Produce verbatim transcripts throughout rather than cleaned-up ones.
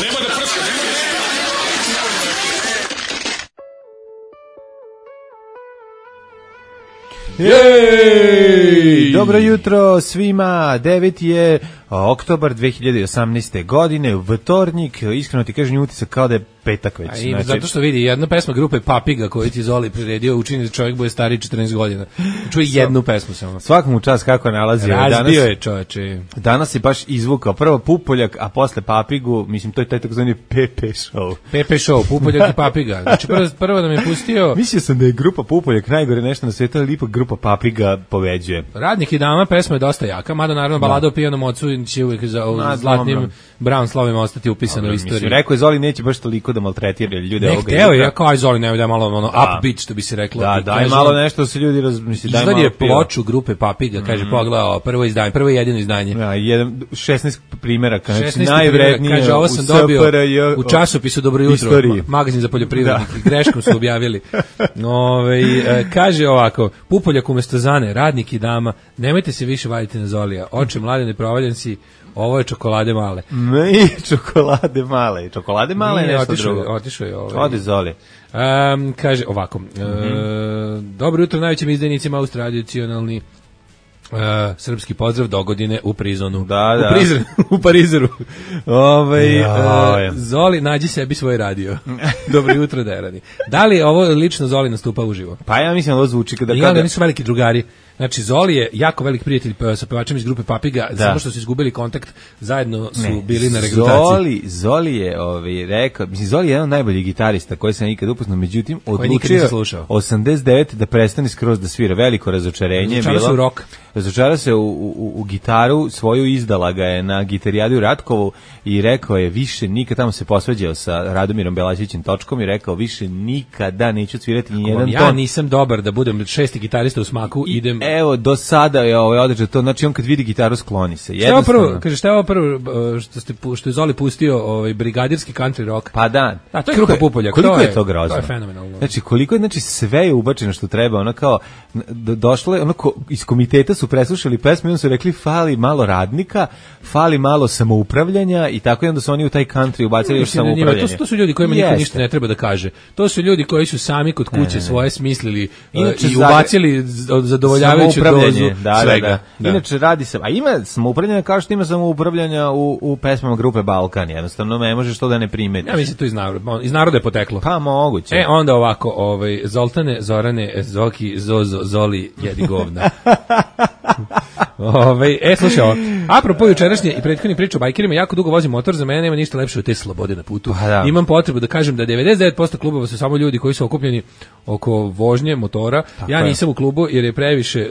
Nema da prska, nema da prska. Jej! Dobro jutro svima, devet je oktobar dve hiljade osamnaeste. godine, vtornik, iskreno ti kažem utisak kao da je petak već. I, znači... Zato što vidi, jedna pesma grupe Papiga koju ti Zoli priredio učini da čovjek bude stariji četrnaest godina. Čuje jednu pesmu samo. Svakom u čas kako nalazi. Razbio je čoveče. Danas je baš izvukao prvo Pupoljak, a posle Papigu, mislim to je taj takozvani P P show. P P show, Pupoljak i Papiga. Znači prvo, prvo da mi je pustio... Mislio sam da je grupa Pupoljak najgore nešto na svijetu, ali ipak grupa Papiga pobeđuje. Radnik i dama, pesma je dosta jaka, mada naravno balada o pijanom ocu će uvijek za Na, zlatnim brown slovima ostati upisano u istoriji. Mislim, rekao je Zoli neće baš toliko da maltretira ljude ovoga. Ne, hteo je, kao aj Zoli, ne da malo ono upbeat, što bi se reklo. Da, daj malo nešto da se ljudi razmisli, daj malo. Izvadi je ploču grupe Papiga, kaže, mm. pogledao, prvo izdanje, prvo i jedino izdanje. Ja, jedan, šesnaest primjeraka, znači najvrednije kaže, ovo sam dobio u časopisu Dobro jutro, magazin za poljoprivrednike, greškom su objavili. Ove, kaže ovako, Pupoljak umesto Zane, radnik i dama, nemojte se više vaditi na Zolija, oče mlade neprovaljen si. Ovo je čokolade male. Ne, i čokolade male. Čokolade male je nešto otišao, drugo. Otišao je ovaj. Odi Zoli. Um, kaže ovako. Mm-hmm. E, dobro jutro najvećim izdenicima tradicionalni Uh, srpski pozdrav do godine u prizonu. Da, da. U, prizren, u Parizeru. Ovaj ja, uh, Zoli nađi sebi svoj radio. Dobro jutro Derani. Da li ovo lično Zoli nastupa uživo? Pa ja mislim da ovo zvuči kada kada nisu veliki drugari. Znači Zoli je jako velik prijatelj sa pevačem iz grupe Papiga, da. Samo što su izgubili kontakt, zajedno su ne, bili na regrutaciji. Zoli, Zoli je ovaj rekao, mislim Zoli je jedan od najboljih gitarista koji sam ikad upoznao, međutim odlučio osamdeset devete da prestane skroz da svira, veliko razočarenje je bilo. Rock. Razočarao se u, u, u gitaru, svoju izdala ga je na gitarijadi u Ratkovu i rekao je više nikad, tamo se posvađao sa Radomirom Belašićem Točkom i rekao više nikada neću svirati ni jedan ja ton. Ja nisam dobar da budem šesti gitarista u Smaku, I, idem... Evo, do sada je ovaj određe to, znači on kad vidi gitaru skloni se. Šta je ovo prvo, kaže, šta je ovo prvo što, ste, što je Zoli pustio ovaj, brigadirski country rock? Pa da. A to je grupa Pupoljak. Koliko to je, je to grozno? To je fenomenalno. Znači, koliko je, znači sve je ubačeno što treba, ono kao, do, došlo je, ono ko, iz komiteta su preslušali pesmu i onda su rekli fali malo radnika, fali malo samoupravljanja i tako i onda su oni u taj country ubacili još samoupravljanje. To su, to su ljudi kojima niko ništa ne treba da kaže. To su ljudi koji su sami kod kuće ne, ne. svoje smislili Inače, i ubacili zadovoljavajuću dozu da, svega. Da, da. Da. Inače radi se, a ima samoupravljanja kao što ima samoupravljanja u, u pesmama grupe Balkan, jednostavno ne možeš to da ne primetiš. Ja mislim to iz naroda, iz naroda je poteklo. Pa moguće. E onda ovako, ovaj Zoltane, Zorane, Zoki, Zozo, Zoli, jedi govna. Ove, e, slušaj ovo, apropo jučerašnje i prethodnih priča o bajkerima, jako dugo vozim motor, za mene nema ništa lepše od te slobode na putu. Da. Imam potrebu da kažem da devedeset devet posto klubova su samo ljudi koji su okupljeni oko vožnje motora. Tako ja nisam je. u klubu jer je previše,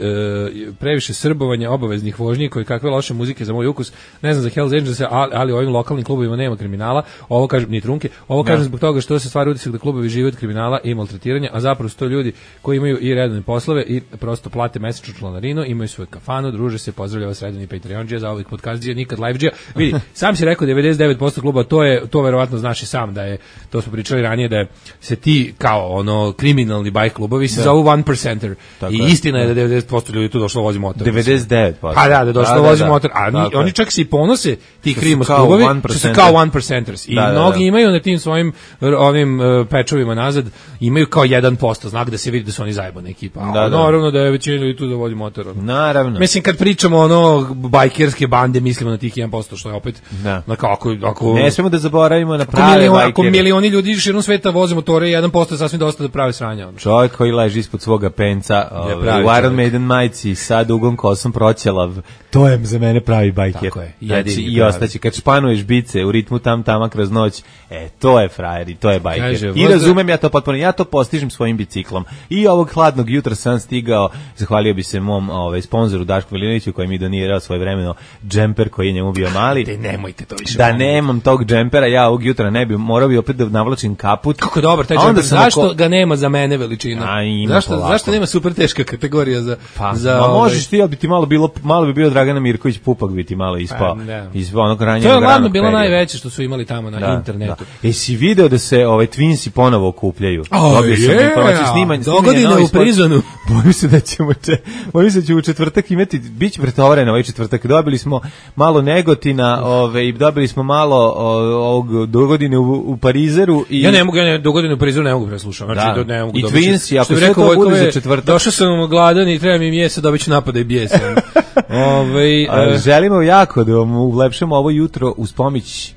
uh, previše srbovanja obaveznih vožnji koji kakve loše muzike za moj ukus. Ne znam za Hells Angels, ali, ali u ovim lokalnim klubovima nema kriminala. Ovo kažem, ni trunke. Ovo kažem zbog toga što se stvara utisak da klubovi žive od kriminala i maltretiranja, a zapravo su to ljudi koji imaju i redovne poslove i prosto plate mesečnu članarinu, imaju svoju kafanu, druže se, pozdravljava sredini Patreondžija, za ovih podcastđija, nikad liveđija. Vidi, sam si rekao devedeset devet posto kluba, to je to verovatno znaš i sam da je, to smo pričali ranije, da je, se ti kao ono kriminalni bajk klubovi se zovu one percenter. I je. Istina je da devedeset posto ljudi tu došlo vozi motor. devedeset devet posto. Pa da, da došlo da, vozi da, motor. A ni, oni čak se i ponose ti krimos klubovi, što su kao one percenters. I da, mnogi da, da. imaju na tim svojim ovim uh, pečovima nazad, imaju kao jedan posto, znak da se vidi da su oni zajebana ekipa. A da, da. Naravno da je većina ljudi tu da vozi motor. Naravno. Mislim, kad pričamo ono bajkerske bande, mislimo na tih jedan posto, što je opet da. na kako, ako ne smemo da zaboravimo na prave milion, bajkere. Ako milioni ljudi širom sveta voze motore, jedan posto je sasvim dosta da prave sranja. Ono. Čovjek koji leži ispod svoga penca, ovaj, u Iron Maiden majici, sa dugom kosom proćelav, to je za mene pravi bajker. Tako je. Znači, i ostaće, kad španuješ bice u ritmu tam tama kroz noć, e, to je frajer i to je bajker. Kaže, I razumem ja to potpuno, ja to postižem svojim biciklom. I ovog hladnog jutra sam stigao, zahvalio bi se mom ovaj, sponzoru Dašku Velinoviću koji mi donirao svoje vremeno džemper koji je njemu bio mali. Te nemojte to više. Da nemam tog džempera, ja ovog jutra ne bi, morao bi opet da navlačim kaput. Kako dobar taj džemper, zašto oko... ga nema za mene veličina? A, zašto, zašto nema super teška kategorija za... Pa, za ma ovaj... možeš ti, ali bi ti malo bilo, malo bi bio Dragana Mirković Pupak bi ti malo ispao. Ispao onog ranjeg ranog. To je ladno bilo najveće što su imali tamo na da, internetu. Da. Jesi video da se ove Twinsi ponovo okupljaju? Oh, yeah. Dogodine u prizonu. Bojim se da ćemo če, bojim se da će u četvrtak imati, biće pretovareno ovaj četvrtak. Dobili smo malo Negotina, ovaj dobili smo malo ovog dogodine u, u Parizeru i ja ne mogu, ja ne dogodine u Parizeru ne mogu preslušati. Znači da. ne mogu i Twins, ako sve to bude za četvrtak. Došao sam gladan i treba mi mjesa, dobiću napada i bijesa. Ovaj uh, želimo jako da vam ulepšamo ovo jutro uz pomoć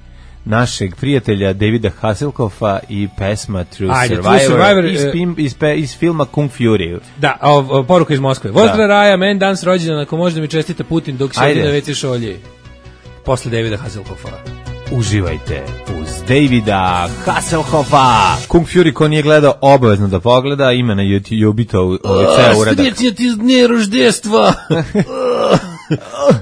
našeg prijatelja Davida Hasselhoffa i pesma True Ajde, Survivor, True Survivor iz, pim, iz, pe, iz filma Kung Fury. Da, o, o, poruka iz Moskve. Vozdra Raja, men dan s rođendan, ako može da mi čestita Putin dok se odi na ve ce šolje. Posle Davida Hasselhoffa. Uživajte uz Davida Hasselhoffa. Kung Fury ko nije gledao obavezno da pogleda, ima na YouTube-u ovaj ceo uradak. Srećnje ti dne roždestva.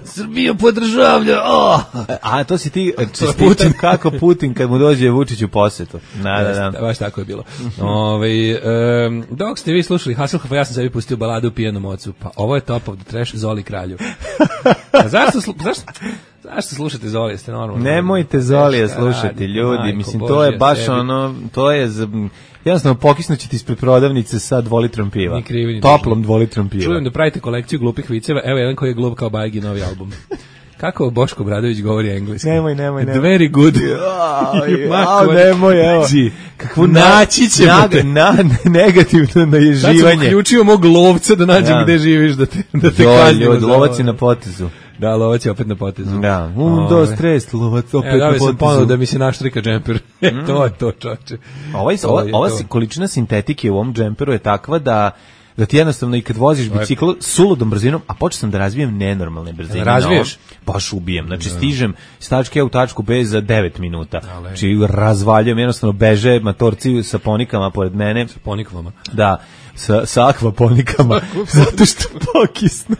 Srbija podržavlja. Oh. A to si ti čestitam kako Putin kad mu dođe Vučić u posetu. Da, da, da. Baš tako je bilo. Ovaj um, dok ste vi slušali Hasselhoffa, ja sam sebi pustio baladu u pijanom ocu. Pa ovo je top of the trash Zoli kralju. A zašto slu, zašto zašto slušate Zoli, jeste normalno? Nemojte Zolija slušati, ljudi. Majko, Mislim Bože, to je baš sebi. ono, to je z... jednostavno pokisnući ti ispred prodavnice sa dvolitrom piva. Ni krivi, ni toplom dvolitrom piva. Čujem da pravite kolekciju glupih viceva. Evo jedan koji je glup kao Bajgi novi album. Kako Boško Obradović govori engleski? Nemoj, nemoj, nemoj. Very good. Ao, nemoj, evo. Kakvu naći ćemo te. Na, negativno naježivanje. Sad sam uključio mog lovca da nađem ja. gde živiš, da te, da te kažem. Lovac je na potezu. Da, lovac je opet na potezu. Da, un, dos, tres, lovac opet e, na potezu. Sam ponovno da mi se naštrika džemper. E, to je to, čoče. Ovaj, ova ova to. Količina sintetike u ovom džemperu je takva da da ti jednostavno i kad voziš bicikl suludom brzinom, a počeo sam da razvijem nenormalne brzine. Razviješ? Baš ubijem. Znači stižem s tačke A u tačku B za devet minuta. Znači razvaljujem, jednostavno beže matorci sa ponikama pored mene. Sa ponikvama? Da. Sa, sa akvaponikama, zato što pokisnu,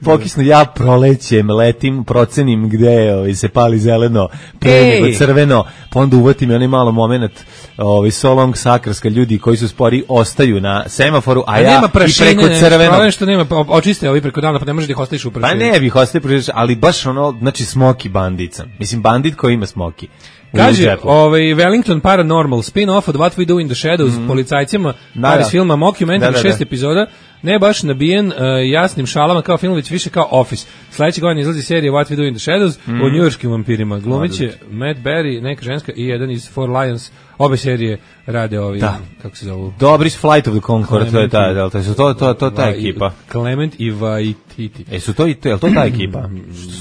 pokisnu, ja prolećem, letim, procenim gde ovaj, se pali zeleno, pre nego crveno, pa onda uvatim i onaj malo moment ovaj, so long sakrska, ljudi koji su spori ostaju na semaforu, a, a ja nema prašine, i preko crveno. Problem što nema, očiste ovi preko dana, pa ne možeš da ih ostaviš u prašini. Pa ne bih ostavio, ali baš ono, znači smoki bandica. Mislim, bandit koji ima smoki. Kaže, ovaj Wellington Paranormal spin-off od What We Do in the Shadows mm. policajcima da, iz filma Mockumentary, da, da, da. šest epizoda, ne baš nabijen uh, jasnim šalama kao film, već više kao Office. Sledeće godine izlazi serija What We Do in the Shadows mm. o njujorškim vampirima. Glumiće Matt Berry, neka ženska i jedan iz Four Lions. Obe serije rade ovi, da. kako se zovu? Dobri s Flight of the Conchords, to je ta, da, to su to to to ta ekipa. Clement i Waititi. E su to i to, je to ta ekipa?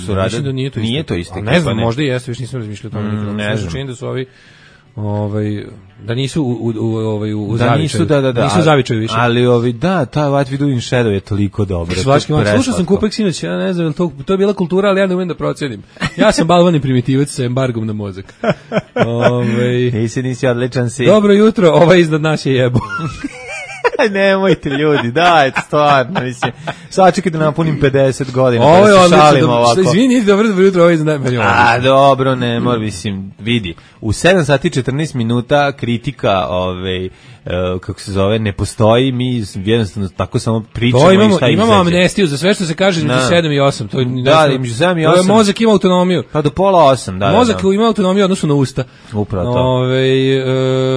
Su rade? Da nije to isto. Nije to isto. Ne znam, možda i jeste, više nisam razmišljao o tome. Mm, ne znam. Čini da su ovi ovaj da nisu u u u ovaj u da nisu da da da nisu zavičaju više, ali ovi da ta What We Do in Shadow je toliko dobro. Slušao sam Kupek sinoć, ja ne znam, to to je bila kultura, ali ja ne umem da procenim. Ja sam balvani primitivac sa embargom na mozak. Ovaj nisi nisi odličan si. Dobro jutro, ovaj iznad nas je jebo. Nemojte ljudi, dajte stvarno, mislim. Sačekajte da napunim pedeset godina. Ovo je odlično, izvini, dobro, dobro jutro, ovo je iznad nas. A, dobro, ne mora, mislim, vidi. U sedam sati i četrnaest minuta kritika, ovaj, uh, kako se zove, ne postoji, mi jednostavno tako samo pričamo imamo, i šta imamo izađe. Amnestiju za sve što se kaže između sedam i osam. To je, da, između sedam i osam. Mozak ima autonomiju. Pa do pola osam, da. Mozak da, da. ima autonomiju odnosno na usta. Upravo to. Ove,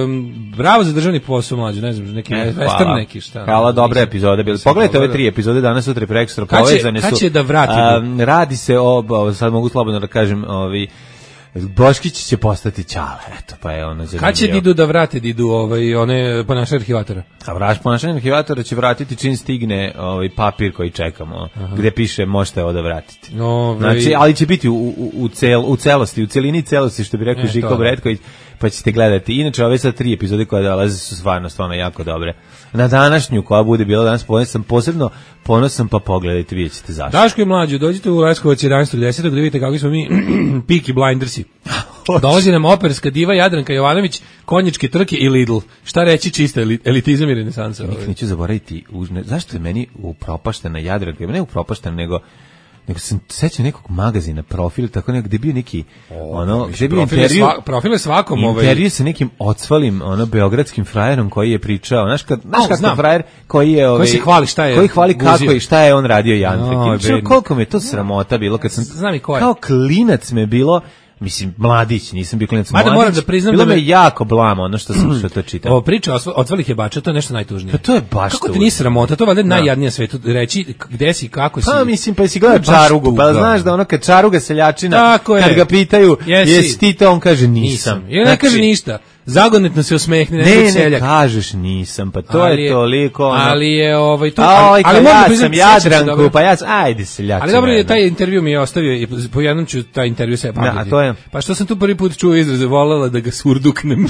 um, bravo za državni posao, mlađe, ne znam, neki e, western neki šta. Hvala, dobre epizode bile. Pogledajte ove tri epizode danas, sutra i prekstra povezane su. Kad će da vrati? Um, radi se o, sad mogu slobodno da kažem, ovi Boškić će postati Ćale, eto, pa je ono zanimljivo. Kad će Didu da vrati Didu ovaj, one ponašanje arhivatora? A vraš ponašanje arhivatora će vratiti čim stigne ovaj papir koji čekamo, aha, gde piše možete ovo da vratiti. Ovaj... Znači, ali će biti u, u, u, cel, u celosti, u celini celosti, što bi rekao e, Žiko Bretković, pa ćete gledati. Inače, ove sad tri epizode koje dolaze su stvarno, stvarno jako dobre. Na današnju, koja bude bila danas, sam posebno ponosan, pa pogledajte, vidjet ćete zašto. Daško i mlađo, dođite u Leskovac jedanaestog desetog da vidite kako smo mi Peaky Blindersi. Dolazi nam operska diva Jadranka Jovanović, konjičke trke i Lidl. Šta reći, čista elitizam i renesansa. Nikad neću zaboraviti, uzne, zašto je meni upropaštena Jadranka, ne upropaštena, nego nego sam sećam nekog magazina Profil, tako nekog, gde je bio neki o, ono, gde je bio intervju, sva, Profil je svakom intervju ovaj... sa nekim odsvalim ono beogradskim frajerom koji je pričao, znaš kad, znaš oh, kako frajer koji je ovaj, koji se hvali šta je, koji hvali kako i šta je on radio Jandrik. No, koliko mi je to sramota bilo kad sam znam i ko je. Kao klinac me bilo Mislim, mladić, nisam bio klinac, mladić. Moram da priznam bilo da me me jako blama ono što sam što to čitao. Ovo priča o otvalih jebača, to je nešto najtužnije. Pa to je baš kako ti nisi sramota, to je valjda najjadnije svetu reći gde si, kako si. Pa mislim, pa si gledao Čarugu, pa znaš da ono kad Čaruga seljačina, kad ga pitaju jesi ti to, on kaže nisam. I ne kaže ništa. Zagonetno se osmehne, ne, ne, ne kažeš nisam, pa to ali je toliko ono. Ali je ovaj to, ali, ali ja sam Jadranku, pa ja sam, ajde seljačina. Ali dobro je, taj intervju mi je ostavio i po jednom ću taj intervju sve pamtiti. To je. Pa što sam tu prvi put čuo izraz, volela da ga surduknem.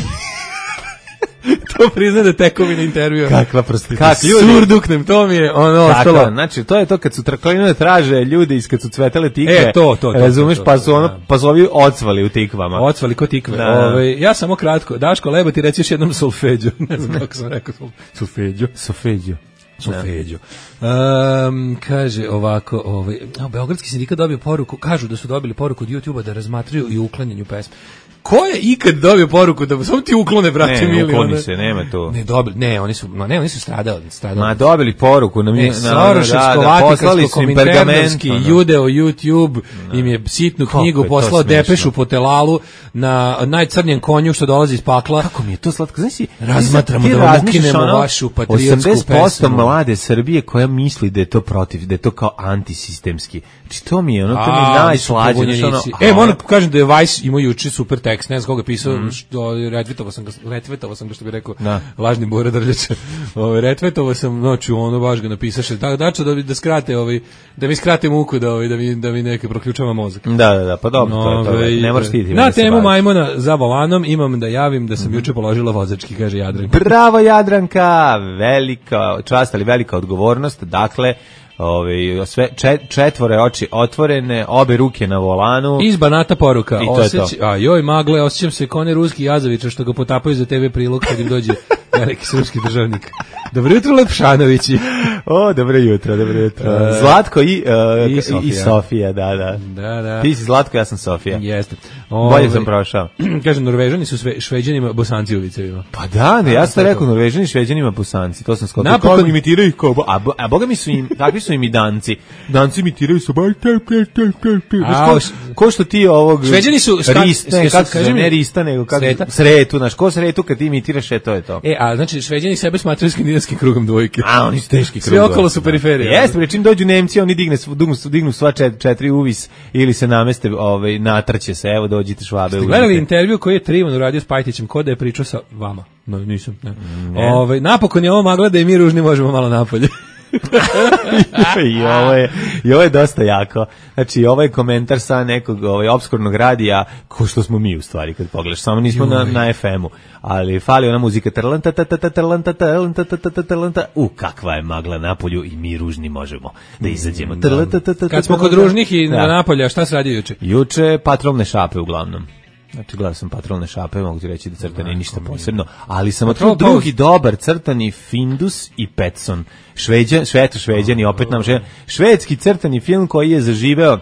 To prizna da tekovina intervjua. Kakva prostitucija. Kak, surduknem, to mi je ono ostalo. Znači, to je to kad su trkline traže ljudi iz kad su cvetele tikve. E, to, to, to. Razumeš, to, to, pa su ono, da. pa su ovi ocvali u tikvama. Ocvali ko tikve. Da. Ove, ja samo kratko, Daško Lebo ti reći još jednom solfeđo. Ne znam kako sam rekao. Solfeđo. Solfeđo. Solfeđo. Um, kaže ovako, ovaj, no, Beogradski sindikat dobio poruku, kažu da su dobili poruku od YouTube-a da razmatraju i uklanjanju pesme. Ko je ikad dobio poruku da samo ti uklone, brate, ne, mili? Ne, ukloni se, nema to. Ne, dobili, ne, oni su, ne, oni su stradali, stradali. Ma, dobili poruku na mi, na Soroševsko, Vatikansko, Kominternovski, Judeo, YouTube, no. Im je sitnu knjigu je poslao depešu po telalu na najcrnjem konju što dolazi iz pakla. Kako mi je to slatko, znaš si, razmatramo da vam ukinemo ono, vašu patriotsku pesmu. osamdeset posto mlade Srbije koja misli da je to protiv, da je to kao antisistemski. Znači, to mi je ono, to mi je najslađe. Ono, e, moram kažem da je Vice imao juče super tekst, ne znam koga je pisao, mm. što retweetovao sam ga, retweetovao sam ga što bi rekao da. Lažni Bora Drljača. Ovaj retweetovao sam noću, ono baš ga napisaše. Tako da da da skrate ovaj da mi skrate muku da ovaj da mi da mi neke proključava mozak. Da, da, da, pa dobro, no, to je to. Ne moraš ti. Na temu majmuna za volanom imam da javim da sam mm. juče položila vozački, kaže Jadranka. Bravo Jadranka, velika čast, ali velika odgovornost. Dakle, Ove, sve četvore oči otvorene, obe ruke na volanu. Iz Banata poruka. I to Osjeć, je to. A joj magle, osjećam se kao ne ruski Jazovića što ga potapaju za te ve prilog kad im dođe veliki srpski državnik. Dobro jutro, Lepšanovići. O, dobro jutro, dobro jutro. Uh, Zlatko i, uh, i, Sofija. i Sofija, da, da. Da, da. Ti si Zlatko, ja sam Sofija. Jeste. Bolje Ove, sam prošao. Kažem, Norvežani su sve, Šveđanima Bosanci u vicevima. Pa da, ne, ja sam rekao Norvežani, Šveđanima Bosanci. To sam skoro. Napokon imitiraju kao, a, a boga mi su im, takvi su im i Danci. Danci imitiraju su baš ko što ti ovog Šveđani su rist, ne, kako kaže ne rista, nego kako sretu, znaš, ko sretu kad ti imitiraš, e, to je to. E, a znači Šveđani sebe smatraju skandinavskim krugom dvojke. A oni su teški krug. Sve okolo su periferije. Jeste, pri čim dođu Nemci, oni digne dignu, dignu sva čet, četiri uvis ili se nameste, ovaj natrće se, evo dođite Švabe. Gledali intervju koji je Trivan uradio s Pajtićem, ko da je pričao sa vama. No, nisam, ne. ne. Ovaj napokon je ovo magla da i mi ružni možemo malo napolje. I ovo je i ovo je dosta jako. Znači ovo je komentar sa nekog ovaj opskurnog radija, ko što smo mi u stvari kad pogledaš, samo nismo na na ef emu, ali fali ona muzika trlanta trlanta trlanta trlanta trlanta. U kakva je magla napolju i mi ružni možemo da izađemo. Kad smo kod ružnih i na napolja, šta se radi juče? Juče patrolne šape uglavnom. Znači, gledao sam patrolne šape, mogu ti reći da crtani ništa posebno, ali sam otkrilo drugi dobar crtani Findus i Petson. Šveđan, šveto šveđani, opet nam šveđan. Švedski crtani film koji je zaživeo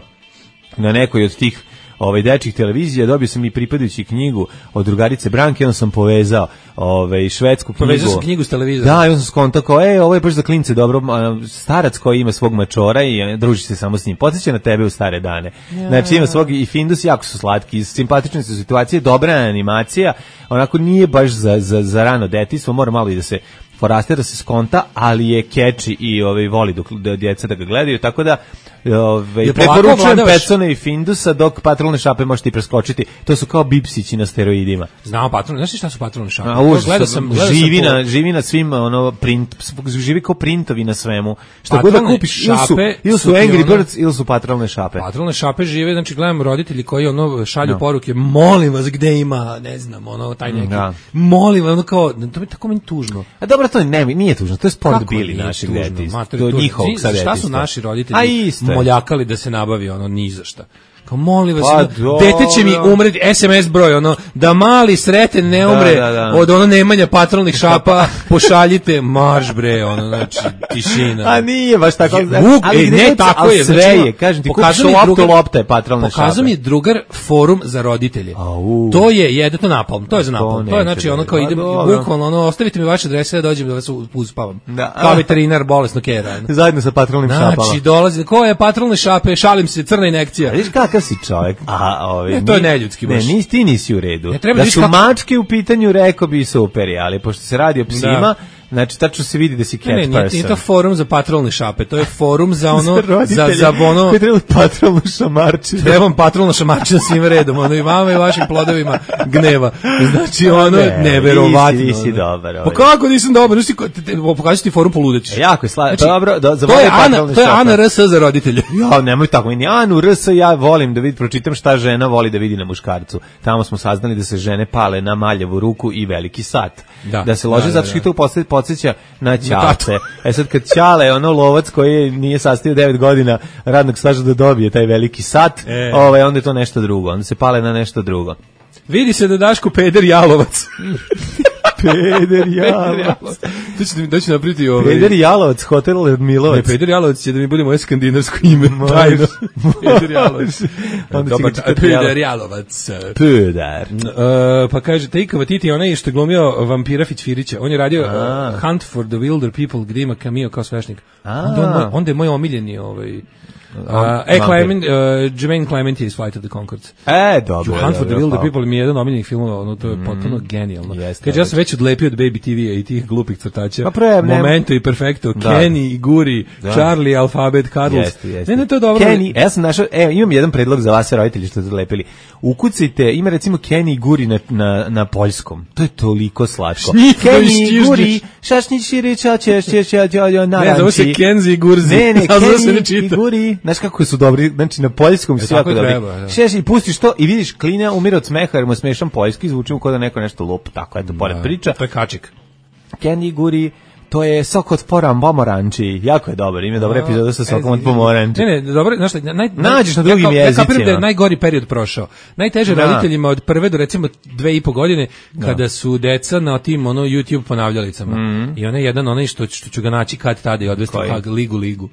na nekoj od tih ovaj dečjih televizija, dobio sam i pripadajući knjigu od drugarice Branke, onda sam povezao ovaj švedsku knjigu. Povezao sam knjigu s televizora. Da, i onda sam skontakao, ej, ovo je baš za klince dobro, starac koji ima svog mačora i druži se samo s njim. Podsjeća na tebe u stare dane. Ja. Znači ima svog i Findus, jako su slatki, simpatične su situacije, dobra animacija, onako nije baš za, za, za rano detinjstvo, mora malo i da se foraste da se skonta, ali je keči i ovaj voli dok da djeca da ga gledaju, tako da ovaj preporučujem Petsona i Findusa, dok patrolne šape možete i preskočiti. To su kao bipsići na steroidima. Znamo patrolne, znaš šta su patrolne šape? A, užas, gledao sam, gledao živi sam na po... živi na svim ono print, živi kao printovi na svemu. Šta god da kupiš, ili su, ili su Angry ono, Birds ili su patrolne šape. Patrolne šape žive, znači gledam roditelji koji ono šalju no. poruke, molim vas gde ima, ne znam, ono taj neki. Da. Molim vas, ono kao, to mi tako meni tužno. A dobro, to ne, nije tužno, to je sport bili naših detinjstva. To je njihovog sad detinjstva. Šta su naši roditelji moljakali da se nabavi ono ni za šta? Kao molim vas, pa, ono, dete će mi umreti, es em es broj, ono, da mali sreten ne umre da, da, da. od ono nemanja patrolnih šapa, pošaljite marš bre, ono, znači, tišina. A nije baš tako. Vuk, ali ne, ne tako je. Sve je, kažem ti, kupiš loptu, lopta je patrolne šape. Pokazao mi je drugar forum za roditelje. Au. To je, jede to napalm, to je za napalm. To, to je, znači, ono, kao idem, bukvalno, ono, ostavite mi vaše adrese da dođem da vas uspavam. Da. Kao veterinar bolesno kera. Zajedno sa patrolnim šapama. Znači, dolazi, ko je patrolne šape, šalim se, crna injekcija. kakav si čovjek. A ovaj ne, to je neljudski baš. Ne, nisi ti nisi u redu. Ne, da su kako... mačke u pitanju, rekao bi super, ali pošto se radi o psima, da. Znači, tačno se vidi da si cat ne, ne, person. Nije to forum za patrolne šape, to je forum za ono, za, za ono... Koji treba patrolnu šamarčinu. Trebam patrolnu šamarčinu svim redom, ono i vama i vašim plodovima gneva. Znači, ono, ne, neverovatno. Nisi, nisi dobar. Pa kako nisam dobar? Pokaži ti forum poludećeš. Jako je slavno. Znači, dobro, do, za to je Ana, to je Ana R S za roditelje. Ja, nemoj tako. Ni Anu R S ja volim da vidim, pročitam šta žena voli da vidi na muškarcu. Tamo smo saznali da se žene pale na maljavu ruku i veliki sat. Da, da se lože, da, zato što da, da. to podsjeća na Ćale. E sad kad Ćale, ono lovac koji nije sastavio devet godina radnog staža da dobije taj veliki sat, e. ovaj, onda je to nešto drugo. Onda se pale na nešto drugo. Vidi se da Daško peder jalovac. Peder Jalovac. To će da će napraviti ovaj. Peder Jalovac, hotel Milovac. Ne, Peder Jalovac će da mi bude moje skandinavsko ime. Tajno. Peder Jalovac. Dobar, Peder Jalovac. Peder. Uh, pa kaže, Taika Waititi, onaj što je glumio vampira Fićfirića. On je radio uh, Hunt for the Wilder People, gde ima cameo kao svešnik. Onda, onda je moj omiljeni ovaj... Uh, e, Clement, uh, Jermaine Clement is Flight of the Conchords. E, dobro. Hunt for the Wilder People mi je jedan omiljenih filmova, ono, to je mm, potpuno genijalno. Yes, Kaže, ja sam već odlepio od Baby T V-a i tih glupih crtača. Pa pre, Momento ne... i Perfecto, da. Kenny i Guri, da. Charlie, Alphabet, Carlos. Jeste, jeste. Ne, ne, to je dobro. Kenny, ja sam našao, evo, imam jedan predlog za vas, roditelji, što ste odlepili. Ukucite, ima recimo Kenny i Guri na, na, na poljskom. To je toliko slatko. Kenny i Guri, šašnić širi, ča, ča, ča, ča, ča, naranči. Ne, zove se Kenzi i Gurzi. Ne, ne, Kenny i Guri. Znaš kako su dobri, znači na poljskom su jako dobri. Šeš i pustiš to i vidiš klina umire od smeha jer mu smešan poljski, zvuči mu kao da neko nešto lup, tako eto, pored priča. To je kačik. Kenny Guri, to je sok od poram pomoranči, jako je dobar, ima dobra epizoda sa sokom od pomoranči. Ne, ne, dobro, znaš šta, naj, nađeš na drugim ja, jezicima. Ja kapiram da je najgori period prošao. Najteže da. roditeljima od prve do recimo dve i po godine, da. kada su deca na tim ono YouTube ponavljalicama. Mm. I onaj jedan, onaj što, što ću ga naći kad tada i odvesti kag Ligu Ligu.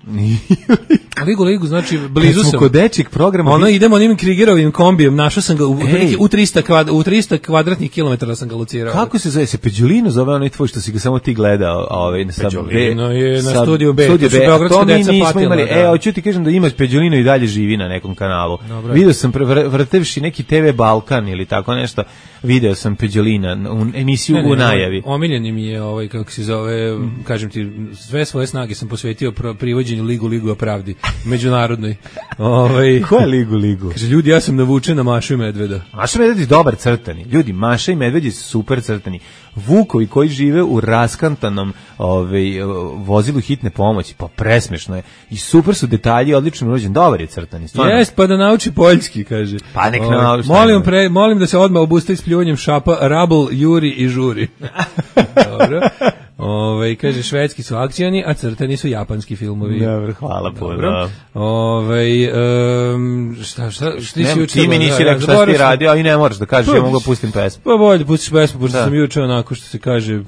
Ligu Ligu, znači blizu sam. Kod dečjeg programa. Ono idemo onim Krigerovim kombijem, našao sam ga u, u trista kvad, u trista kvadratnih kilometara sam ga locirao. Kako se zove? Se Peđulino zove onaj tvoj što si ga samo ti gledao, ovaj sa Peđulino je na studiju B. Studiju B. To mi nismo imali. E, hoću ti kažem da ima Peđulino i dalje živi na nekom kanalu. Video sam vrtevši neki T V Balkan ili tako nešto. Video sam Peđulina u emisiju ne, ne, u najavi. Omiljeni mi je ovaj kako se zove, mm. kažem ti, sve svoje snage sam posvetio privođenju Ligu Ligu o pravdi međunarodnoj. Ovaj ko je Ligu Ligu? Kaže ljudi, ja sam navučen na Mašu i Medveda. Maša i Medved je dobar crtani. Ljudi, Maša i Medved je super crtani. Vukovi koji žive u raskantanom ovaj vozilu hitne pomoći, pa presmešno je. I super su detalji, odlično urađen, dobar je crtani. Jes, pa da nauči poljski, kaže. Pa nek nauči. Molim pre, molim da se odmah obustavi s pljuvanjem šapa, rabl, juri i žuri. Dobro. Ove, kaže, švedski su akcioni, a crtani su japanski filmovi. Dobro, hvala puno. Ove, um, šta, šta, šta ti si juče? Ti mi nisi rekao šta ti radio, a i ne moraš da kažeš, ja mogu da pustim pesmu. Pa bolje, pustiš pesmu, pošto sam juče onako što se kaže,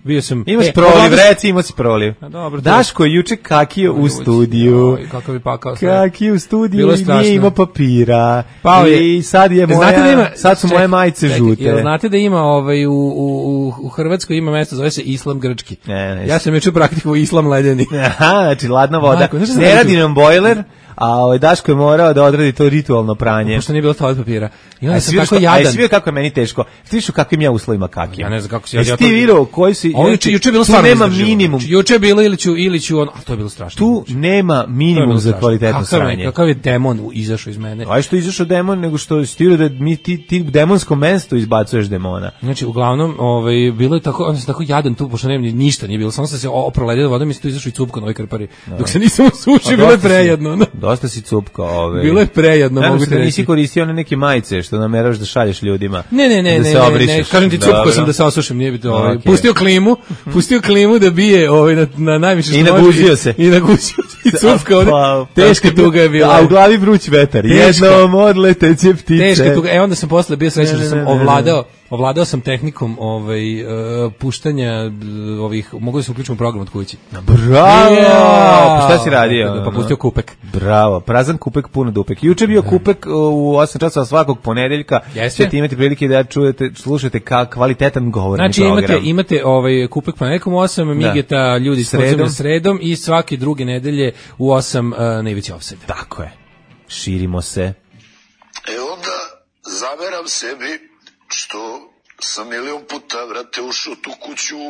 bio sam... Imaš e, proliv, reci, imao si proliv. Daško je juče kakio u studiju. Kakav je pakao sve. Kakio u studiju i nije imao papira. Pao je. I sad je moja, sad su moje majice žute. Jel znate da ima ovaj, u, u, u Hrvatskoj ima mesto, zove se Islam grčki. Ne, ne, ja sam juče praktikovao islam ledeni. Aha, znači ladna voda. Majko, ne radi nam bojler, a ovaj Daško je morao da odradi to ritualno pranje. Pošto nije bilo toalet papira. I onda sam tako što, jadan. A svi kako je meni teško. Ti što kakvim ja uslovima kakim. Ja ne znam kako se ja. Jesi ti video koji si? Juče juče bilo stvarno nema minimum. Juče je bilo ili ću ili ću on, a to je bilo strašno. Tu nema minimum za kvalitetno sranje. Kakav je demon izašao iz mene. A što izašao demon, nego što si da mi ti ti demonsko mesto izbacuješ demona. Znači uglavnom, ovaj bilo je tako, on se tako jadan tu, pošto nema ništa, nije bilo, samo sam se oproledio vodom i tu izašao i cupka na ovoj krpari. Dok se nisam usušio, bilo je prejedno. Dosta si cupka, ovaj. Bilo je prejedno, mogu ti reći. Nisi koristio one neke majice što nameraš da šalješ ljudima. Ne, ne, ne, da ne, ne, ne, kažem ti cupko sam da se osušim, nije biti ovaj. Okay. Pustio klimu, pustio klimu da bije ovaj na, na najviše što i naguzio se. I naguzio i cupka, pa, teška tuga je bila. A u glavi vruć vetar. Jednom odleteće ptice. Teška tuga. E onda sam posle bio srećan što sam ovladao Ovladao sam tehnikom ovaj uh, puštanja uh, ovih, mogu da se uključim u program od kući. Bravo! Yeah. Pa šta si radio? Pa, pa pustio kupek. Bravo, prazan kupek, puno dupek. Juče bio kupek u osam časova svakog ponedeljka. Ćete imati prilike da čujete, slušate ka kvalitetan govorni znači, program. Znači imate, imate ovaj kupek ponedeljkom u osam, Migeta ljudi sredom. sredom i svake druge nedelje u osam uh, najveći ofsajd. Tako je. Širimo se. E onda zameram sebi što sam milion puta, vrate, ušao tu kuću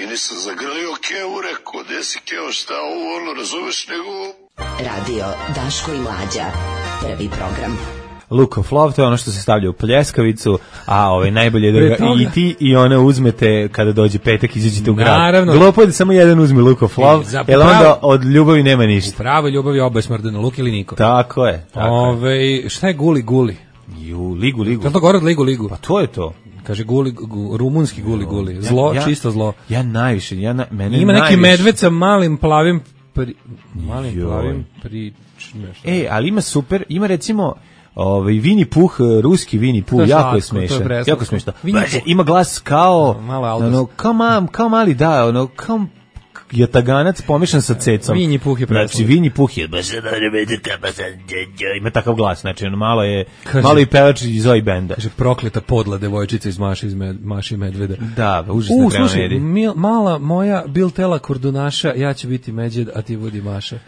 i nisam zagrlio Keo, rekao, gde si Keo, šta ovo, ono, razumeš, nego... Radio Daško i Mlađa, prvi program. Look of Love, to je ono što se stavlja u pljeskavicu, a ovaj najbolje da ga i ti i ona uzmete kada dođe petak, izađete u grad. Naravno. Glupo je da samo jedan uzme Look of Love, jer onda od ljubavi nema ništa. U pravoj ljubavi oboje smrdeno, luk ili niko. Tako je. Tako Ove, šta je guli guli? Ju, ligu, ligu. Je to gore od ligu, ligu? Pa to je to. Kaže guli, gu, rumunski guli, guli. Zlo, ja, čisto zlo. Ja najviše, ja na, mene ima najviše. neki medved sa malim plavim, pri, malim Joj. plavim prič, nešto. E, ali ima super, ima recimo... Ovaj Vini Puh, ruski Vini Puh, jako je smešan. Jako smešno. Ima glas kao ono kao mal, kao mali da, ono kao jataganac pomešan sa cecom. Vini Puh je preslatko. Znači Vini Puh je baš ima takav glas, znači ono malo je kaže, malo i pevač iz oj benda. Kaže prokleta podla devojčica iz Maši iz med, Maši Medveda. Da, užasno treba mediji. Mala moja bil tela kordunaša, ja ću biti Međed, a ti budi Maša.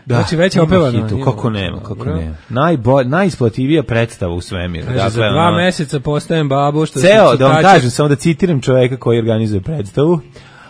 Da, znači već je opevano. Hitu, kako nema, kako nema. Najbolj, najisplativija predstava u svemiru. Dakle, za dva ono, meseca postajem babu. Što ceo, da vam kažem, samo da citiram čoveka koji organizuje predstavu.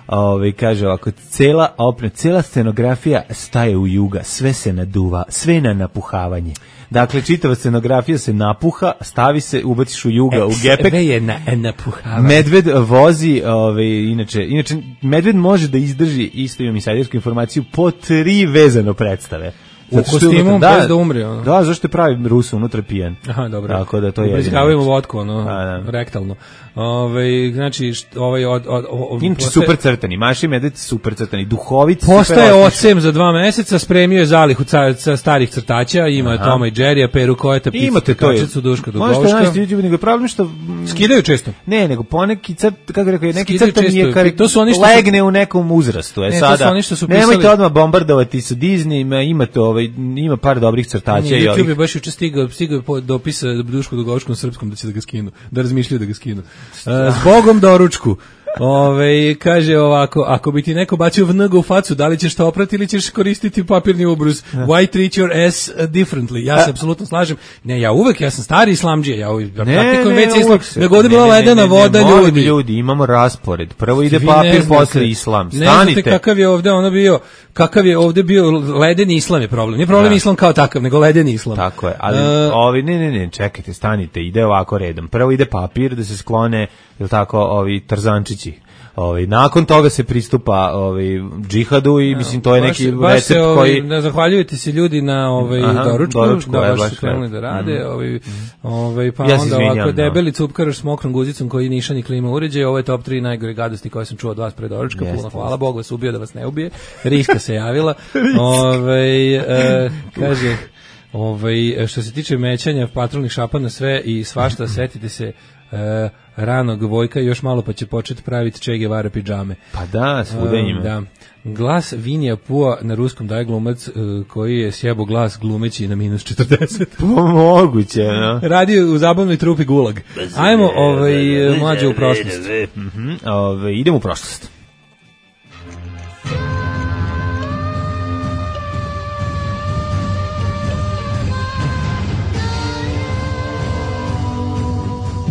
Ove, kaže ovako, cela opne, cela scenografija staje u juga, sve se naduva, sve na napuhavanje. Dakle, čitava scenografija se napuha, stavi se, ubaciš u juga, e, u gepek. Sve je na, napuhavanje. Medved vozi, ove, inače, inače, medved može da izdrži, isto imam insajdersku informaciju, po tri vezano predstave. U kostimu da, bez da umre. Ono. Da, zašto je pravi Rusu unutra pijen. Aha, dobro. Tako da to je jedino. Ubrizgavaju vodku, ono, da, da. rektalno. Ove, znači, št, ovaj od... od, od Inače, postaje, super crtani, Maši Medved super crtani, duhovit. Postaje ocem za dva meseca, spremio je zalihu ca, starih crtača, ima je Toma i Jerrya, Peru Kojeta, Picu, Kačicu, Duška Dugovška. Možete naći, nego problem što... Skidaju često. Ne, nego poneki crt, kako rekao, neki crtani je kar, to su oni što legne u nekom uzrastu. E, ne, sada, to su oni što su pisali... Nemojte odmah bombardovati sa Disney, imate ovaj, ima par dobrih crtača. I YouTube je baš juče stigao, stigao je dopis Dušku Dugovškom srpskom da će da ga skinu, da razmišljaju da ga skinu. Zbogom doručku. Ove, kaže ovako, ako bi ti neko bacio vnga u facu, da li ćeš to oprati ili ćeš koristiti papirni ubrus? Why treat your ass differently? Ja se apsolutno slažem. Ne, ja uvek, ja sam stari islamdžija, ja uvek praktikujem već islam. Nego ovdje bila ledena voda, ljudi. Ljudi, imamo raspored. Prvo ide papir, posle islam. Stanite. Ne znate kakav je ovdje ono bio, kakav je ovdje bio ledeni islam je problem. Nije problem islam kao takav, nego ledeni islam. Tako je, ali ovi, ne, ne, ne, čekajte, stanite, ide ovako redom. Prvo ide papir da se sklone, jel tako, ovi tarzančići. Ovaj nakon toga se pristupa ovaj džihadu i mislim to je baš, neki baš recept se, koji ne zahvaljujete se ljudi na ovaj Aha, doručku, doručku da baš, baš su krenuli da rade, mm. ovaj ovaj pa ja onda ovako debeli cupkaroš s mokrom guzicom koji nišani klima uređaj, ovo je top tri najgore gadosti koje sam čuo od vas pre doručka, puno hvala Bogu vas ubio da vas ne ubije. Riska se javila. ovaj e, kaže ovaj što se tiče mećanja patrolnih šapa na sve i svašta, setite se e, ranog Vojka, još malo pa će početi praviti Che Guevara pidžame. Pa da, svuda ima. Da. Glas Vinija Pua na ruskom daje glumac uh, koji je sjebo glas glumeći na minus četrdeset. Moguće, no. Radi u zabavnoj trupi Gulag. Ajmo ovaj, mlađe u prošlost. Mm-hmm. Ove, idemo u prošlost.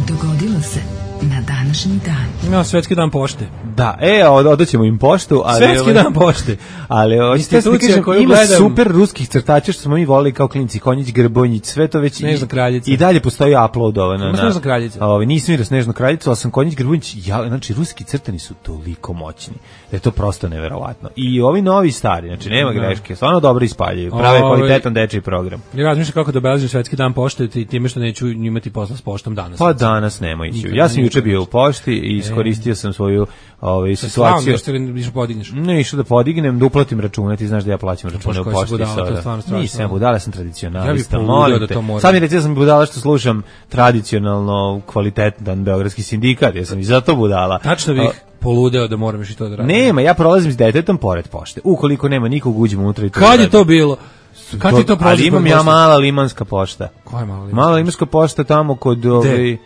Dogodilo se na današnji dan. Ja, svetski dan pošte. Da, e, odaćemo im poštu, ali svetski ovaj, dan pošte. Ali institucija koju ima gledam, super ruskih crtača što smo mi voleli kao klinci, Konjić, Grbonjić, sve to već Snežna kraljica. I dalje postoji uploadovano na Snežna kraljica. Ovaj nisam vidio Snežnu kraljicu, al sam Konjić, Grbonjić, ja, znači ruski crtani su toliko moćni da je to prosto neverovatno. I ovi novi stari, znači nema no. greške, stvarno dobro ispaljuju, prave Ove, kvalitetan dečiji program. Ja razmišljam kako da obeležim svetski dan pošte i time što neću imati posla s poštom danas. Pa danas nema ići. Ja sam juče bio u pošti i iskoristio sam svoju ovaj situaciju. Što li podigneš? Ne, išao da podignem, da uplatim račune, ti znaš da ja plaćam račune u pošti sada. Nisam budala, sam tradicionalista, molim te. Sad mi reći da sam budala što slušam tradicionalno kvalitetan beogradski sindikat, ja sam i zato budala. Tačno bih poludeo da moram i to da radim. Nema, ja prolazim s detetom pored pošte. Ukoliko nema nikog, uđemo unutra i to. Kad je to bilo? Kad ti to prolazi? Ali imam ja mala limanska pošta. Koja je mala limanska? Mala limanska pošta tamo kod ovaj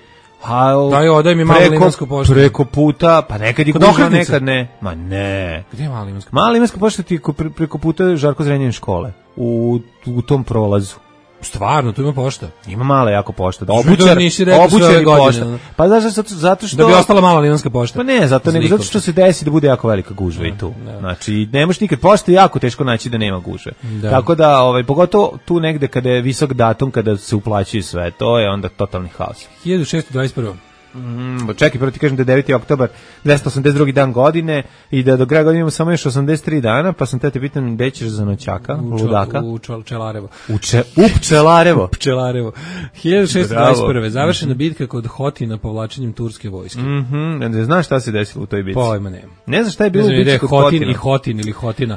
Ha, daj, odaj mi malo limansku poštu. Preko puta, pa nekad je kuža, nekad ne. Ma ne. Gdje je mala limanska? Mala limanska pošta ti preko puta Žarko Zrenjanin škole. U, u tom prolazu. Stvarno, tu ima pošta. Ima mala jako pošta. Da obućar, obućar pošta. Pa znaš zato, zato što... Da bi ostala mala limanska pošta. Pa ne, zato, nego zato što se desi da bude jako velika gužva i tu. Da. Znači, ne možeš nikad, pošta je jako teško naći da nema gužve. Da. Tako da, ovaj, pogotovo tu negde kada je visok datum, kada se uplaćuje sve, to je onda totalni haos. hiljadu šessto dvadeset prva. Mm, čekaj, prvo ti kažem da je deveti oktobar dvesta osamdeset drugi dan godine i da do kraja godine imamo samo još osamdeset tri dana, pa sam te te pitan gde ćeš za noćaka, u ludaka? U Pčelarevo. U, če, u Pčelarevo. U Pčelarevo. hiljadu šessto dvadeset prva. Završena mm-hmm. bitka kod Hotina povlačenjem turske vojske. Mhm. Ne znaš šta se desilo u toj bitci? Pojma nema. Ne znaš šta je bilo u bitci kod Hotin Hotina? i Hotin ili Hotina.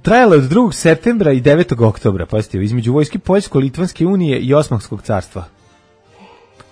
Trajalo je od drugog septembra i devetog oktobra, pazite, između vojske Poljsko-Litvanske unije i Osmanskog carstva.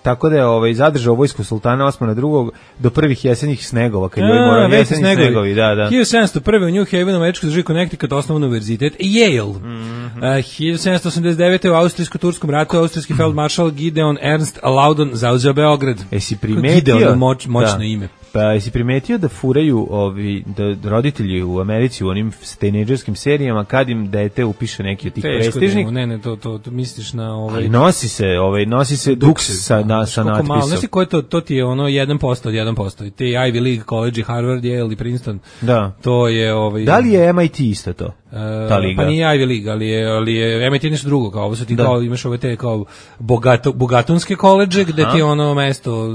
Tako da je ovaj zadržao vojsku sultana Osmana drugog do prvih jesenjih snegova, kad je morao jesenji snegovi, da, da. hiljadu sedamsto prve u New Havenu, američkoj državi Connecticut, osnovan univerzitet Yale. Mm-hmm. Uh, hiljadu sedamsto osamdeset devete u austrijsko-turskom ratu austrijski feldmaršal Gideon Ernst Laudon zauzeo Beograd. Jesi primetio? Gideon, moć, moćno da. ime. Pa jesi primetio da furaju ovi da roditelji u Americi u onim tejnejdžerskim serijama kad im dete upiše neki od tih prestižnih? Ne, ne, to to to misliš na ovaj. Ali nosi se, ovaj nosi se duks sa na sa natpisom. Znaš ti ko je to? To ti je ono jedan posto od jedan posto. Te Ivy League College, Harvard, Yale i Princeton. Da. To je ovaj. Da li je M I T isto to? Ta liga. Pa nije Ivy League, ali je, ali je M I T nešto drugo, kao ovo su ti da. Kao imaš ove te kao bogato, bogatunske koledže gde ti ono mesto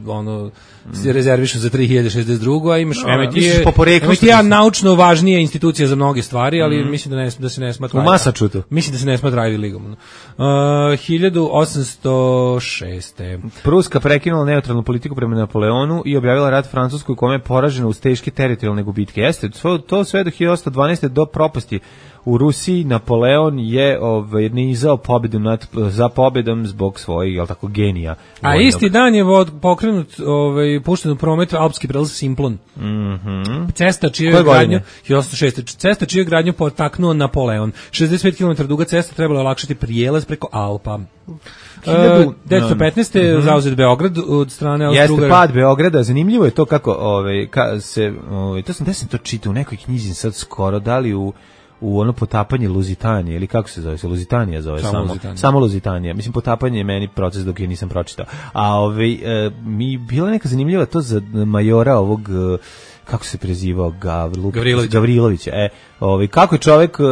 ono se rezervišu za tri hiljade šezdeset dva, a imaš no, M I T je, M I T je naučno važnija institucija za mnoge stvari, ali mm. mislim da ne da se ne smatra. U Massachusettsu. Mislim da se ne smatra Ivy Leagueom. Uh, hiljadu osamsto šeste. Pruska prekinula neutralnu politiku prema Napoleonu i objavila rat Francuskoj, kome je poražena uz teške teritorijalne gubitke. Jeste, to sve do hiljadu osamsto dvanaeste do propasti u Rusiji. Napoleon je ovaj nizao pobedu nad, za pobedom zbog svojih, jel tako, genija. A vojnog. Isti dan je pokrenut, ovaj pušten u promet alpski prelaz Simplon. Mhm. Cesta čiju je gradnju hiljadu osamsto šeste. Cesta čiju je gradnju potaknuo Napoleon. šezdeset pet kilometara duga cesta trebala olakšati prijelaz preko Alpa. Uh, devetsto petnaeste. Uh-huh. zauzet Beograd od strane Austro-Ugara. Jeste pad Beograda, zanimljivo je to kako ovaj ka, se ovaj to sam da sam to čitao u nekoj knjizi sad skoro, da li u u ono potapanje Luzitanije ili kako se zove, se Luzitanija zove samo, samo Luzitanija. Samo Luzitanija. Mislim, potapanje je meni proces dok je nisam pročitao. A ovaj e, mi bila neka zanimljiva to za majora ovog e, kako se prezivao Gavrilović Gavrilović. Gavrilović. E, ovaj kako je čovjek e,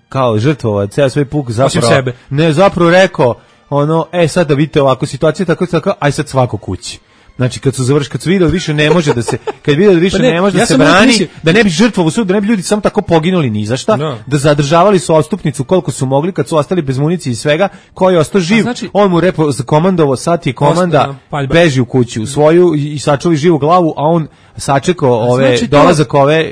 kao žrtvovao ceo svoj puk zapravo sebe. Ne, zapravo rekao ono, e sad da vidite ovako situacija tako tako, aj sad svako kući. Znači kad su završili, kad su videli više ne može da se, kad videli više pa ne, ne može ja da se brani, mislio, da ne bi žrtvovo sud, da ne bi ljudi samo tako poginuli ni za šta, no. Da zadržavali su odstupnicu koliko su mogli, kad su ostali bez municije i svega, ko je ostao živ, znači, on mu repo komandovo, sad je komanda, beži u kuću, u svoju i sačuvi živu glavu, a on sačekao ove znači dolazak to, ove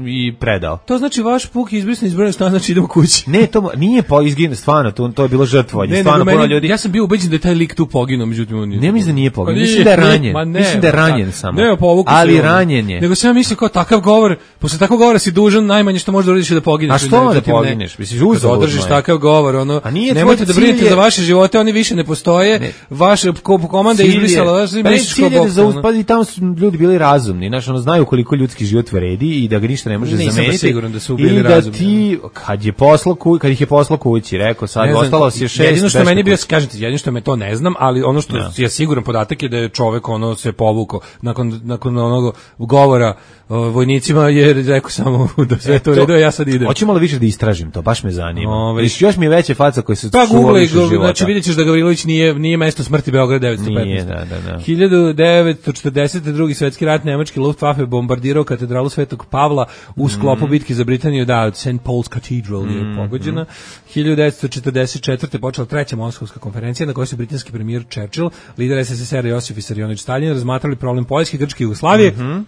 i predao. To znači vaš puk je izbrisan iz broja stana, znači idemo kući. Ne, to nije po izgin, stvarno, to, to je bilo žrtvovanje, stvarno puno ljudi. Ja sam bio ubeđen da je taj lik tu poginuo, međutim on nije. Ne mislim da nije poginuo, mislim da je ranjen. Ma ne, mislim da je ranjen ta, samo. Ne, ali ranjen je. Nego sam ja mislim kao takav govor, posle takvog govora si dužan najmanje što možeš da uradiš da pogineš. A što da pogineš? Misliš uzalud. Održiš takav govor, ono. Nemojte da brinete za vaše živote, oni više ne postoje. Vaše komanda izbrisala, vaš misliš kao bok. Pa i tamo su ljudi bili razumni, znači ono znaju koliko ljudski život vredi i da ga ništa ne može zameniti. Nisam siguran da su bili razumni. I da ti kad je poslao kući, kad ih je poslao kući, rekao sad ostalo se šest. Jedino što meni bio, kažete, jedino što me to ne znam, ali ono što je siguran podatak je da je čovek ono se povukao nakon nakon onog govora vojnicima je rekao samo da sve to redo, ja sad idem. Hoćemo li više da istražim to, baš me zanima. Ove, još mi je veće faca koje se pa Google, znači vidjećeš da Gavrilović nije nije mesto smrti Beograd devetsto petnaeste. Nije, da, da, da. hiljadu devetsto četrdesete. drugi svetski rat, nemački Luftwaffe bombardirao katedralu Svetog Pavla u sklopu mm. bitke za Britaniju, da, Saint Paul's Cathedral je mm. pogođena. hiljadu devetsto četrdeset četvrte. počela treća Moskovska konferencija na kojoj su britanski premijer Churchill, lider S S S R Josif Visarionović Stalin razmatrali problem Poljske, Grčke i Jugoslavije. Mm-hmm.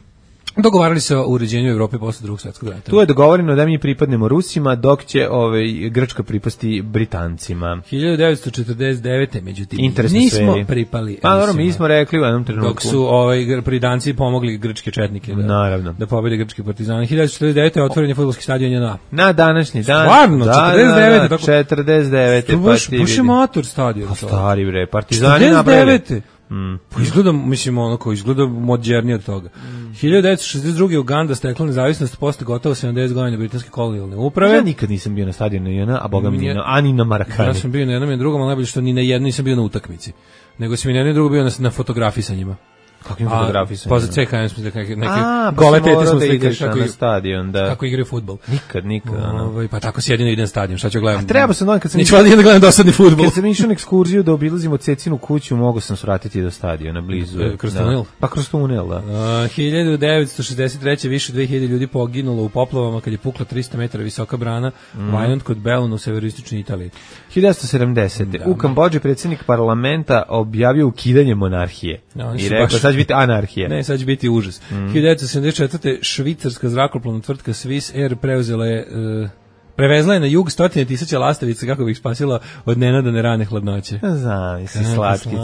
Dogovarali se o uređenju Evrope posle Drugog svjetskog rata. Tu je dogovoreno da mi pripadnemo Rusima, dok će ovaj Grčka pripasti Britancima. hiljadu devetsto četrdeset devete. međutim Interesne nismo sferi. Pripali. Pa dobro, mi smo rekli u jednom trenutku. Dok su ovaj Britanci pomogli grčke četnike da Naravno. da pobede grčki partizani. hiljadu devetsto četrdeset devete. otvoren je fudbalski stadion J N A. Na današnji dan. Stvarno, da, četrdeset devete. Da, da, četrdeset devete. Pa ti vidi. Baš je mator stadion. Pa stari bre, Partizani napravili. Mm. Izgleda, mislim, onako, izgleda modernije od toga. Mm. hiljadu devetsto šezdeset druge. Uganda stekla nezavisnost posle gotovo sedamdeset godina britanske kolonijalne uprave. Ja nikad nisam bio na stadionu ni jedna, a boga mi ni na, ani na Marakani. Ja sam bio na jednom i na drugom, ali najbolje što ni na jednom nisam bio na utakmici. Nego sam i na jednom i drugom bio na, na fotografisanjima. Kakvim fotografisanje? Pa za C K M smo neke, neke a, gole pa tete smo da slikali kako, na stadion, da. Kako igraju fudbal. Nikad, nikad. Ovaj, pa tako se jedino ide na stadion, šta ću gledam? A treba se, kad sam Neću da gledam dosadni fudbal. Kad sam išao na ekskurziju da obilazimo Cecinu kuću, mogu sam svratiti do stadiona blizu. Kroz tunel? Da. Pa kroz tunel, da. Uh, hiljadu devetsto šezdeset treće. više dve hiljade ljudi poginulo u poplavama kad je pukla trista metara visoka brana mm. Vajont kod Beluna u severističnoj Italiji. hiljadu devetsto sedamdesete. Da. U Kambodži predsjednik parlamenta objavio ukidanje monarhije. No, i rekao, baš... sad će biti anarhija. Ne, sad će biti užas. Mm. hiljadu devetsto sedamdeset četvrte. švicarska zrakoplovna tvrtka Swiss Air preuzela je... Uh, prevezla je na jug stotine tisuća lastavica kako bi ih spasila od nenadane rane hladnoće. Znam, si slatkici.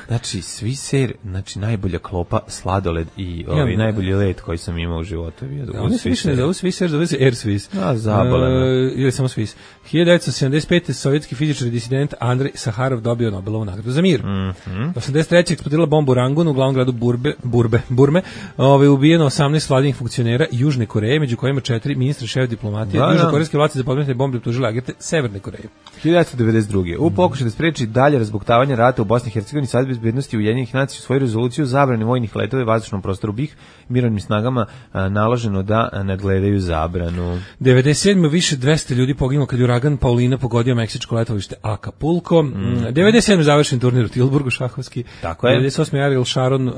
Znači, Swiss Air, znači najbolja klopa, sladoled i ovaj, ja, najbolji let koji sam imao u životu. Da, oni se više ne zovu Swiss Air, zove se Air Swiss. A, zaboleno. Uh, ili samo Swiss. hiljadu devetsto sedamdeset pete. sovjetski fizičar i disident Andrej Saharov dobio Nobelovu nagradu za mir. Mm -hmm. osamdeset treće. eksplodirala bomba u Rangunu, u glavnom gradu Burbe, Burbe, Burme. Ove, ubijeno osamnaest vladinih funkcionera Južne Koreje, među kojima četiri ministra, šef diplomatije. Da, južnokorejske vlasti za podmetne bombe optužile agente Severne Koreje. hiljadu devetsto devedeset druge. U pokušaju da spreči dalje razbuktavanje rata u Bosni i Hercegovini, Savet bezbednosti Ujedinjenih nacija svoju rezoluciju zabrane vojnih letova u vazdušnom prostoru B i H mirovnim snagama a, naloženo da nadgledaju zabranu. devedeset sedme. više dvesta ljudi poginulo kad je uragan Paulina pogodio meksičko letovište Acapulco. Mm. devedeset sedme. završen turnir u Tilburgu šahovski. Tako je. devedeset osme. Ariel Sharon uh,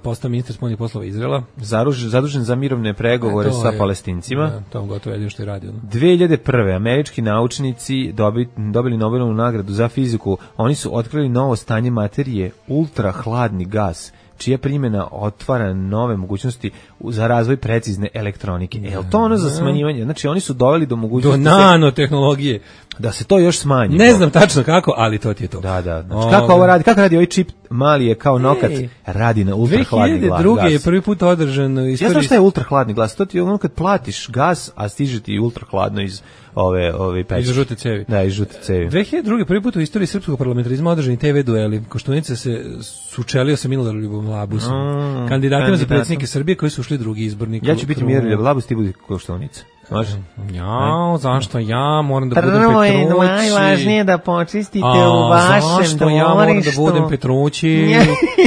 postao ministar spoljnih poslova Izraela. Zaruž, zadužen za mirovne pregovore sa je, Palestincima. Da, to on gotovo jedino što je radio. No? dve hiljade prve. američki naučnici dobi, dobili Nobelovu nagradu za fiziku. Oni su otkrili novo stanje materije, ultrahladni gas, čija primjena otvara nove mogućnosti za razvoj precizne elektronike. Je li to ono za smanjivanje? Znači, oni su doveli do mogućnosti... Do nanotehnologije. Da se to još smanji. Ne znam tačno kako, ali to ti je to. Da, da. Znači, kako ovo radi? Kako radi ovaj čip? Mali je kao nokat, Ej, radi na ultrahladni glas. dve hiljade druge. je prvi put održan... Istoriji... Ja znam šta je ultrahladni glas. To ti je ono kad platiš gas, a stiže ti ultrahladno iz ove ove peći. Iz žute cevi. Da, iz žute cevi. dve hiljade druge. prvi put u istoriji srpskog parlamentarizma održani te ve dueli. Koštunica se sučelio sa Miloradom Labusom. Mm, kandidatima za predsjednike Srbije koji su ušli drugi izbornik. Ja ću biti Miroljub Labus, ti budi Koštunica. Može? Ja, zašto ja moram da budem Petrući? Prvo je najvažnije da počistite a, u vašem dvorištu. Zašto ja moram da budem Petrući?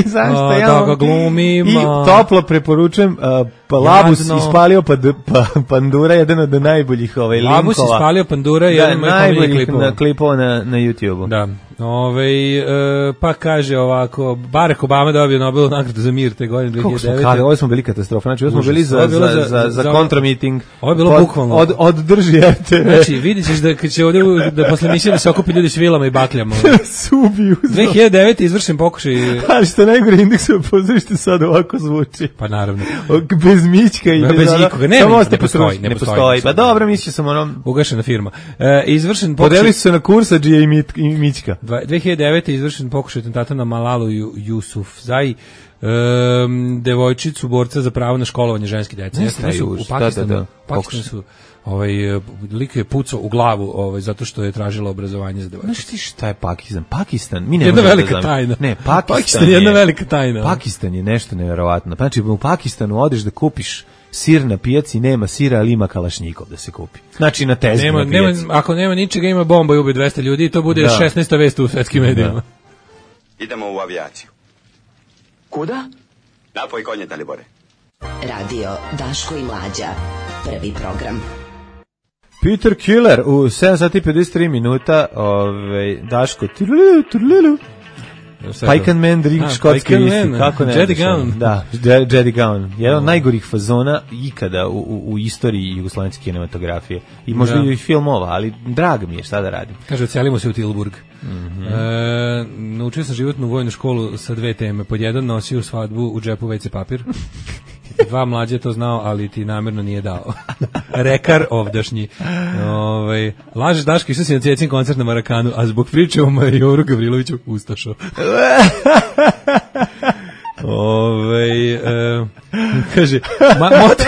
Zašto a, ja? Da ga glumim. I toplo preporučujem, uh, pa Labus ispalio pa, pa, Pandura, jedan od najboljih ovaj, linkova. Labus ispalio Pandura, jedan od najboljih klipova. klipova na, na YouTube-u. Da. Ove, e, pa kaže ovako, Barack Obama dobio Nobelovu nagradu za mir te godine dve hiljade devete. Kako ovo smo bili katastrofa, znači ovo smo bili za, za, za, za, za kontramiting. Ovo je bilo bukvalno. Od, od drži R T V. Znači, vidit ćeš da, kad će ovdje, da posle emisije da se okupi ljudi s vilama i bakljama. Subiju. dve hiljade devete. izvršen pokušaj. Ali što najgore indeksovo pozorište sad ovako zvuči. Pa naravno. Bez Mićka i bez, bez nikoga. Ne, ne, ne postoji. Ne postoji. Pa dobro, mislio sam ono... Ugašena firma. E, izvršen pokušaj... Podeli su se na Kursadžija i Mićka. dve hiljade devete. izvršen pokušaj atentata na Malalu Jusufzai, um, devojčicu borca za pravo na školovanje ženske dece. Ne su u Pakistanu, da, da, da. Pakistanu su ovaj lik je pucao u glavu, ovaj zato što je tražila obrazovanje za devojčicu. Znaš ti šta je Pakistan? Pakistan, mi ne jedna velika da tajna. Ne, Pakistan, Pakistan je jedna velika tajna. Pakistan je nešto neverovatno. Znači u Pakistanu odeš da kupiš sir na pijaci, nema sira, ali ima kalašnjikov da se kupi. Znači na tezgi na pijaci. Nema, ako nema ničega, ima bomba i ubije dvesta ljudi i to bude da. šesnaesta vest u svetskim medijima. Da. Idemo u avijaciju. Kuda? Napoj konje, Dalibore. Radio Daško i Mlađa. Prvi program. Peter Killer u sedam sati i pedeset tri minuta. Ove, Daško. Turlilu, turlilu. Pike and Man drink škotski viski, kako ne? Jedi Gown. Da, Jedi Gown. Jedan od najgorih fazona ikada u, u, u istoriji jugoslovenske kinematografije. I možda i filmova, ali drag mi je, šta da radim. Kaže, ocelimo se u Tilburg. Mm -hmm. e, naučio sam životnu vojnu školu sa dve teme. Pod jedan, nosio svadbu u džepu ve ce papir. Dva mlađe to znao, ali ti namjerno nije dao. Rekar ovdašnji. Ove, lažeš Daško, išao si na Cecin koncert na Marakanu, a zbog priče o Majoru Gavriloviću ustašao. Ove, e, kaže, ma, motiv,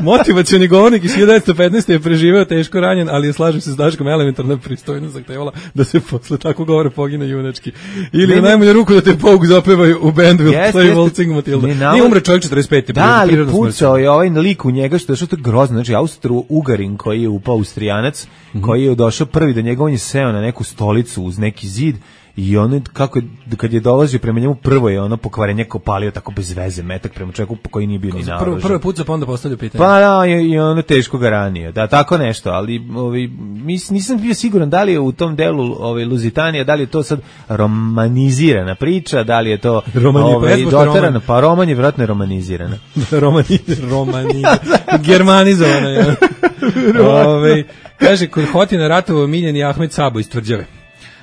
Motivacioni govornik iz hiljadu devetsto petnaeste. je preživeo teško ranjen, ali je, slažem se s Daškom, elementarna pristojnost zahtevala da se posle tako govore pogine junački. Ili u najmanju ruku da te Pogue zapevaju u bandu Will yes, Play Waltzing Matilda. Nije umre čovjek četrdeset pete. Da, ali pucao je ovaj lik u njega, što je što je grozno. Znači, Austro-Ugarin koji je upao Austrijanac, mm-hmm. koji je došao prvi do njega, on je seo na neku stolicu uz neki zid i ono, kako je, kad je dolazio prema njemu, prvo je ono pokvarenje kopalio tako bez veze, metak prema čovjeku koji nije bio ni naoružan. Prvo, prvo je pucao, pa onda postavljao pitanje. Pa da, i, i ono teško ga ranio. Da, tako nešto, ali ovi, mis, nisam bio siguran da li je u tom delu ovaj, Luzitanija, da li je to sad romanizirana priča, da li je to ovaj, doterano, pa roman je vjerojatno romanizirana. Romani, romani, germanizovana je. Ove, kaže, kod Hotina ratovo miljeni Ahmed Sabo iz Tvrđave.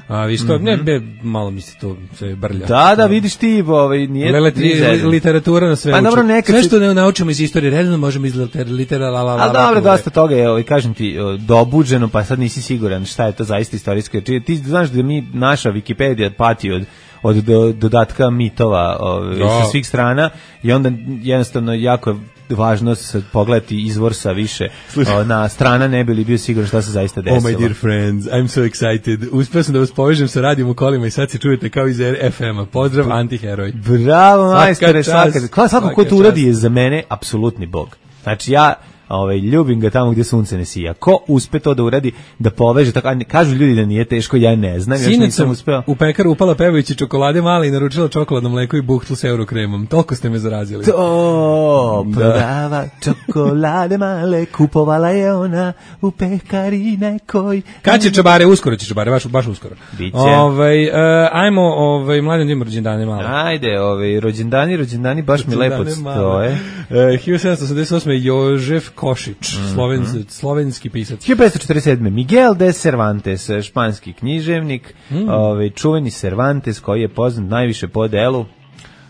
A vi što, mm-hmm. ne, be, malo mi se to sve brlja. Da, da, vidiš ti, ovaj, nije... Lele, li, literatura na sve pa, dobro, nekad sve što ne naučimo iz istorije, redno možemo iz literatura, litera, la, la, la. A dobro, dosta toga je, ovaj, kažem ti, dobuđeno, pa sad nisi siguran šta je to zaista istorijsko. Ti znaš da mi, naša Wikipedija pati od od do, dodatka mitova ovaj, sa svih strana i onda jednostavno jako važno se pogledati izvor sa više o, na strana, ne bi li bio siguran šta se zaista desilo. Oh my dear friends, I'm so excited. Uspeo sam da vas povežem sa radijom u kolima i sad se čujete kao iz F M-a. Pozdrav, antiheroj. Bravo, majstore, svaka. Svako ko to uradi je za mene apsolutni bog. Znači ja ovaj, ljubim ga tamo gdje sunce ne sija. Ko uspe to da uradi, da poveže, tako, kažu ljudi da nije teško, ja ne znam, još nisam uspeo. U pekaru upala pevajući čokolade male i naručila čokoladno mleko i buhtlu s eurokremom. Toliko ste me zarazili. To prodava čokolade male, kupovala je ona u pekari nekoj. Kad će čabare? Uskoro će čabare, baš, baš uskoro. Biće. Ovaj, uh, ajmo, ovaj, mladen da ima rođendane malo. Ajde, ovaj, rođendani, rođendani, baš rođendane mi lepo stoje. Uh, hiljadu sedamsto osamdeset osme. Jožef Košić, mm-hmm. Sloven, slovenski pisac. hiljadu petsto četrdeset sedme. Miguel de Cervantes, španski književnik, mm. ovaj, čuveni Cervantes koji je poznat najviše po delu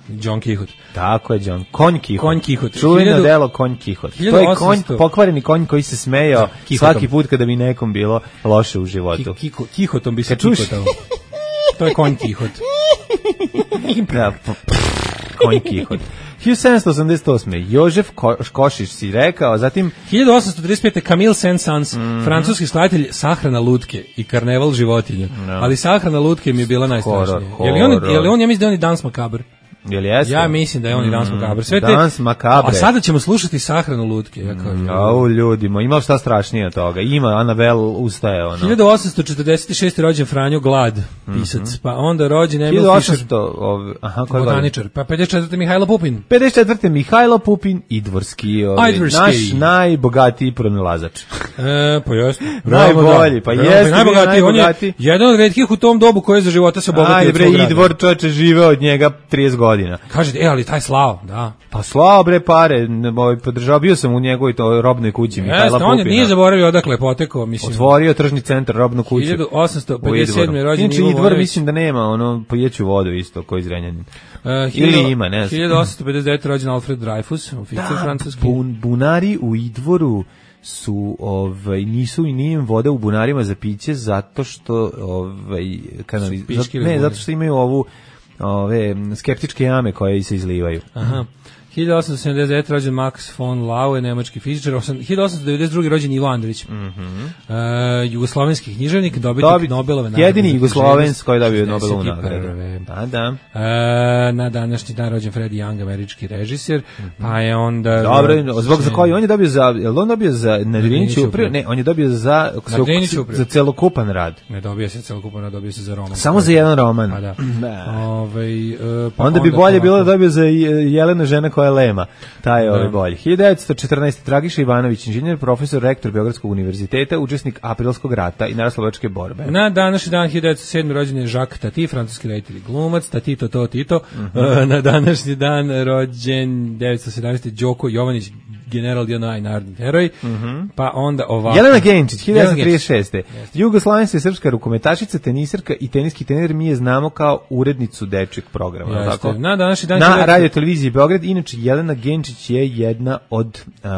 Don Quixote. Tako je, Don. Konj Quixote. Konj Quixote. Čuveno hiljadu... delo Konj Quixote. To je konj, pokvareni konj koji se smejao da, svaki put kada bi nekom bilo loše u životu. Quixotom bi se kikotao. To je Konj Quixote. Konj Quixote. hiljadu sedamsto osamdeset osme. Jožef Ko, Košić si rekao, zatim hiljadu osamsto trideset pete. Camille Saint-Saëns, mm-hmm. francuski skladatelj Sahrana lutke i Karneval životinja. No. Ali Sahrana lutke mi je bila najstrašnija. Je li on, je li on, ja mislim da je on i Dans Macabre. Jel jeste? Ja mislim da je on i Dans Macabre. Sve te, Dans Macabre. A sada ćemo slušati Sahranu lutke. Ja kao, mm, au, ljudima, ima šta strašnije od toga. Ima, Anabel ustaje. Ono. hiljadu osamsto četrdeset šeste. rođen Franjo Glad, pisac. Mm-hmm. Pa onda rođen Emil Fischer. hiljadu osamsto. Ov, aha, botaničar. Pa pedeset četvrte. Mihajlo Pupin. pedeset četvrte. Mihajlo Pupin, Idvorski. Ovaj, naš najbogatiji pronalazač. E, pa jeste. Najbolji, pa jeste. Najbogatiji. On je jedan od retkih u tom dobu koji je za života se obogatio. Ajde bre, Idvor čoveče žive od njega trideset godina. Kažete, e, ali taj Slao, da. Pa Slao, bre, pare, ovaj, podržao, bio sam u njegovoj to, robnoj kući, Mihajla Pupina. On je, nije zaboravio odakle je potekao, mislim. Otvorio tržni centar, robnu kuću. hiljadu osamsto pedeset sedme. rođen Inače, Idvor, mislim da nema, ono, pojeću vodu isto, koji Zrenjanin. Uh, Ili ima, ne znam. hiljadu osamsto pedeset devete. rođen Alfred Dreyfus, oficir francuski. Bun, bunari u Idvoru su ovaj nisu i nije im voda u bunarima za piće zato što ovaj kanali, zato, ne, zato što imaju ovu ove skeptičke jame koje se izlivaju. Aha. hiljadu osamsto sedamdeset devete. rođen Max von Laue, nemački fizičar. hiljadu osamsto devedeset druge. rođen Ivo Andrić. Mhm. Uh, jugoslovenski književnik, dobitnik Dobi, Nobelove nagrade. Jedini Jugoslovenski koji dobio Nobelovu nagradu. Da, da. Uh, na današnji dan rođen Freddie Young, američki režiser. Mm-hmm. Pa je onda dobro, zbog za koji on je dobio za, jel on dobio za Nadriniću upravo? Ne, on je dobio za za celokupan rad. Ne dobio se celokupan rad, dobio se za roman. Samo za jedan roman. Pa da. Ovaj uh, pa onda bi bolje bilo da dobio za Jelena žena koja je lema. Taj je ovaj bolji. hiljadu devetsto četrnaeste. Dragiša Ivanović, inženjer, profesor, rektor Beogradskog univerziteta, učesnik Aprilskog rata i narodnooslobodilačke borbe. Na današnji dan hiljadu devetsto sedme. rođen je Jacques Tati, francuski reditelj i glumac, Tatito to Tito. Mm-hmm. Na današnji dan rođen devetsto sedamnaeste. Đoko Jovanić, general J N A i narodni heroj. Mm-hmm. Pa onda ovako. Jelena Genčić, hiljadu devetsto trideset šeste. Jugoslavenska i srpska rukometašica, tenisarka i teniski trener, mi je znamo kao urednicu dečjeg programa. Tako? Na današnji dan na radio televiziji Beograd. Inače, Jelena Genčić je jedna od, uh,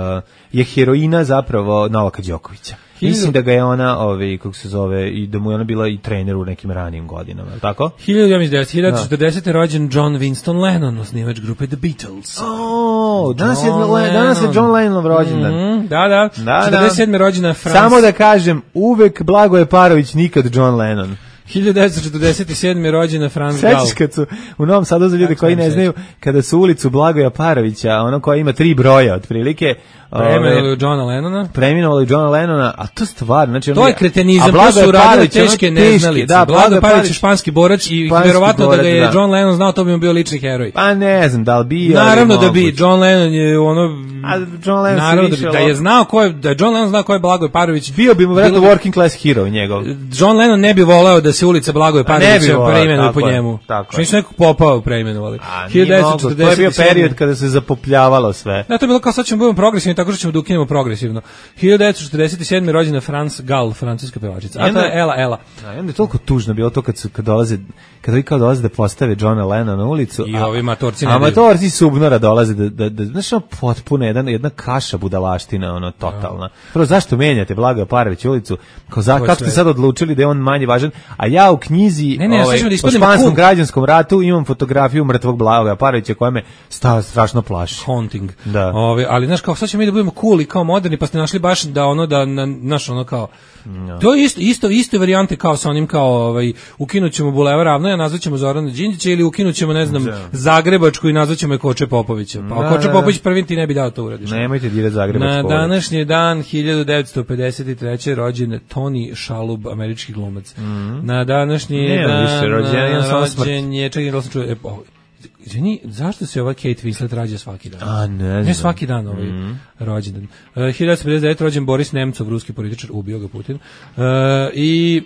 je heroina zapravo Novaka Đokovića. Mislim da ga je ona, ovaj, kako se zove, i da mu je ona bila i trener u nekim ranijim godinama, tako? hiljadu četrdesete rođen John Winston Lennon, osnivač grupe The Beatles. Oh, danas je, danas je John Lennon rođendan. Mm, da, da, da, četrdeset sedme rođena Franz. Samo da kažem, uvek Blagoje Parović, nikad John Lennon. hiljadu devetsto četrdeset sedme rođena Franz Gall. Sećaš kad su, u Novom Sadu za ljude koji ne znaju, kada su ulicu Blagoja Parovića, ono koja ima tri broja otprilike, Preminuo Johna Lennona. Preminuo Johna Lennona, a to stvarno, znači to je kretenizam, to su radile teške neznalice. Da, Blagoje Parović je španski borač i verovatno da ga je da. John Lennon znao, to bi mu bio lični heroj. Pa ne znam, da li bi... Naravno da bi, John Lennon je ono... A John Lennon naravno da, bi, da je znao ko je, da je John Lennon znao ko je Blagoje Parović. Bio bi mu vjerojatno working class hero njegov. John Lennon ne bi voleo da se ulica Blagoje Parovića preimenuje po njemu. Što nisu nekog popao preimenovali. To je bio period kada se zapopljavalo sve. Da, to je bilo kao sad ćemo budemo progresivni, tako što ćemo da ukinemo progresivno. hiljadu devetsto četrdeset sedme rođena Franz Gall, francuska pevačica. A to je Ela Ela. Da, i onda je toliko tužno bilo to kad su kad dolaze kad vi kao dolaze da postave Johna Lennona na ulicu. I ovi matorci ne. Amatorci subnora dolaze da da da znaš ono potpuno jedan jedna kaša budalaština, ono totalna. Prvo zašto menjate Blagoja Parovića ulicu? Kao za, kako ste sad odlučili da je on manje važan? A ja u knjizi ne, ne, ovaj, ja da o španskom građanskom ratu imam fotografiju mrtvog Blagoja Parovića koja me sta strašno plaši. Haunting. Da. Ove, ali znaš kao sad ćemo mi da budemo cool i kao moderni, pa ste našli baš da ono da na, naš ono kao no. To je isto isto iste varijante kao sa onim kao ovaj ukinućemo Bulevar Ravnoja, nazvaćemo Zorana Đinđića ili ukinućemo ne znam da. Zagrebačku i nazvaćemo je Koče Popovića. Pa da, Koče da, Popović prvi ti ne bi dao to uradiš. Nemojte dirati Zagrebačku. Na današnji dan hiljadu devetsto pedeset treće rođen Tony Shalhoub, američki glumac. Mm -hmm. Na današnji ne, dan više rođen, rođen je čekaj da sam čuo, e, oh, izvini, zašto se ova Kate Winslet rađa svaki dan? A, ne znam. Ne svaki dan ovaj mm. rođendan. Uh, hiljadu devetsto pedeset devete rođen Boris Nemcov, ruski političar, ubio ga Putin. Uh, I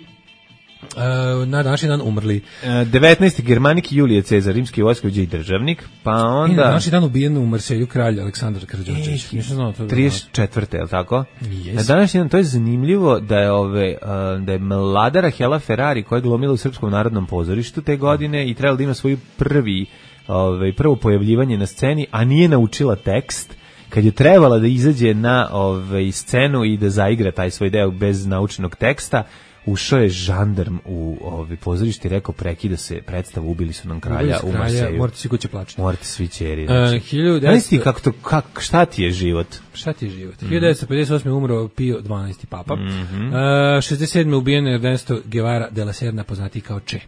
uh, na današnji dan umrli. Uh, devetnaesti Germanik Julije Cezar, rimski vojskovođa i državnik, pa onda... I na današnji dan ubijen u Marselju kralj Aleksandar Karađorđević. Nisam znao to. trideset četvrte, je li tako? Yes. Na današnji dan, to je zanimljivo da je, ove, uh, da je mlada Rahela Ferrari, koja je glumila u Srpskom narodnom pozorištu te godine i trebala da ima svoju prvi Ove, prvo pojavljivanje na sceni, a nije naučila tekst, kad je trebala da izađe na ove, scenu i da zaigra taj svoj deo bez naučenog teksta, ušao je žandarm u ove, pozorište i rekao prekida se predstavu, ubili su nam kralja u Marseju. Morate svi kuće plačiti. Morate svi ćeri. Znači. Uh, hiljadu devetsto... kako to, kak, šta ti je život? Šta ti je život? Mm -hmm. hiljadu devetsto pedeset osme umro Pio dvanaesti papa. Mm -hmm. uh, šezdeset sedme ubijen Ernesto Guevara de la Serna, poznatiji kao Che.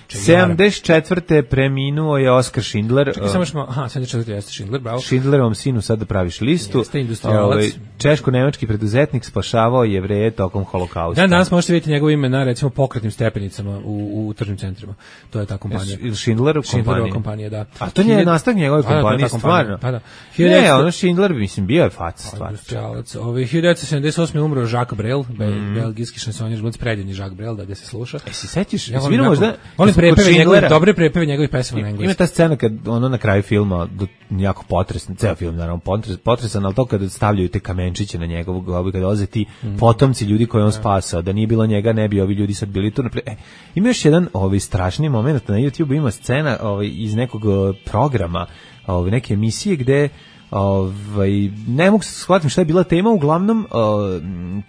sedamdeset četvrte preminuo je Oskar Schindler. Čekaj, samo što, aha, sedamdeset četvrte jeste Schindler, bravo. Schindlerovom sinu sad da praviš listu. Jeste industrijalac. Ovaj, češko-nemački preduzetnik spašavao Jevreje tokom holokausta. Dan danas možete vidjeti njegovo ime na, recimo, pokretnim stepenicama u, u tržnim centrima. To je ta kompanija. Ili Schindlerov kompanija. Schindlerova kompanija, da. A to nije nastavak njegove kompanije, stvarno. Pa da. Ne, ono Schindler, mislim, bio je fac, stvarno. Industrijalac. Ovaj, hiljadu devetsto sedamdeset osme umro Jacques Brel, mm. belgijski šansonjer, glumci, predivni Jacques Brel, da gde se sluša. E, se sećaš? Ja volim, možda, volim prepeve njegove, dobre prepeve njegovih pesama na engleskom. Ima ta scena kad ono na kraju filma, jako potresan, ceo film naravno potres, potresan, ali to kada stavljaju te kamenčiće na njegovog grobu, kada dolaze ti mm. potomci ljudi koje on spasao, da nije bilo njega, ne bi ovi ljudi sad bili tu. E, ima još jedan ovaj strašni moment na YouTube, ima scena ovaj iz nekog programa, ovaj neke emisije gde ovaj ne mogu se shvatiti šta je bila tema, uglavnom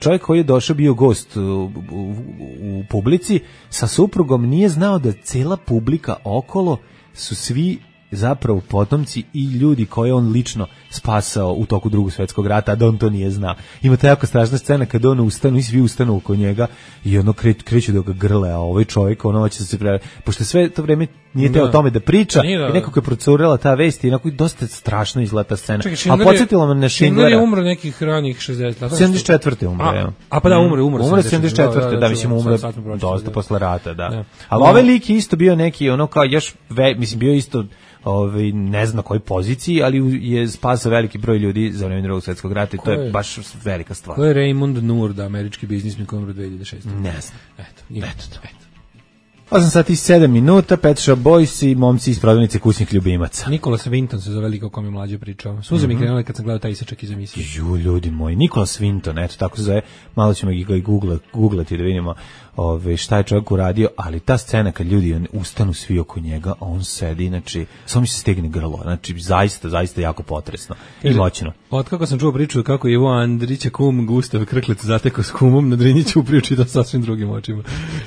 čovjek koji je došao, bio gost u, u, u publici sa suprugom, nije znao da cela publika okolo su svi zapravo potomci i ljudi koje on lično spasao u toku Drugog svjetskog rata, a da on to nije znao. Ima ta jako strašna scena kada on ustanu i svi ustanu oko njega i ono kre, kreću da ga grle, a ovaj čovjek ono će se pre... pošto sve to vreme nije teo o tome da priča da. I nekako je procurela ta vest i onako dosta strašno izgleda ta scena. Čekaj, a podsjetilo me na Schindlera. Schindler je umro nekih ranih šezdesetih. sedamdeset četvrte umro, a, evo. A pa da, umre, umre. Umre sedamdeset četvrte, da, da, da, mislim umre dosta posle rata, da. da. Ali ovaj lik je isto bio neki, ono kao još, ve, mislim, bio isto ovaj ne znam na kojoj poziciji, ali je spasao veliki broj ljudi za vreme Drugog svjetskog rata i to je, je baš velika stvar. To je Raymond Noor, da, američki biznismen koji umro dve hiljade šeste. Ne znam. Eto, eto, eto. osam sati i sedam minuta, Pet Shop Boys i momci iz prodavnice kućnih ljubimaca. Nikolas Winton se zove lik o kom je mlađe pričao. Suze mi mm -hmm. krenule kad sam gledao taj isečak iz emisije. Ju, ljudi moji, Nikolas Winton, eto tako se zove, malo ćemo ga i googlati, googlati da vidimo ove, šta je čovjek uradio, ali ta scena kad ljudi ustanu svi oko njega, a on sedi, znači, samo mi se stegne grlo, znači, zaista, zaista jako potresno i moćno. Od kako sam čuo priču kako Ivo Andrića kum Gustav Krklec zatekao s kumom na Drinjiću u priču da sasvim drugim očima.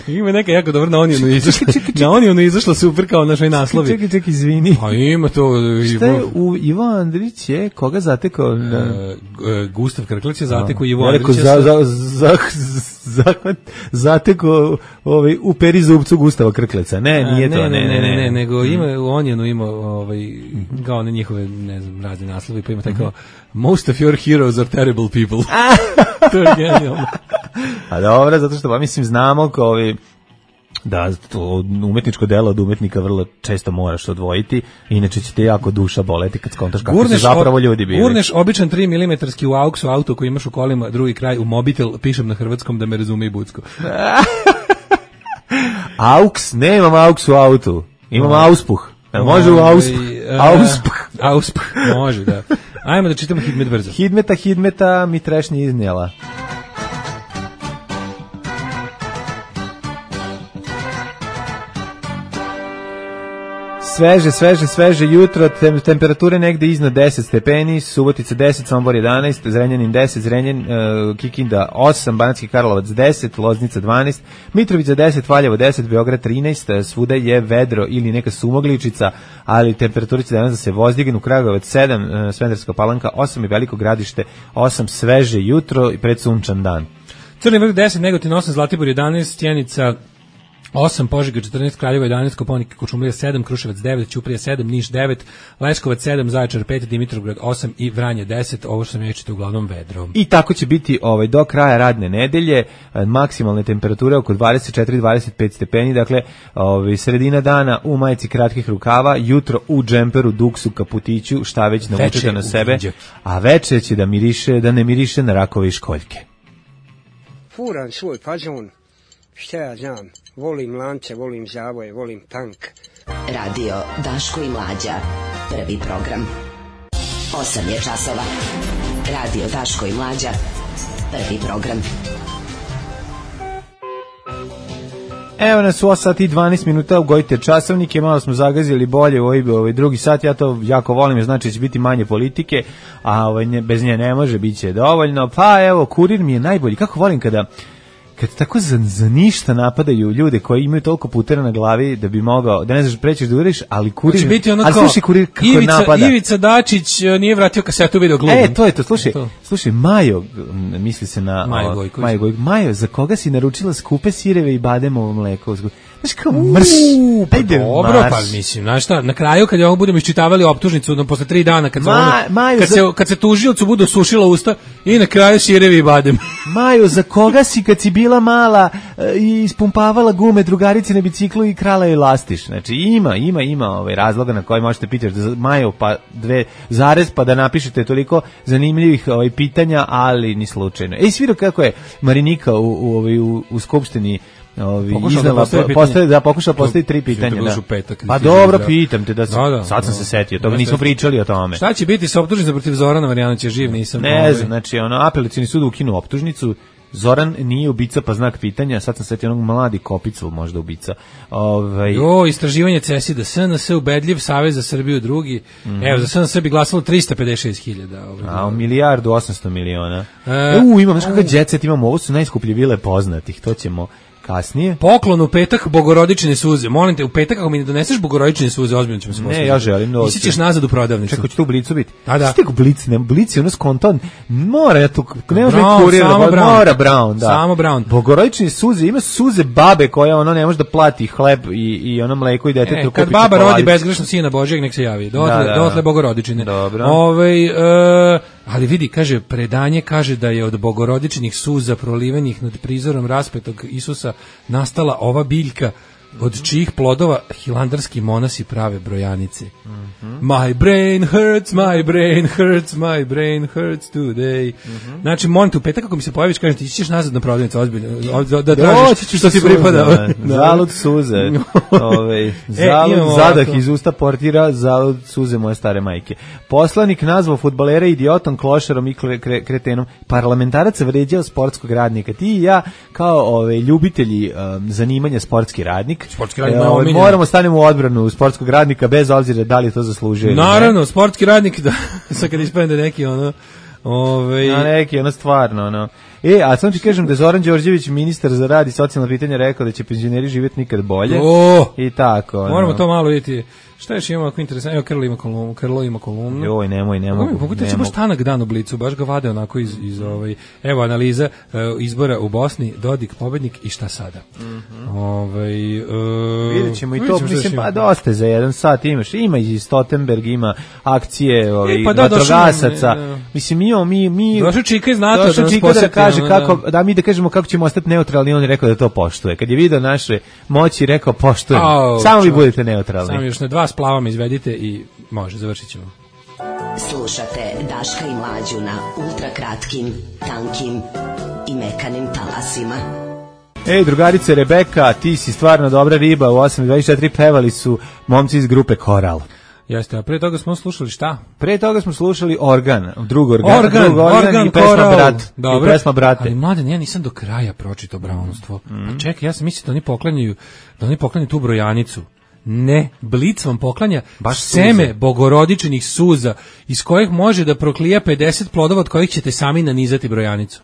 Ima neka jako dobro na Onijenu izašla. Na Onijenu izašla super kao našoj naslovi. Čekaj, čekaj, izvini. A ima to... Šta je u Ivo Andrić je? Koga zatekao? Na... E, Gustav Krklec je zatekao Ivo Andrića. Za, za, za, za, zatekao ovaj, u peri zubcu Gustava Krkleca. Ne, nije ne, to. Ne, ne, ne, ne, ne nego ima u Onijenu ima ovaj, kao one njihove, ne znam, razne naslovi, pa ima taj kao Most of your heroes are terrible people. To je genijalno. A dobro, zato što, pa mislim, znamo kao ovi, da to umetničko delo od umetnika vrlo često moraš odvojiti, inače će te jako duša boleti kad skontaš kako su zapravo ljudi bili. Gurneš običan tri milimetarski u auksu auto koji imaš u kolima, drugi kraj u mobitel, pišem na hrvatskom da me razume i bucko. Auks, nemam auks u autu, imam no. auspuh. Može u auspuh. Auspuh. Auspuh, može, da. Ajmo da čitamo Hidmet brzo. Hidmeta, Hidmeta mi trešnje iznijela. Sveže, sveže, sveže jutro, tem, temperature negde iznad deset stepeni, Subotica deset, Sombor jedanaest, Zrenjanin deset, Zrenjan, uh, Kikinda osam, Banatski Karlovac deset, Loznica dvanaest, Mitrovica deset, Valjevo deset, Beograd trinaest, svuda je vedro ili neka sumogličica, ali temperature će danas da se vozdignu, Kragujevac sedam, uh, Smederska Palanka osam i Veliko Gradište osam, sveže jutro i predsunčan dan. Crni vrh deset, Negotin osam, Zlatibor jedanaest, Sjenica osam, Požega četrnaest, Kraljevo jedanaest, Koponik, Kočumlija sedam, Kruševac devet, Ćuprija sedam, Niš devet, Leskovac sedam, Zaječar pet, Dimitrovgrad osam i Vranje deset. Ovo što sam rečite uglavnom vedro. I tako će biti ovaj do kraja radne nedelje, maksimalne temperature oko dvadeset četiri do dvadeset pet stepeni, dakle, ovaj sredina dana u majici kratkih rukava, jutro u džemperu, duksu, kaputiću, šta već navučete na sebe, a veče će da miriše, da ne miriše na rakove i školjke. Furan svoj fazon, šta ja znam. Volim lance, volim zavoje, volim tank. Radio Daško i Mlađa. Prvi program. osam je časova. Radio Daško i Mlađa. Prvi program. Evo nas u osam sati i dvanaest minuta, ugojite časovnike, malo smo zagazili bolje u ovaj, ovaj drugi sat, ja to jako volim, znači će biti manje politike, a ovaj, ne, bez nje ne može, bit će dovoljno. Pa evo, Kurir mi je najbolji, kako volim kada kad tako za, za ništa napadaju ljude koji imaju toliko putera na glavi da bi mogao, da ne znaš prećeš da uriš, ali Kurir, će biti ono ali slušaj Kurir kako Ivica, napada. Ivica Dačić nije vratio kasetu video glumom. E, to je to, slušaj, to. slušaj, Majo, misli se na Majo Gojković. Majo Gojković. Majo, za koga si naručila skupe sireve i bademovo mleko? Znaš kao mrš, pa ajde dobro, marš. Pa mislim, znaš šta, na kraju kad ovo budemo iščitavali optužnicu, no, posle tri dana, kad, Ma, ono, Maju, kad, za... se, kad se tužiocu budu sušila usta i na kraju sirevi i badem. Majo, za koga si kad si bila mala i ispumpavala gume drugarici na biciklu i krala je lastiš? Znači ima, ima, ima ovaj razloga na koji možete pitati da Majo pa dve zarez pa da napišete toliko zanimljivih ovaj pitanja, ali ni slučajno. Ej, sviro kako je Marinika u u ovaj u, u skupštini Ovi iznala da postaje da pokuša postaviti tri pitanja, da. Petak, pa dobro, da. Pitam te da, da, da sad sam da, se setio, toga nismo pričali o tome. Šta će biti sa optužnicom protiv Zorana Marjanovića, živ nisam. Ne znam, znači ono apelacioni sud ukinuo optužnicu. Zoran nije ubica, pa znak pitanja, sad sam setio onog mladi Kopicl, možda ubica. Ovaj Jo, istraživanje C S I D, S N S ubedljiv, Savez za Srbiju drugi. Mm. Evo, za S N S bi glasalo trista pedeset šest hiljada. Ovaj, a u milijardu osamsto miliona. E, u, imam, znaš kakav jet set imamo, ovo su najskuplje vile poznatih, to ćemo kasnije. Poklon u petak bogorodične suze. Molim te, u petak ako mi ne doneseš bogorodične suze, ozbiljno ćemo se poslati. Ne, ja želim da. Ti ćeš nazad u prodavnicu. Čekaj, će tu u Blicu biti. A da. Ste u Blicu, ne, Blic je ono skonton. Mora ja tu, ne može biti kurir, mora Brown, da. Samo Brown. Bogorodične suze, ima suze babe koja ono ne može da plati hleb i i ono mleko i dete e, to kupi. Kad baba rodi bezgrešno sina Božjeg, nek se javi. Dotle, da, da, dotle bogorodične. Dobro. Ovaj e, ali vidi, kaže, predanje kaže da je od bogorodičnih suza prolivenih nad prizorom raspetog Isusa nastala ova biljka od čijih plodova hilandarski monasi prave brojanice. Mm-hmm. My brain hurts, my brain hurts, my brain hurts today. Mm-hmm. Znači, molim te, u petak ako mi se pojaviš, kažem ti, ćeš nazad na prodavnicu, ozbiljno, da, da tražiš što ti pripada. Zalud suze, Ove, zalud e, zadah ovako iz usta portira, zalud suze moje stare majke. Poslanik nazvao fudbalera idiotom, klošarom i kre, kretenom. Parlamentarac vređao sportskog radnika. Ti i ja, kao ove, ljubitelji um, zanimanja sportski radnik, sportski radnik e, ove, moramo stanemo u odbranu sportskog radnika bez obzira da li to zaslužuje. Naravno, ne? Sportski radnik, da, sad kad ispadne da neki ono, ove... Na neki, ono stvarno, ono. E, a sam ti kažem da je Zoran Đorđević, ministar za rad i socijalna pitanja, rekao da će penzioneri živjeti nikad bolje. O, i tako. Ono. Moramo to malo vidjeti. Šta još ima ako interesantno? Evo, Krlo ima kolumnu. Krlo ima kolumnu. Joj, nemoj, nemoj. Mogu ti baš tanak dan u Blicu, baš ga vade onako iz, iz ovaj... Evo, analiza uh, izbora u Bosni, Dodik, pobednik i šta sada. Mm-hmm. Ovaj, uh, vidjet ćemo i to, mislim, pa dosta za jedan sat imaš. Ima i Stoltenberg, ima akcije ovaj, e, pa da, vatrogasaca. Da. Mislim, mi... mi, mi došao Čika iz NATO došao Čika da kaže no, kako, da. da mi da kažemo kako ćemo ostati neutralni, on je rekao da to poštuje. Kad je video naše moći, rekao poštujem. Oh, samo vi budete neutralni. Samo još ne dva splavama izvedite i može, završit ćemo. Slušate Daška i Mlađu na ultrakratkim, tankim i mekanim talasima. Ej, drugarice Rebeka, ti si stvarno dobra riba. U osam dvadeset četiri pevali su momci iz grupe Koral. Jeste, a pre toga smo slušali šta? Pre toga smo slušali Organ, drug Organ, organ, drug organ, organ i pesma Koral. Brat. Dobro. I pesma Brate. Ali mladen, ja nisam do kraja pročitao Brownstvo. Mm. A čekaj, ja sam mislio da oni poklanjaju, da oni poklanjaju tu brojanicu. Ne, Blic vam poklanja baš seme suze. Bogorodičnih suza iz kojih može da proklija pedeset plodova od kojih ćete sami nanizati brojanicu.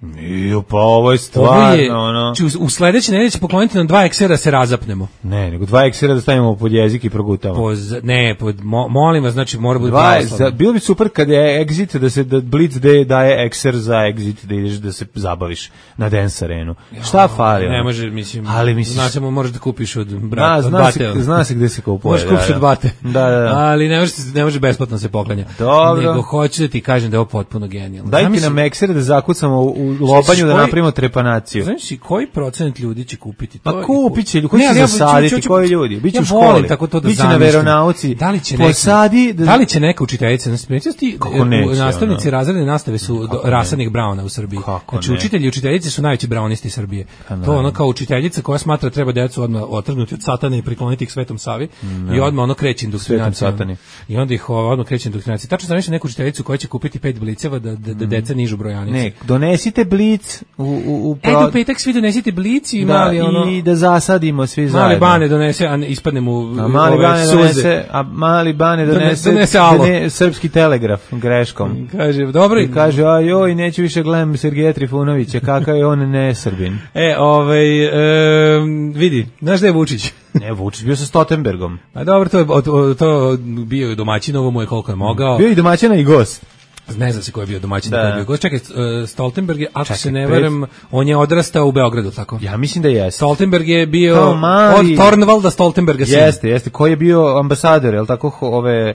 Nije, pa ovo je stvarno, ovo je, ono... U sledeće nedelje će pokloniti nam dva eksera da se razapnemo. Ne, nego dva eksera da stavimo pod jezik i progutamo. Poz, ne, pod, mo, molim vas, znači mora biti pravoslavno. Bilo bi super kad je exit, da se da Blitz de, daje ekser za exit, da ideš da se zabaviš na dance arenu. Jo, šta fali? Ne može, mislim, ali misliš... Znaš, možeš da kupiš od brata, da, od zna bate. Se, zna se gde se kupuje. Možeš kupiš da, od bate. Da, da, da. Ali ne može, ne može besplatno se poklanja. Dobro. Nego hoću da ti kažem da je ovo potpuno genijalno. Daj ti nam ekser da zakucamo u lobanju da napravimo trepanaciju. Znaš si koji procent ljudi će kupiti to? Pa kupit će, koji će zasaditi, koji ljudi? Biće u školi, biće na veronauci, da li će posadi... Da li će neka učiteljica, u nastavnici razredne nastave su rasadnih Brauna u Srbiji. Znači, učitelji i učiteljice su najveći braunisti Srbije. To ono kao učiteljica koja smatra treba decu odmah otrgnuti od satana i prikloniti ih Svetom Savi i odmah ono kreće indoktrinacija. I onda ih odmah kreće indoktrinacija. Tačno sam nešto neku učiteljicu koja će kupiti pet bliceva da deca nižu brojanice. Ne, donesite blic u U, u pro... E, do petak svi donesite blici i da, mali ono... i da zasadimo svi zajedno. Mali Bane donese, a ispadne mu a mali ove Bane suze. Donese, a mali Bane donese, donese done, srpski telegraf greškom. Kaže, dobro. I kaže, a joj, neću više gledam Sergeja Trifunovića, kakav je on ne Srbin. E, ovaj, e, vidi, znaš da je Vučić? Ne, Vučić bio sa Stoltenbergom. A dobro, to je to, to bio je domaćin, ovo mu je koliko je mogao. Bio i domaćina i gost. Ne znam se ko je bio domaćin, da je bio gost. Čekaj, Stoltenberg je, ako Čekaj, se ne varam, on je odrastao u Beogradu, tako? Ja mislim da je. Stoltenberg je bio mali... od Tornvalda Stoltenberga sin. Jeste, jeste. Ko je bio ambasador, je li tako, ove...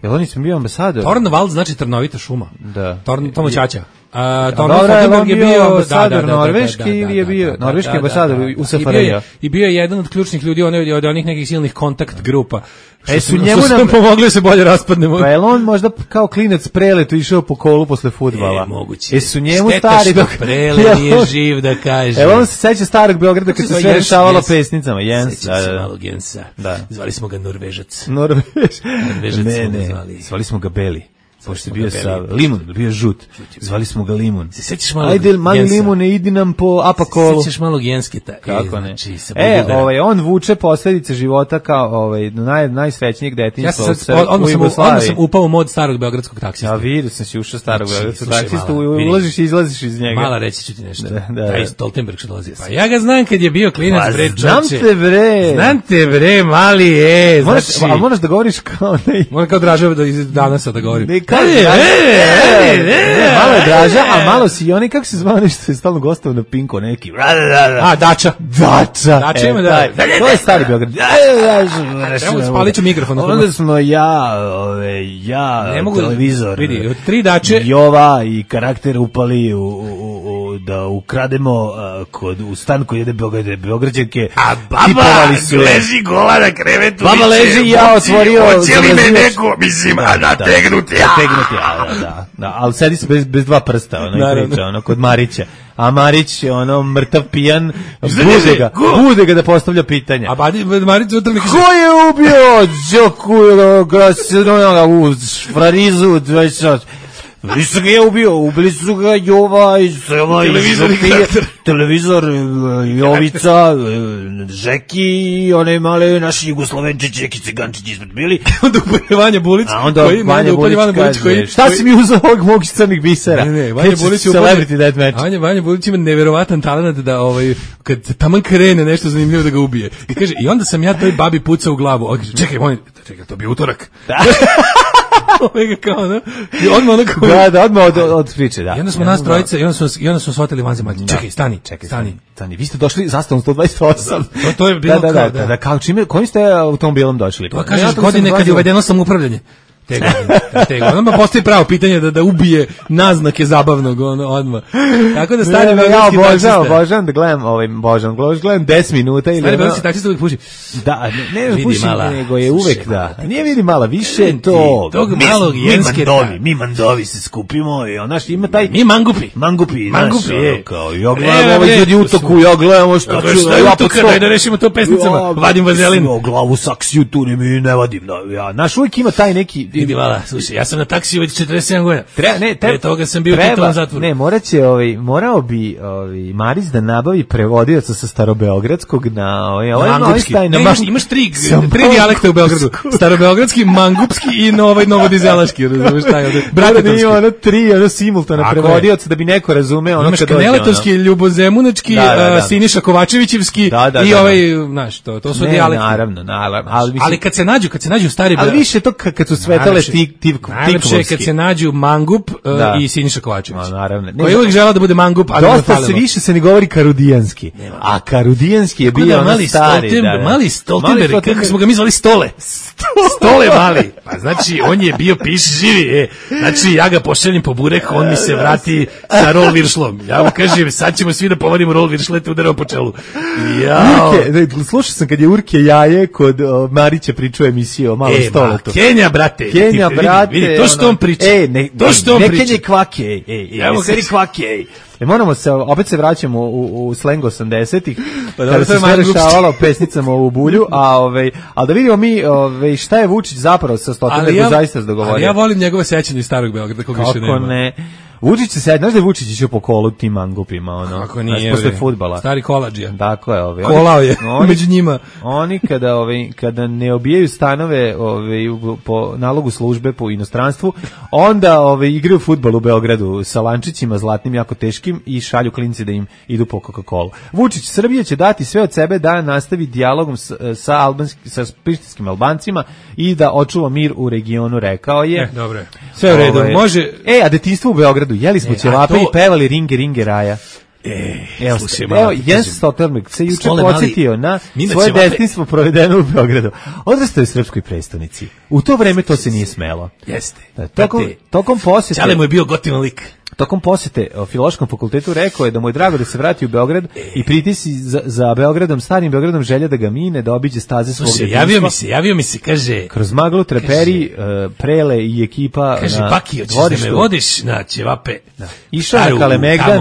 Jel on nisam bio ambasador? Tornvald znači trnovita šuma. Da. Torn, Tomo Ćaća. A Tornvald je bio ambasador Norveški ili je bio norveški ambasador u S F R J? I bio je jedan od ključnih ljudi one od onih nekih silnih kontakt grupa. E su njemu nam pomogli da se bolje raspadnemo. Pa je on možda kao klinac preletu išao po kolu posle fudbala. E, moguće. E su njemu stari dok prele nije živ da kaže. E on se seća starog Beograda kad se sve rešavalo pesnicama. Jens, seća se malo Gensa. Zvali smo ga Norvežac. Norvež. Norvežac smo ga zvali. Zvali smo ga Beli. Pošto je bio sa limun, bio žut. Zvali smo ga limun. Se sećaš malo? Ajde, mali limune, idi nam po apakolu. Se sećaš malo gensketa. Kako ne? E, ovaj, on vuče posljedice života kao ovaj, naj, najsrećnijeg detinjstva ja sam, u Jugoslaviji. Odmah sam upao u mod starog beogradskog taksista. Ja vidio sam si ušao starog beogradskog taksista, ulaziš i izlaziš iz njega. Mala reći ću ti nešto. Da, da, Taj Stoltenberg što dolazi. Pa ja ga znam kad je bio klinac, pa, bre, čoče. Znam te, bre. Znam te, bre, mali je. Moraš, znači, a moraš da govoriš kao ne. Moram kao Draža da iz danasa da govorim. Ne, kao malo je Draža, a malo si i oni, kako se zvao nešto, je stalno gostao na Pinku, neki. A, Dača. Dača. Dača ima da. To je stari Beograd. Evo, spalit ću mikrofon. Onda smo ja, ove, ja, televizor. Vidi, od tri Dače. Jova i karakter upali u da ukrademo uh, kod, u stan koji jede Beograde, Beograđanke. A baba leži gola na krevetu. Baba leži i ja otvorio. Hoće li me neko, mislim, a nategnuti. Nategnuti, da, da, da. Ali sedi se bez, bez dva prsta, ono i priča, ono, kod Marića. A Marić, ono, mrtav pijan, bude ga, bude ga da postavlja pitanja. A Marić utra mi kaže... Ko je ubio Đoku, Grasinoga, u Frarizu, Nisu ga je ubio, ubili su ga Jova i Sela i Župije, televizor, Jovica, Žeki i one male naši Jugoslovenčići, neki cigančići ispred bili. Onda upalje Vanja Bulić. A onda koji, Vanja Bulić kaže, koji, šta koji... si mi uzao ovog mog crnih bisera? Ne, ne, Vanja Bulić je Celebrity Deathmatch. Vanja, Vanja Bulić ima neverovatan talent da ovaj, kad taman krene nešto zanimljivo da ga ubije. I kaže, i onda sam ja toj babi pucao u glavu. On kaže, čekaj, on, čekaj, to bi utorak. Omega kao, da? I odmah ono kao... Da, da, odmah od, od priče, da. I onda smo nas trojice, i onda smo, i onda smo shvatili vanzemaljci. Čekaj, stani, čekaj, stani. Stani, vi ste došli zastavom sto dvadeset osam. To, to je bilo da, da, kao, da. Da, da, kao čime, kojim ste automobilom došli? To kažeš godine kad je uvedeno samoupravljanje. Te godine, te godine. Onda postoji pravo pitanje da da ubije naznake zabavnog ono odmah. Tako da stari beogradski ja obožavam, obožavam da gledam ovaj Božan, gledam deset minuta ili stari beogradski taksista uvijek puši. Da, ne, ne puši, nego je uvek da. Nije vidi mala, više to. Tog malog jenske mandovi, mi mandovi se skupimo i onaš ima taj mi mangupi. Mangupi, mangupi je kao ja gledam ovaj ljudi utoku, ja gledam šta ću ja utoka da rešimo to pesnicama. Vadim vazelin. U glavu saksiju tu mi ne vadim. Ja, naš uvijek ima taj neki vidi vala, slušaj, ja sam na taksiju već četrdeset sedam godina. Treba, ne, pre toga sam bio u tom zatvoru. Ne, moraće, ovaj, morao bi ovaj Marić da nabavi prevodioca sa starobeogradskog na ovaj, ovaj mangupski. Ne, imaš, imaš tri, tri dijalekta u Beogradu. Starobeogradski, mangupski i novaj novodizelaški, razumeš taj ovde. Bratetovski. Ima ono tri, ono simultana prevodioca da bi neko razumeo ono kad dođe. Imaš Kaneletovski, Ljubozemunački, da, da, da. Siniša Kovačevićevski da, da, i da, ovaj, znaš, to, to su ne, dijalekti. Naravno, naravno. Ali, ali kad se nađu, kad se nađu stari ali više to kad su svetale tik tik najlepše kad se nađu Mangup uh, i Siniša Kovačević. No, naravno. Koji uvijek žela da bude Mangup, ali dosta se više se ne govori karudijanski. Nema. A karudijanski je bio da, mali stari. Stolten, da, da. Mali Stoltenberg, kako smo ga mi zvali Stole. Stole mali. Pa znači, on je bio piš živi. E. Znači, ja ga pošaljem po burek, on mi se vrati sa rol viršlom. Ja mu kažem, sad ćemo svi da povodimo rol viršle, te udaramo po čelu. Jao. Urke, slušao sam kad je Urke Jaje kod uh, Marića pričao emisiju o malo e, Stoletu. Kenja, brate. Kenja, ti, brate. Vidi, vidi, to što on priča. E, ne, to što on ne priča. Kenje kvake, ej, ej, ej, Evo seri kvake, ej. E, moramo se, opet se vraćamo u, u slang osamdesetih, pa kada se sve rešavalo pesnicama u bulju, a, ovaj, a da vidimo mi ovaj, šta je Vučić zapravo sa Stoltenbergom ja, zaista dogovorio. Ali ja volim njegove sećanje iz starog Beograda, kog više nema. Kako ne? Vučić se sad, znaš da je Vučić išao po kolu tim mangupima, ono, kako nije, posle fudbala. Stari kolađija. Tako je, ovaj. Kolao je oni, među njima. Oni kada, ovaj, kada ne obijaju stanove ovaj, po nalogu službe po inostranstvu, onda ovaj, igraju fudbal u Beogradu sa lančićima zlatnim, jako teškim i šalju klinci da im idu po Coca-Colu. Vučić, Srbija će dati sve od sebe da nastavi dijalogom sa, sa, albanski, sa prištinskim Albancima i da očuva mir u regionu, rekao je. E, dobro. Sve u redu, ovaj, može... E, a detinjstvo u Beogradu, jeli smo e, ćevape to... i pevali ringe, ringe raja. E, evo, slušaj, evo Jens Stoltenberg se juče podsjetio na svoje detinjstvo provedeno u Beogradu. Odrastao je u srpskoj prestonici. U to vreme to se nije smelo. Jeste. Da, tokom, tokom posjete... Čale mu je bio gotivan lik. Tokom posjete o Filološkom fakultetu rekao je da mu je drago da se vrati u Beograd e. i pritisi za, za Beogradom, starim Beogradom želja da ga mine, da obiđe staze svog detinjstva. Javio mi se, javio mi se, kaže... Kroz maglu treperi, kaže, uh, Prele i ekipa kaže, na Baki, hoćeš da me vodiš na ćevape? Da. Išao na Kalemegdan,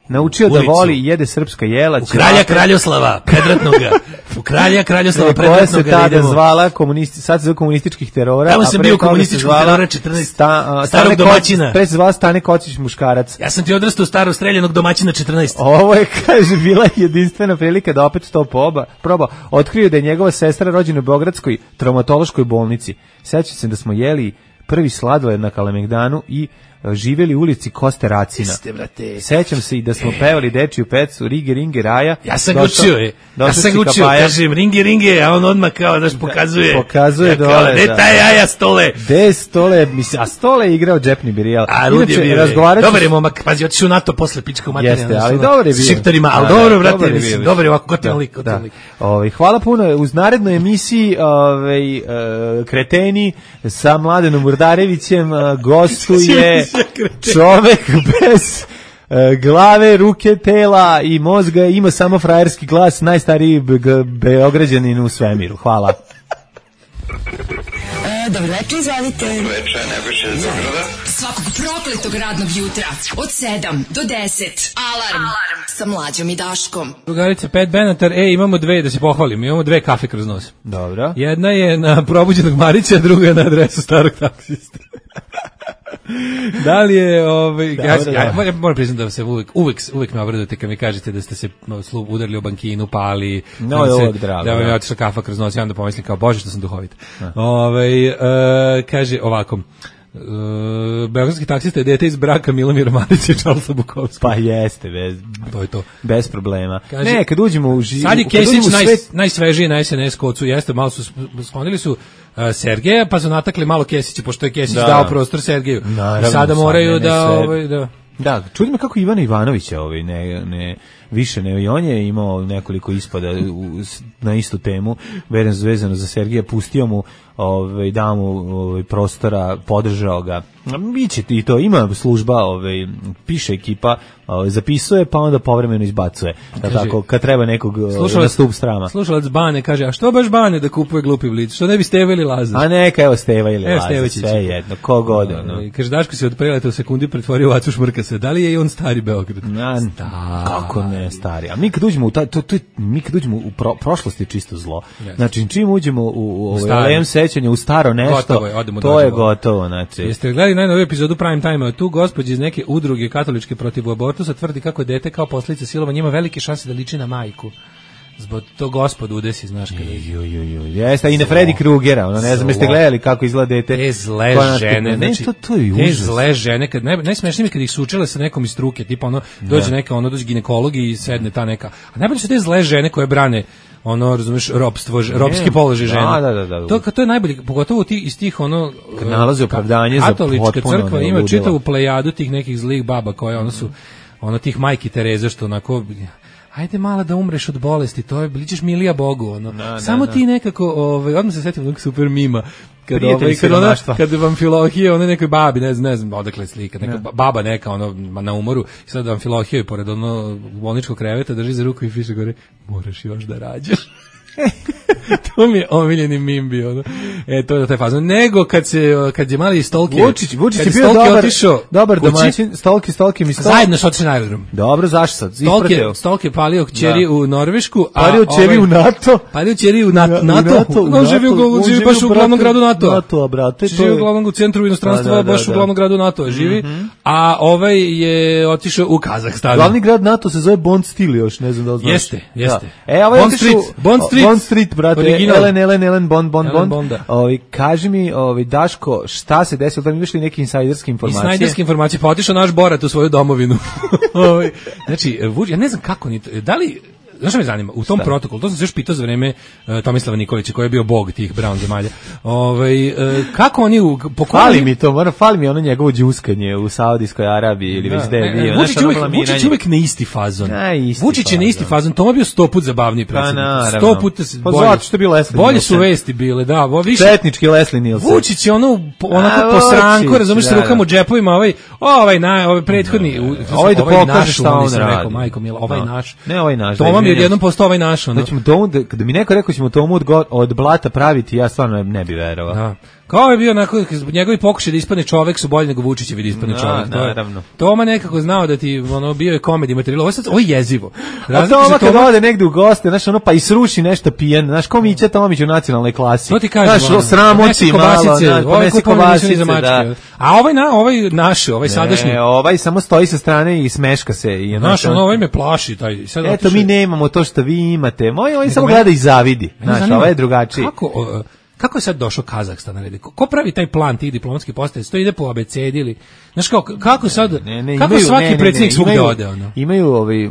naučio ulicu, da voli i jede srpska jela. U kralja Kraljoslava, predratnoga. U kralja Kraljoslava, predratnoga. Koja se tada zvala, komunisti, sad se zove komunističkih terora. Tamo sam bio komunističkih terora četrnaest. Sta, uh, starog domaćina. Pre se zvala Stane Kocić muškarac. Ja sam ti odrastao starog streljanog domaćina četrnaest. Ovo je, kaže, bila jedinstvena prilika da opet to poba, proba. Otkrio da je njegova sestra rođena u Beogradskoj traumatološkoj bolnici. Sećam se da smo jeli prvi sladoled na Kalemegdanu i živeli u ulici Koste Racina. Jeste, brate. Sećam se i da smo pevali dečiju pecu Rige, Ringe, Raja. Ja sam ga učio, je. Ja sam ga učio, kažem Ringe, Ringe, a on odmah kao, znaš, pokazuje. Pokazuje ja, dole, kao, de da. taj jaja Stole. De Stole, mislim, a Stole je igrao džepni birijal. A Rudi je bio. Razgovarajući... Dobar je momak, pazi, otišao u NATO posle pička u materinu. Jeste, ali dobar je bio. Šiptarima, ali da, dobro, da, brate, mislim, dobar je ovako, gotivan lik, gotivan lik. Ovaj, hvala puno, uz narednoj emisiji ovaj, uh, Kreteni sa Mladenom Urdarevićem uh, gostuje čovek bez e, glave, ruke, tela i mozga, ima samo frajerski glas, najstariji be- beograđanin u svemiru. Hvala. E, dobro večer, izvalite. Dobro večer, Nebojša iz Beograda. Svakog prokletog radnog jutra od sedam do deset. Alarm, Alarm. Sa Mlađom i Daškom. Drugarice, Pat Benatar, e, imamo dve, da se pohvalim, imamo dve kafe kroz nos. Dobro. Jedna je na probuđenog Marića, druga je na adresu starog taksista. Da li je ovaj ja, ja, ja moram priznati da se uvek uvek uvek me obradujete kad mi kažete da ste se slu udarili o bankinu, pali, no, da, se, drago, da vam je otišla kafa kroz noć, ja onda pomislim kao bože što sam duhovit. Ovaj uh, kaže ovako. Uh, beogradski taksista je dete iz braka Milomira Marića i Charlesa Bukovskog. Pa jeste, bez, to je to. Bez problema. Kaže, ne, kad uđemo u živu... Sad je Kesić naj, svet... najsvežiji na es en es kocu, jeste, malo su sklonili su uh, Sergeja, pa su natakli malo Kesića, pošto je Kesić da. dao prostor Sergeju. Naravno, i sada moraju sad, da... Ovaj, da Da, čudi me kako Ivana Ivanovića ovaj, ne, ne, više ne, i on je imao nekoliko ispada u, na istu temu, vezano za Sergija, pustio mu, ovaj, dao mu ovaj, prostora, podržao ga. Biće i to, ima služba, ovaj, piše ekipa, ovaj, zapisuje, pa onda povremeno izbacuje. Da, tako, kad treba nekog na stup strama. Slušalac Bane kaže, a što baš Bane da kupuje glupi blic? Što ne bi Steva ili Lazar? A neka, evo Steva ili evo Lazar, sve jedno, kogod. No. Kaže, Daško se od preleta u sekundi pretvorio u Acu Šmrkasa. Da li je i on stari Beograd? Na, stari. Kako ne stari? A mi kad uđemo u, ta, to, to, mi kad uđemo u pro, prošlosti je čisto zlo. Yes. Znači, čim uđemo u, u, u alejem sećanja, u staro nešto, je, to je gotovo. Znači. Jeste gledali najnoviju epizodu Prime Time-a? Tu gospođa iz neke udruge katoličke protiv abortusa tvrdi kako dete kao posljedica silovanja ima velike šanse da liči na majku. Zbog to gospod udesi, znaš kada je. Jo, jo, jo. Jeste, i na Freddy Krugera, ono, ne znam, jeste gledali kako izgleda dete. Te zle žene, ne, znači, to, to je užas. Te zle žene, kad, naj, najsmešnije mi kad ih sučele sa nekom iz struke, tipa ono, dođe da. neka, ono, dođe ginekolog i sedne ta neka. A najbolje su te zle žene koje brane ono, razumeš, ropstvo, robski položaj žena. Da, da, da. To, to je najbolje, pogotovo ti, iz tih, ono, kad nalaze opravdanje za potpuno. Katolička crkva ima čitavu plejadu tih nekih zlih baba koje, ono su, ono, tih majki Tereze, što onako... Ajde mala da umreš od bolesti, to je, ličiš milija Bogu, ono. No, Samo no, ti nekako, ovaj, odmah se setim onog super mima, kad, ovaj, kad, ona, kad vam Filohije, ona nekoj babi, ne znam, ne znam odakle slika, neka no. baba neka, ono, na umoru, i sad vam Filohije, pored ono bolničkog kreveta, drži za ruku i piše gore, moraš još da rađaš. To mi je omiljeni mim bio, ono. E, to je taj fazon. Nego kad se, kad je mali Stolki... Vučić, Vučić je bio dobar, otišao, dobar domaćin, Stolki, Stolki mi Stolki. Zajedno su otišli na aerodrom. Dobro, zašto sad? Stolki, Stolki je palio kćeri u Norvešku. Palio kćeri u NATO. Palio kćeri u NATO. NATO. On živi, u, živi baš u glavnom gradu NATO. NATO, brate. Živi u glavnom centru inostranstva, baš u glavnom gradu NATO živi. A ovaj je otišao u Kazahstan. Glavni grad NATO se zove Bond Stil još, ne znam da li znaš. Jeste, jeste. E, ovaj Bond Street, Bond Street. Bond Street, brate. Ellen, Ellen, Ellen, Bond, Bond, Bond. Ovi, kaži mi, ovi, Daško, šta se desilo, da mi išli neke insajderske informacije? Insajderske informacije, pa otišao naš Borat u svoju domovinu. Ovi, znači, ja ne znam kako ni to, da li, znaš me zanima, u tom šta? Protokolu, to sam se još pitao za vreme uh, Tomislava Nikolića, koji je bio bog tih brown zemalja, ovaj, uh, kako oni, u, po fali mi to, mora, fali mi ono njegovo džuskanje u Saudijskoj Arabiji ili da, već da je bio. Vučić uvek, Vučić uvek na isti fazon. Na isti Vučić je na isti fazon, to je bio sto put zabavniji predsjednik. Pa, sto puta pa bolje. Zato što je bio Leslie Bolje su vesti bile, da. Više, četnički Leslie Nielsen. Vučić je ono, onako posranko, razumiješ, se rukama u džepovima, ovaj, ovaj, na, ovaj prethodni, ovaj da pokaže šta on radi. Majko mila, ovaj naš. Ne, ovaj naš. To vam je odjednom postao ovaj naš. Znači, tomu, da, kada mi neko rekao ćemo tomu od, od blata praviti, ja stvarno ne bi verovao. Da. Kao je bio onako, njegovi pokušaj da ispadne čovek su bolji nego Vučićevi da ispadne čovek. No, naravno. Toma nekako znao da ti, ono, bio je komedi materijal. Ovo je sad, ovo je jezivo. A Toma kad ode negde u goste, znaš, ono, pa i sruši nešto pijen, znaš, ko Mića Tomić u nacionalnoj klasi. To ti kažem, znaš, ono, sramoci malo, ponesi kobasice, da. A ovaj, na, ovaj naš, ovaj sadašnji. Ne, ovaj samo stoji sa strane i smeška se. I znaš, ono, ovaj me plaši. Taj, sad eto, mi nemamo to što vi imate. Moj, ovaj samo gleda i zavidi. Znaš, ovaj je drugačiji. Kako... Kako je sad došao Kazahstan na red? Ko pravi taj plan tih diplomatskih postaja? To ide po abecedi ili znaš kako kako sad ne, ne, kako imaju, svaki ne, ne, predsjednik svugde imaju, ode ono? Imaju ovaj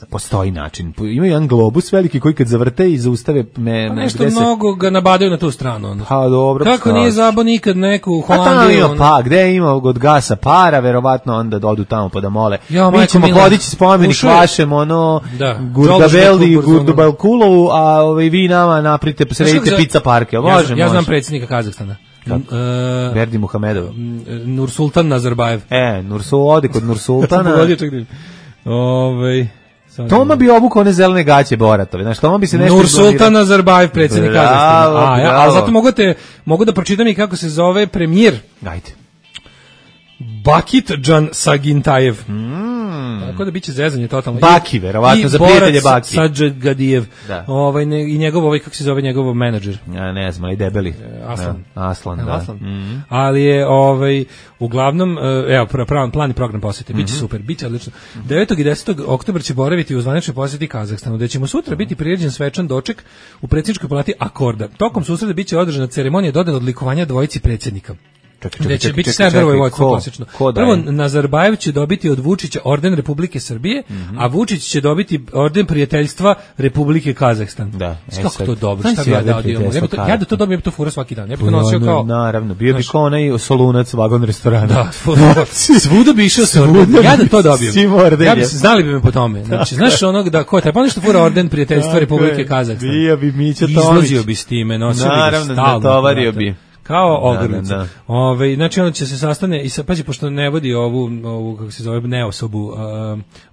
postoji način. Imaju jedan globus veliki koji kad zavrte i zaustave me, pa nešto mnogo se... ga nabadaju na tu stranu. Onda. Pa dobro. Kako nije zabo nikad neku Holandiju? Pa, pa gde ima od gasa para, verovatno onda dodu tamo pa da mole. Ja, mi ćemo podići spomenik vašem, ono, da. Gurdabeli, Gurdabelkulovu, a ovaj, vi nama naprite, sredite pizza parke. Ja, Može, ja znam predsjednika Kazahstana. Kako? Berdi Muhamedov. Nursultan Nazarbajev. E, Nursul ode kod Nursultana. Ovaj Toma bi obukao one zelene gaće Boratove. Znaš, Toma bi se nešto Nursultan Nazarbajev, predsjednik Kazahstana. A, ja, a zato mogu, te, mogu da pročitam i kako se zove premijer. Ajde. Bakitdžan Sagintajev. Mm. Tako da biće zezanje totalno. Baki, verovatno, za prijatelje Baki. I Borat Sadžgadijev. Ovaj, ne, I njegov, ovaj, kako se zove njegov menadžer? Ja ne znam, ali debeli. Aslan. Ja, Aslan, da. Aslan. Mm. Ali je, ovaj, uglavnom, evo, pravan plan i program posete. Biće mm-hmm. super, biće odlično. devetog i desetog oktobra će boraviti u zvaničnoj poseti Kazahstanu, gde ćemo sutra biti priređen svečan doček u predsjedničkoj palati Akorda. Tokom susreta biće održana ceremonija dodane odlikovanja dvojici predsjednika. Gde će biti sve vrlo vojsko klasično. Prvo, Nazarbajev će dobiti od Vučića orden Republike Srbije, mm-hmm. a Vučić će dobiti orden prijateljstva Republike Kazahstan. Da. E, kako to dobro, šta bi ja dao dio? Ja, to, ja da to dobijem to fura svaki dan. Ja bih to nosio kao... Naravno, bio bi kao onaj Solunac vagon restorana. Da, svuda bi išao sa orden. Ja da to dobijem. Ja bi, znali bi me po tome. Znači, znaš onog da, ko je taj, pa nešto fura orden prijateljstva Republike Kazahstan. Bio bi Mića Tomić. Izlazio bi s time, nosio bi ga stalno. Naravno, natovario bi. Kao ogrlica. Ove, znači onda će se sastane i sa, pazi, pošto ne vodi ovu, ovu kako se zove, neosobu, uh,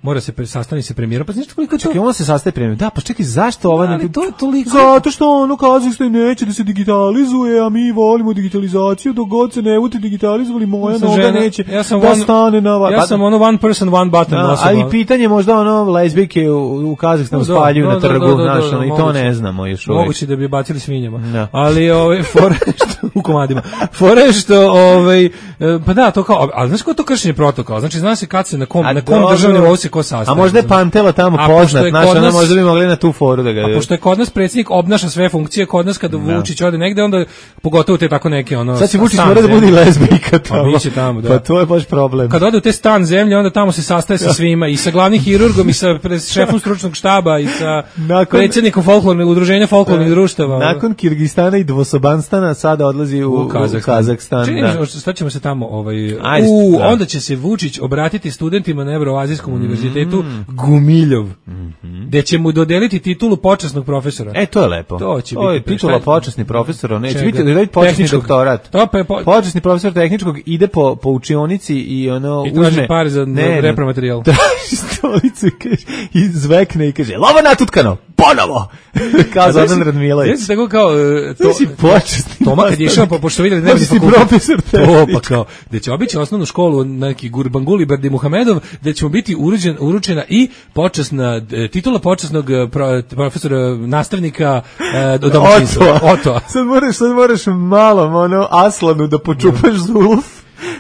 mora se pre, sastani se premijerom, pa znači koliko to... Čekaj, ona se sastaje premijerom, da, pa čekaj, zašto ova... Da, ali to je toliko... Zato što ono Kazahstan neće da se digitalizuje, a mi volimo digitalizaciju, dok god se ne bude digitalizovali, moja ja noga žena, neće ja sam da one, stane na... Ja pa, sam ono one person, one button da, osoba. A i pitanje možda ono lezbijke u, u Kazahstanu no, spaljuju no, na trgu, do, do, do, znaš, ono, i to ne znamo još uvijek. Moguće da bi bacili svinjama. No. Ali ove, fore, što, u komadima. Fore što, ovaj, pa da, to kao, ali znaš ko to kršenje protokola? Znači, zna se kad se, na kom, na kom državnom nivou se ko sastaje. A možda je Pantela tamo poznat, znaš, ona možda bi mogli na tu foru da ga... A pošto je kod nas predsjednik obnaša sve funkcije, kod nas kada Vučić ode negde, onda pogotovo te tako neke, ono... Sad će Vučić mora da bude lezbijka tamo. Pa biće tamo, da. Pa to je baš problem. Kad ode u te stan zemlje, onda tamo se sastaje sa svima, i sa glavnim hirurgom, i sa šefom stručnog štaba, i sa nakon, predsjednikom folklornog udruženja folklornih društava. Nakon Kirgistana i Dvosobanstana sada odlazi u, u Kazahstan. Kazahstan da. Šta ćemo se tamo ovaj Ajde, u da. Onda će se Vučić obratiti studentima na Evroazijskom mm, univerzitetu Gumiljov, mm-hmm. gde će mu dodeliti titulu počasnog profesora. E, to je lepo. To će to biti je titula počasni profesor, neće biti da počasni doktorat. To pa po... počasni profesor tehničkog ide po po učionici i ono I uzme pare za ne, repromaterijal. Traži stolicu i kaže i zvekne i kaže: "Lova natutkano, ponovo." Kao Zoran Radmilović. Jesi tako kao to si počasni. Toma kad je išao pa pošto vidi da ne bi profesor to pa kao da će obići osnovnu školu neki Gurbanguly Berdi Muhamedov, da će mu biti uručen, uručena i počasna titula počasnog pro, profesora nastavnika e, do domaćinstva. Oto. Sad moraš, sad moraš malo ono Aslanu da počupaš zuluf.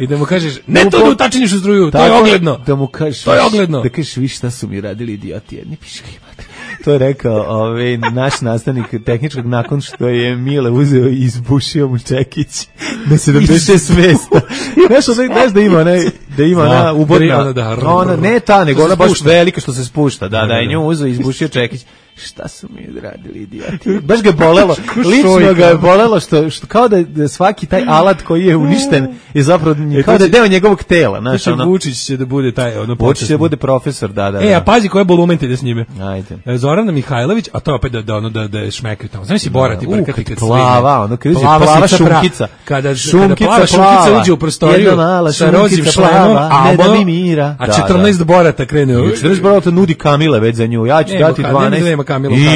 I da mu kažeš, ne to da utačiniš u struju, to je ogledno. Da mu kažeš, to je ogledno. Da kažeš, vi šta su mi radili idioti jedni piški imate. To je rekao ovaj, naš nastavnik tehničkog nakon što je Mile uzeo i izbušio mu čekić na sedamdeset šest mesta. Znaš, znaš da ima onaj, da ima ona ubodna, ona, ne ta, nego ona baš velika što se spušta, da, da, i nju uzeo i izbušio čekić. Šta su mi radili idioti? Baš ga bolelo, lično ga je bolelo što, što kao da, da svaki taj alat koji je uništen je zapravo e, kao da je deo njegovog tela. Znaš, ono, Vučić će da bude taj, ono, Vučić će da bude profesor, da, da. E, a pazi koje bolumente ide s njime. Ajde. Zorana Mihajlović, a to opet da, da, ono, da, da je šmekaju tamo. Znaš si Borat i brkati kad plava, ono, kad plava, plava šunkica. Kada, kada plava šunkica uđe u prostoriju sa rozim šlemom, a, da mi mira. A četrnaest Borata krene. četrnaest Borata nudi Kamile već za nju, ja ću dati dvanaest.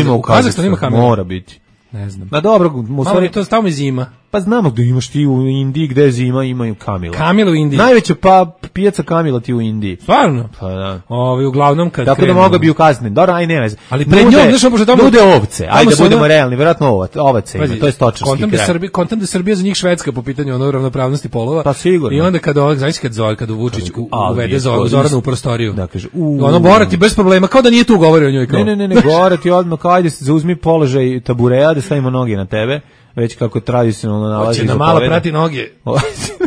Ima u Kazahstanu, ima Kamila. Mora biti. Ne znam. Na dobro, u stvari to stavimo zima. Pa znamo da imaš ti u Indiji, gde zima imaju Kamila. Kamila u Indiji. Najveća pa pijaca Kamila ti u Indiji. Stvarno? Pa da. Ovi uglavnom kad tako krenu. Da mogu bi ukazati. Dobro, aj ne veze. Ali pred njom, znaš, pošto tamo nude ovce. Ajde da budemo realni, verovatno ovac, ovace ima. To je stočarski kraj. Srbija, kontam da Srbija za njih Švedska po pitanju ono ravnopravnosti polova. Pa sigurno. I onda kad ovak, znaš kad Zor, kad Vučić uvede Zoranu u prostoriju. Da kaže, ono Borati bez problema, kao da nije tu govorio o njoj kao. Ne, ne, ne, Borati odmah kao ajde se uzmi položaj tabureja da stavimo noge na tebe. Već kako tradicionalno nalazi. Hoće na malo prati noge.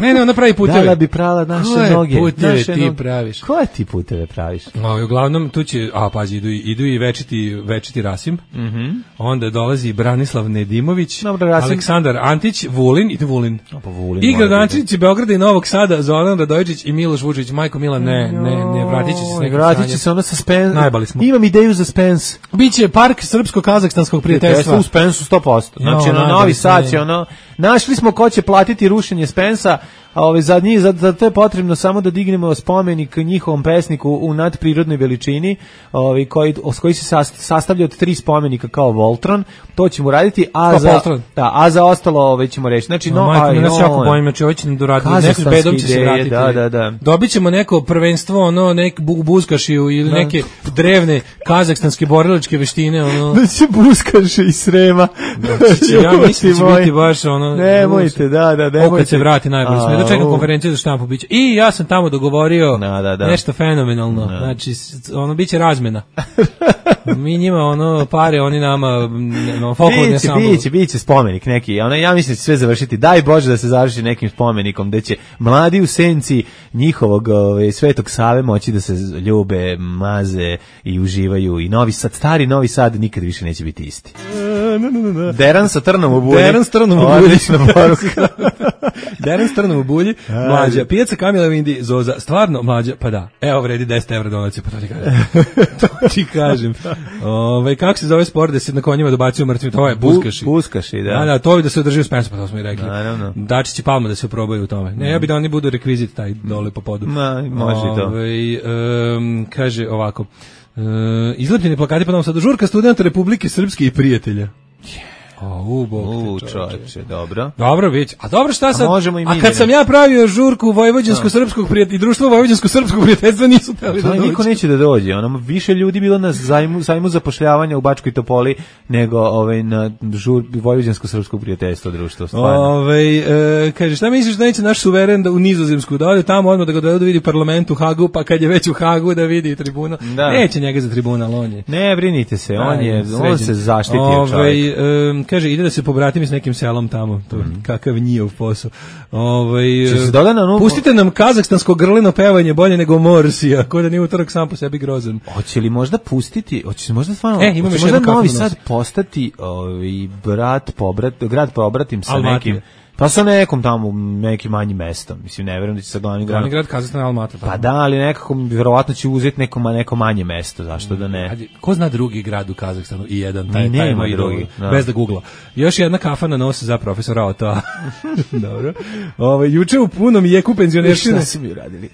Ne, ne, ona pravi puteve. Da, da bi prala naše koje noge. Puteve naše ti noge. praviš? Koje ti puteve praviš? No, uglavnom tu će, a pazi, idu, idu i večiti, večiti Rasim. Mm-hmm. Onda dolazi Branislav Nedimović, Dobre, Rasim. Aleksandar Antić, Vulin, ide Vulin. A, pa Vulin I gradonačelnici Beograda i Novog Sada, Zoran Radojičić i Miloš Vučić. Majko Milan, ne, ne, ne, vratit će se. Ne, vratit će se ono sa Spens. Najbali smo. Imam ideju za Spens. Biće park srpsko-kazahstanskog prijateljstva. U Spensu sto posto. Znači, no, na Novi sad će ono, našli smo ko će platiti rušenje Spensa, a ove za njih za, za to je potrebno samo da dignemo spomenik njihovom pesniku u nadprirodnoj veličini, ovaj koji koji se sastavlja od tri spomenika kao Voltron, to ćemo raditi, a kao za Voltron. Da, a za ostalo ovaj ćemo reći. Znači no, no aj no, no, jako bojim, znači hoće nam doraditi, neki bedom će se vratiti. Da, da, da. Dobićemo neko prvenstvo, ono nek bu, buskašiju ili da. neke drevne kazahstanske borilačke veštine, ono. Da će buskaši iz Srema. Znači, ja mislim će biti baš ono. Nemojte, da, da, nemojte. Kad se vrati najbolje. Sme dočekam konferenciju za štampu biće. I ja sam tamo dogovorio da, da, da. nešto fenomenalno. Da. Znači ono biće razmena. Mi njima ono pare, oni nama no folklorni ansambl. Biće, biće, biće spomenik neki. Ona ja mislim da će sve završiti. Daj Bože da se završi nekim spomenikom gde će mladi u senci njihovog ove, Svetog Save moći da se ljube, maze i uživaju i Novi Sad, stari Novi Sad nikad više neće biti isti. Deran sa trnom u bulji. Deran sa trnom u bulji. Odlična poruka. Deran sa trnom u bulji. Mlađa, pijaca Kamila Vindi, Zoza, stvarno mlađa, pa da. Evo vredi deset evra donacije, pa to ti kažem. To ti kažem. Ove, kako se zove sport da se na konjima dobacuju mrtvi, to je buskaši. Buskaši, da. Da, da, to bi da se održi u Spensu, pa to smo i rekli. Naravno. Dačić i Palma da se probaju u tome. Ne, ja bi da oni budu rekvizit taj dole po podu. Ma, može i to. Ove, um, kaže ovako, uh, izlepljeni plakati po Novom Sadu, žurka studenta Republike Srpske i prijatelja. O, u, bog te čovječe, dobro. Dobro, već. A dobro, šta sad? A, i a kad sam ja pravio žurku Vojvođansko-srpskog prijateljstva i društvo Vojvođansko-srpskog prijateljstva nisu teli da dođe. Niko neće da dođe. Ono, više ljudi bilo na zajmu, zajmu zapošljavanja u Bačkoj Topoli nego ovaj, na žur Vojvođansko-srpskog prijateljstva društvo. Ove, e, kaže, šta misliš da neće naš suveren da u Nizozemsku da ode tamo odmah da ga dovedu da vidi u parlamentu u Hagu, pa kad je već u Hagu da vidi tribuna. Da. Neće njega za tribunal, on je. Ne, brinite se, on, Aj, je, on se zaštitio čovjek. E, kaže, ide da se pobratim s nekim selom tamo, to mm. kakav njihov posao. Ovaj onu... Pustite nam kazahstansko grlino pevanje bolje nego Morsija, ko da nije utorak sam po sebi grozan. Hoće li možda pustiti, hoće se možda stvarno, e, imam možda Novi Sad postati ovaj brat pobrat, grad pobratim sa Almaty. Nekim pa sa nekom tamo nekim manjim mestom. Mislim, ne verujem da će sa glavnim gradom. Glavni grad Kazahstan Almaty. Pa da, ali nekako vjerovatno će uzeti neko, neko manje mesto, zašto da ne? Ko zna drugi grad u Kazahstanu i jedan, taj, taj nema drugi, no. Bez da googla. Još jedna kafa na nos za profesora Ota. Dobro. Ove, juče u punom jeku penzionerštine. Šta su mi uradili?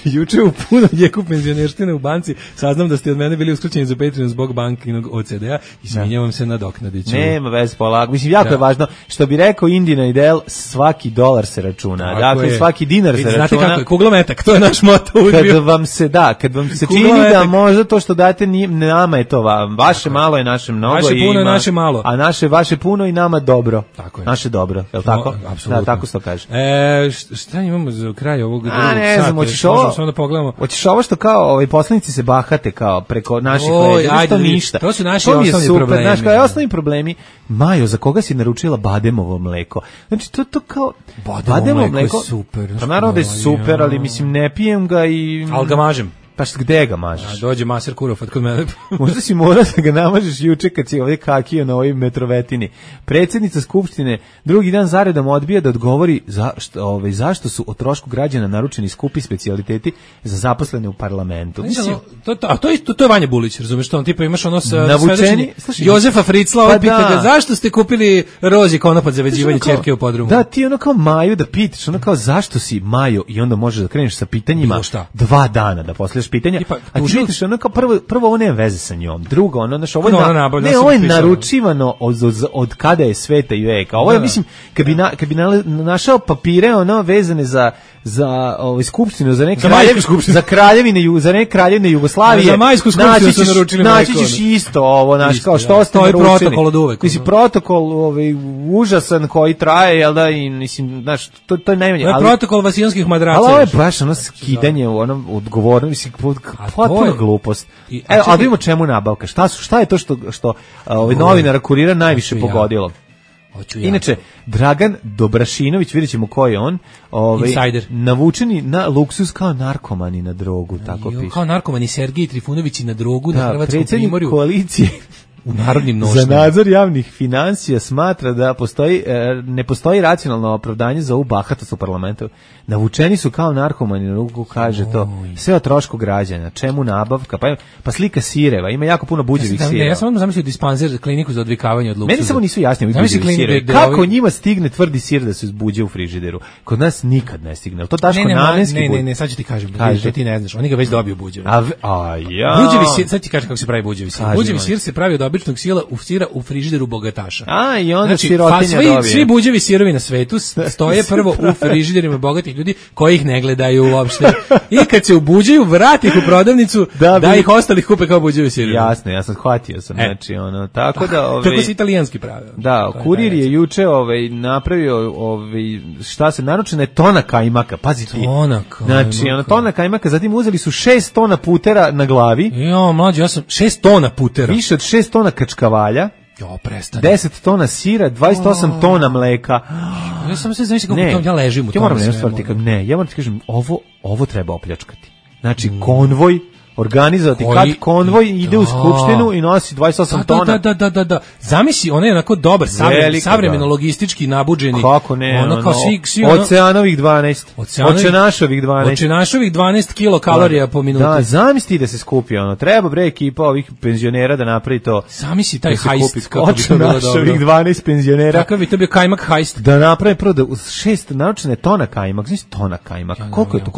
Juče u punom jeku penzionerštine u banci saznam da ste od mene bili uskraćeni za Patreon zbog bankinog O C D-a i sminjavam se na doknadiću. Nema veze, polako. Mislim, jako da. je važno, što bi rekao Indina Idel, svaki dolar se računa. Tako dakle, je. Svaki dinar se znate računa. Znate kako je, kuglometak, to je naš moto. Kad vam se, da, kad vam se čini da možda to što date, nije, nama je to vam. Vaše tako malo je naše mnogo. Vaše i puno ima, je naše malo. A naše, vaše puno i nama dobro. Tako je. Naše dobro, je li tako? No, apsolutno. Da, tako se to kaže. E, šta imamo za kraj ovog drugog sata? A ne znam, hoćeš ovo? Samo da pogledamo. Hoćeš ovo što kao ovaj poslanici se bahate kao preko naših leđa, to ništa. To su naši to osnovni super, problemi. Znaš, kao osnovni problemi. Majo, za koga si naručila bademovo mleko? Znači, to to kao bademovo, bademovo mleko. Je super. Pa naravno da je super, ali mislim ne pijem ga i al ga mažem. Pa gde ga mažeš? A dođe maser Kurofat kod mene. Možda si morao da ga namažeš juče kad si ovdje kakio na ovoj metrovetini. Predsjednica Skupštine drugi dan zaredom odbija da odgovori za, što, ovaj, zašto su o trošku građana naručeni skupi specijaliteti za zaposlene u parlamentu. Mislim, to, to, a to je, to, to je Vanja Bulić, razumeš što on tipa imaš ono sa navučeni, Jozefa Fricla, ovaj pa pita ga, zašto ste kupili rozi konopac za veđivanje ćerke u podrumu? Da, ti ono kao Maju da pitaš, ono kao zašto si Majo i onda možeš da kreneš sa pitanjima dva dana da posleš pitanja. Pa, a ti vidiš, ono kao prvo, prvo ovo nema veze sa njom, drugo, ono, znaš, ovo je, no, na, no, ne, ovo je naručivano od, od, od kada je sveta i veka. Ovo je, mislim, kad bi, na, kad bi na, našao papire, ono, vezane za, za ovaj, skupštinu, za neke za, kraljev, za kraljevine, za neke kraljevine Jugoslavije, za majsku skupštinu su naručili naći ćeš isto ovo, znaš, kao što ste naručili. To je protokol od uvek. Mislim, protokol ovaj, užasan koji traje, jel da, i, mislim, znaš, to, to je najmanje. To je protokol vasijonskih madraca. Ali ovo je baš ono skidanje, ono, odgovorno, mislim, potpuno glupost. I, Evo, ali vidimo čemu nabavka. Šta su, šta je to što što ovaj novinar Kurira najviše ja. pogodilo? Hoću ja. Inače Dragan Dobrašinović, vidjećemo ko je on, ovaj Insider. Navučeni na luksuz kao narkoman i na drogu, tako jo, piše. Kao narkoman i Sergej Trifunović i na drogu da, na Hrvatskom primorju. Koalicije u narodnim nošnjama. Za nadzor javnih finansija smatra da postoji, ne postoji racionalno opravdanje za ovu bahatost u parlamentu. Navučeni su kao narkomani, na ruku kaže to. Sve o trošku građana. Čemu nabavka? Pa, pa slika sireva. Ima jako puno buđevih ja sireva. Ne, ja sam zamislio dispanzer, kliniku za odvikavanje od luksuza. Meni samo nisu jasni ovi buđevi sirevi. Kako njima stigne tvrdi sir da se izbuđe u frižideru? Kod nas nikad ne stigne. To Daško ne, ne, namenski ne, ne, ne, sad ću ti kažem. Da ti ne znaš. Oni ga već dobiju buđevi. A, a ja. Buđevi sir, sad ti kažem kako se pravi buđevi sir. Buđevi sir se pravi od običnog sira u sira u frižideru bogataša. A, i onda znači, sirotinja svi, dobije. Svi buđevi sirovi na svetu stoje prvo u frižiderima bogatih ljudi koji ih ne gledaju uopšte. I kad se ubuđaju, vrati ih u prodavnicu da, da ih ostalih kupe kao buđevi sirovi. Jasno, ja sam shvatio sam, e. znači ono, tako da, ovaj tako se italijanski pravi. Da, kurir je juče ovaj napravio ovaj šta se naručena je tona kajmaka, pazi ti. Tona kajmaka. Znači, ona tona kajmaka, zatim uzeli su šest tona putera na glavi. Jo, mlađe, ja sam šest tona putera. Više od šest tona kačkavalja. Jo, prestani. deset tona sira, dvadeset osam oh. tona mleka. Ja sam se znači kako ja ležim u tome. Ja moram nešto ti kažem, ne, ja moram ti kažem, ovo ovo treba opljačkati. Znači, mm. konvoj organizovati kad konvoj ide da. u skupštinu i nosi dvadeset osam da, tona. Da, da, da, da. Zamisli, on je onako dobar, savremen, savremeno logistički nabuđeni. Kako ne? Ono kao svi, svi ono, Oceanovih dvanaest. Oceanašovih dvanaest. Oceanašovih dvanaest kilokalorija po minuti. Da, zamisli da se skupi ono. Treba bre ekipa ovih penzionera da napravi to. Zamisli taj hajst kako bi to bilo dobro. Oceanašovih dvanaest penzionera. Kako bi to bio kajmak hajst. Da napravi prvo da šest naručene tona kajmak, znači tona kajmak. Koliko je to?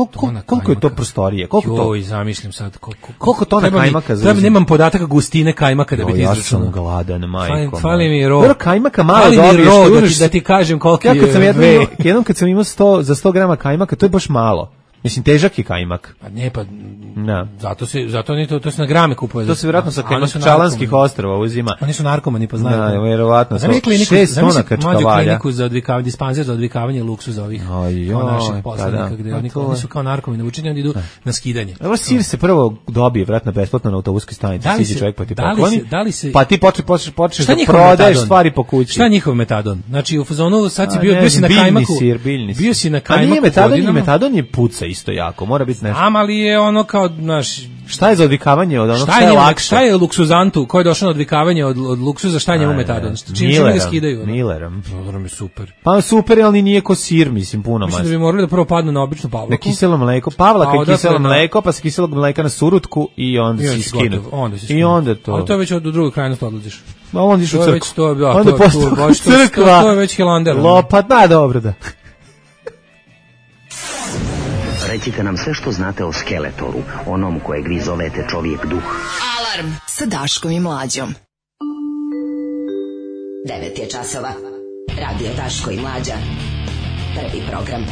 Koliko je to prostorije? Koliko to? Joj, zamislim sad koliko. Koliko tona kajmaka za? Treba nemam podataka gustine kajmaka da bi ti izračunao. Ja sam gladan, majko. Fali mi ro. Dobro, kajmaka malo dobiješ, da ti, da ti kažem koliko ja je. Kad sam jednom, jednom kad sam imao sto za sto grama kajmaka, to je baš malo. Mislim, težak je kajmak. Pa ne, pa da. Zato se zato ni to to se na grame kupuje. To se vjerojatno sa Kajmakčalanskih ostrva uzima. Oni su narkomani, pa znaju. Da, vjerovatno. šest tona kačkavalja. Kliniku za odvikavanje, dispanzer za odvikavanje luksuza ovih. Naših poslanika gde oni oni su kao narkomani, učinjeni oni idu na skidanje. Evo sir se prvo dobije vratno besplatno na autobuskoj stanici, siđe čovjek pa ti pokloni. Da li se pa ti počne počneš počneš da prodaješ stvari po kući. Šta njihov metadon? Znači u fazonu sad si bio bio si na kajmaku. Bio si na kajmaku. A nije metadon, metadon je puca isto jako, mora biti nešto. Ali je ono kao, znaš, šta je za odvikavanje od onog šta je lakše? Šta je luksuzantu koji je došao na odvikavanje od, od luksuza, šta je njemu metadon? Čim čim ga skidaju? Millerom. Dobro mi super. Pa super, ali nije ko sir, mislim, puno manje. Mislim da bi morali da prvo padnu na običnu pavlaku. Na kiselo mleko, pavlaka i kiselo mleko, pa se kiselog mleka na surutku i onda si skinu. I onda to. Ali to je već od drugog krajnosti odlaziš. Ma onda iš u crkvu. To je već to, onda to, crkva. To je već Helander. Lopat, da, dobro da. Recite nam sve što znate o Skeletoru, onom kojeg vi zovete čovjek duh. Alarm sa Daškom i Mlađom. devet je časova. Radio Daško i Mlađa. Prvi program.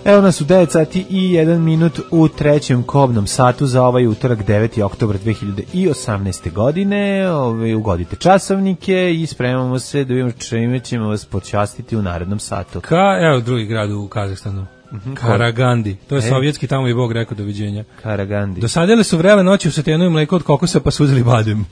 Evo nas u devet sati i jedan minut u trećem kobnom satu za ovaj utorak deveti oktobar dve hiljade osamnaeste. godine. Ove, ugodite časovnike i spremamo se da vidimo čime ćemo vas počastiti u narednom satu. Ka, evo drugi grad u Kazahstanu. Mm-hmm. Karagandi, to je e. sovjetski, tamo i Bog rekao doviđenja. Karagandi. Dosadili su vrele noći u satenu i mleko od kokosa pa su uzeli badem.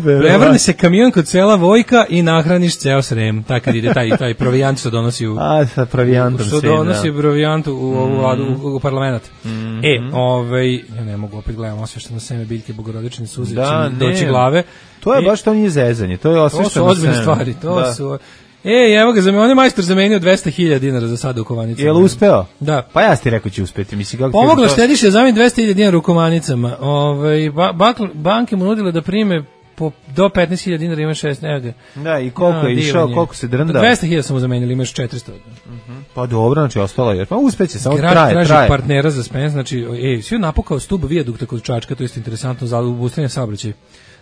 Prevrne se kamion kod sela Vojka i nahraniš ceo Srem. Tako kad ide taj, taj provijant što donosi u... A, sa provijantom što donosi provijantu u, u, u, u, u parlament. Mm-hmm. E, ovaj, ja ne mogu, opet gledam osvešteno seme biljke bogorodične suze, da, doći glave. To je e, baš to nije zezanje, to je osvešteno seme. To su ozbiljne stvari, to da. su... E, evo ga, za me, on je majstor zamenio dvesta hiljada dinara za sada u kovanicama. Jel uspeo? Da. Pa ja ti rekao će uspeti. Mislim, kako pomogla to... štediše zameni dvesta hiljada dinara u kovanicama. Ove, ba, bak, banke mu nudile da prime po, do petnaest hiljada dinara, ima šest, evo ga. Da, i koliko ja, je išao, koliko se drndao? dvesta hiljada smo zamenili, imaš četiristo. Uh-huh. Pa dobro, znači ostalo je. Pa uspeće, samo Grad traje, traži traje. partnera za spens, znači, ej, svi napukao stub vijadukta kod Čačka, to je interesantno za obustavljanje saobraćaja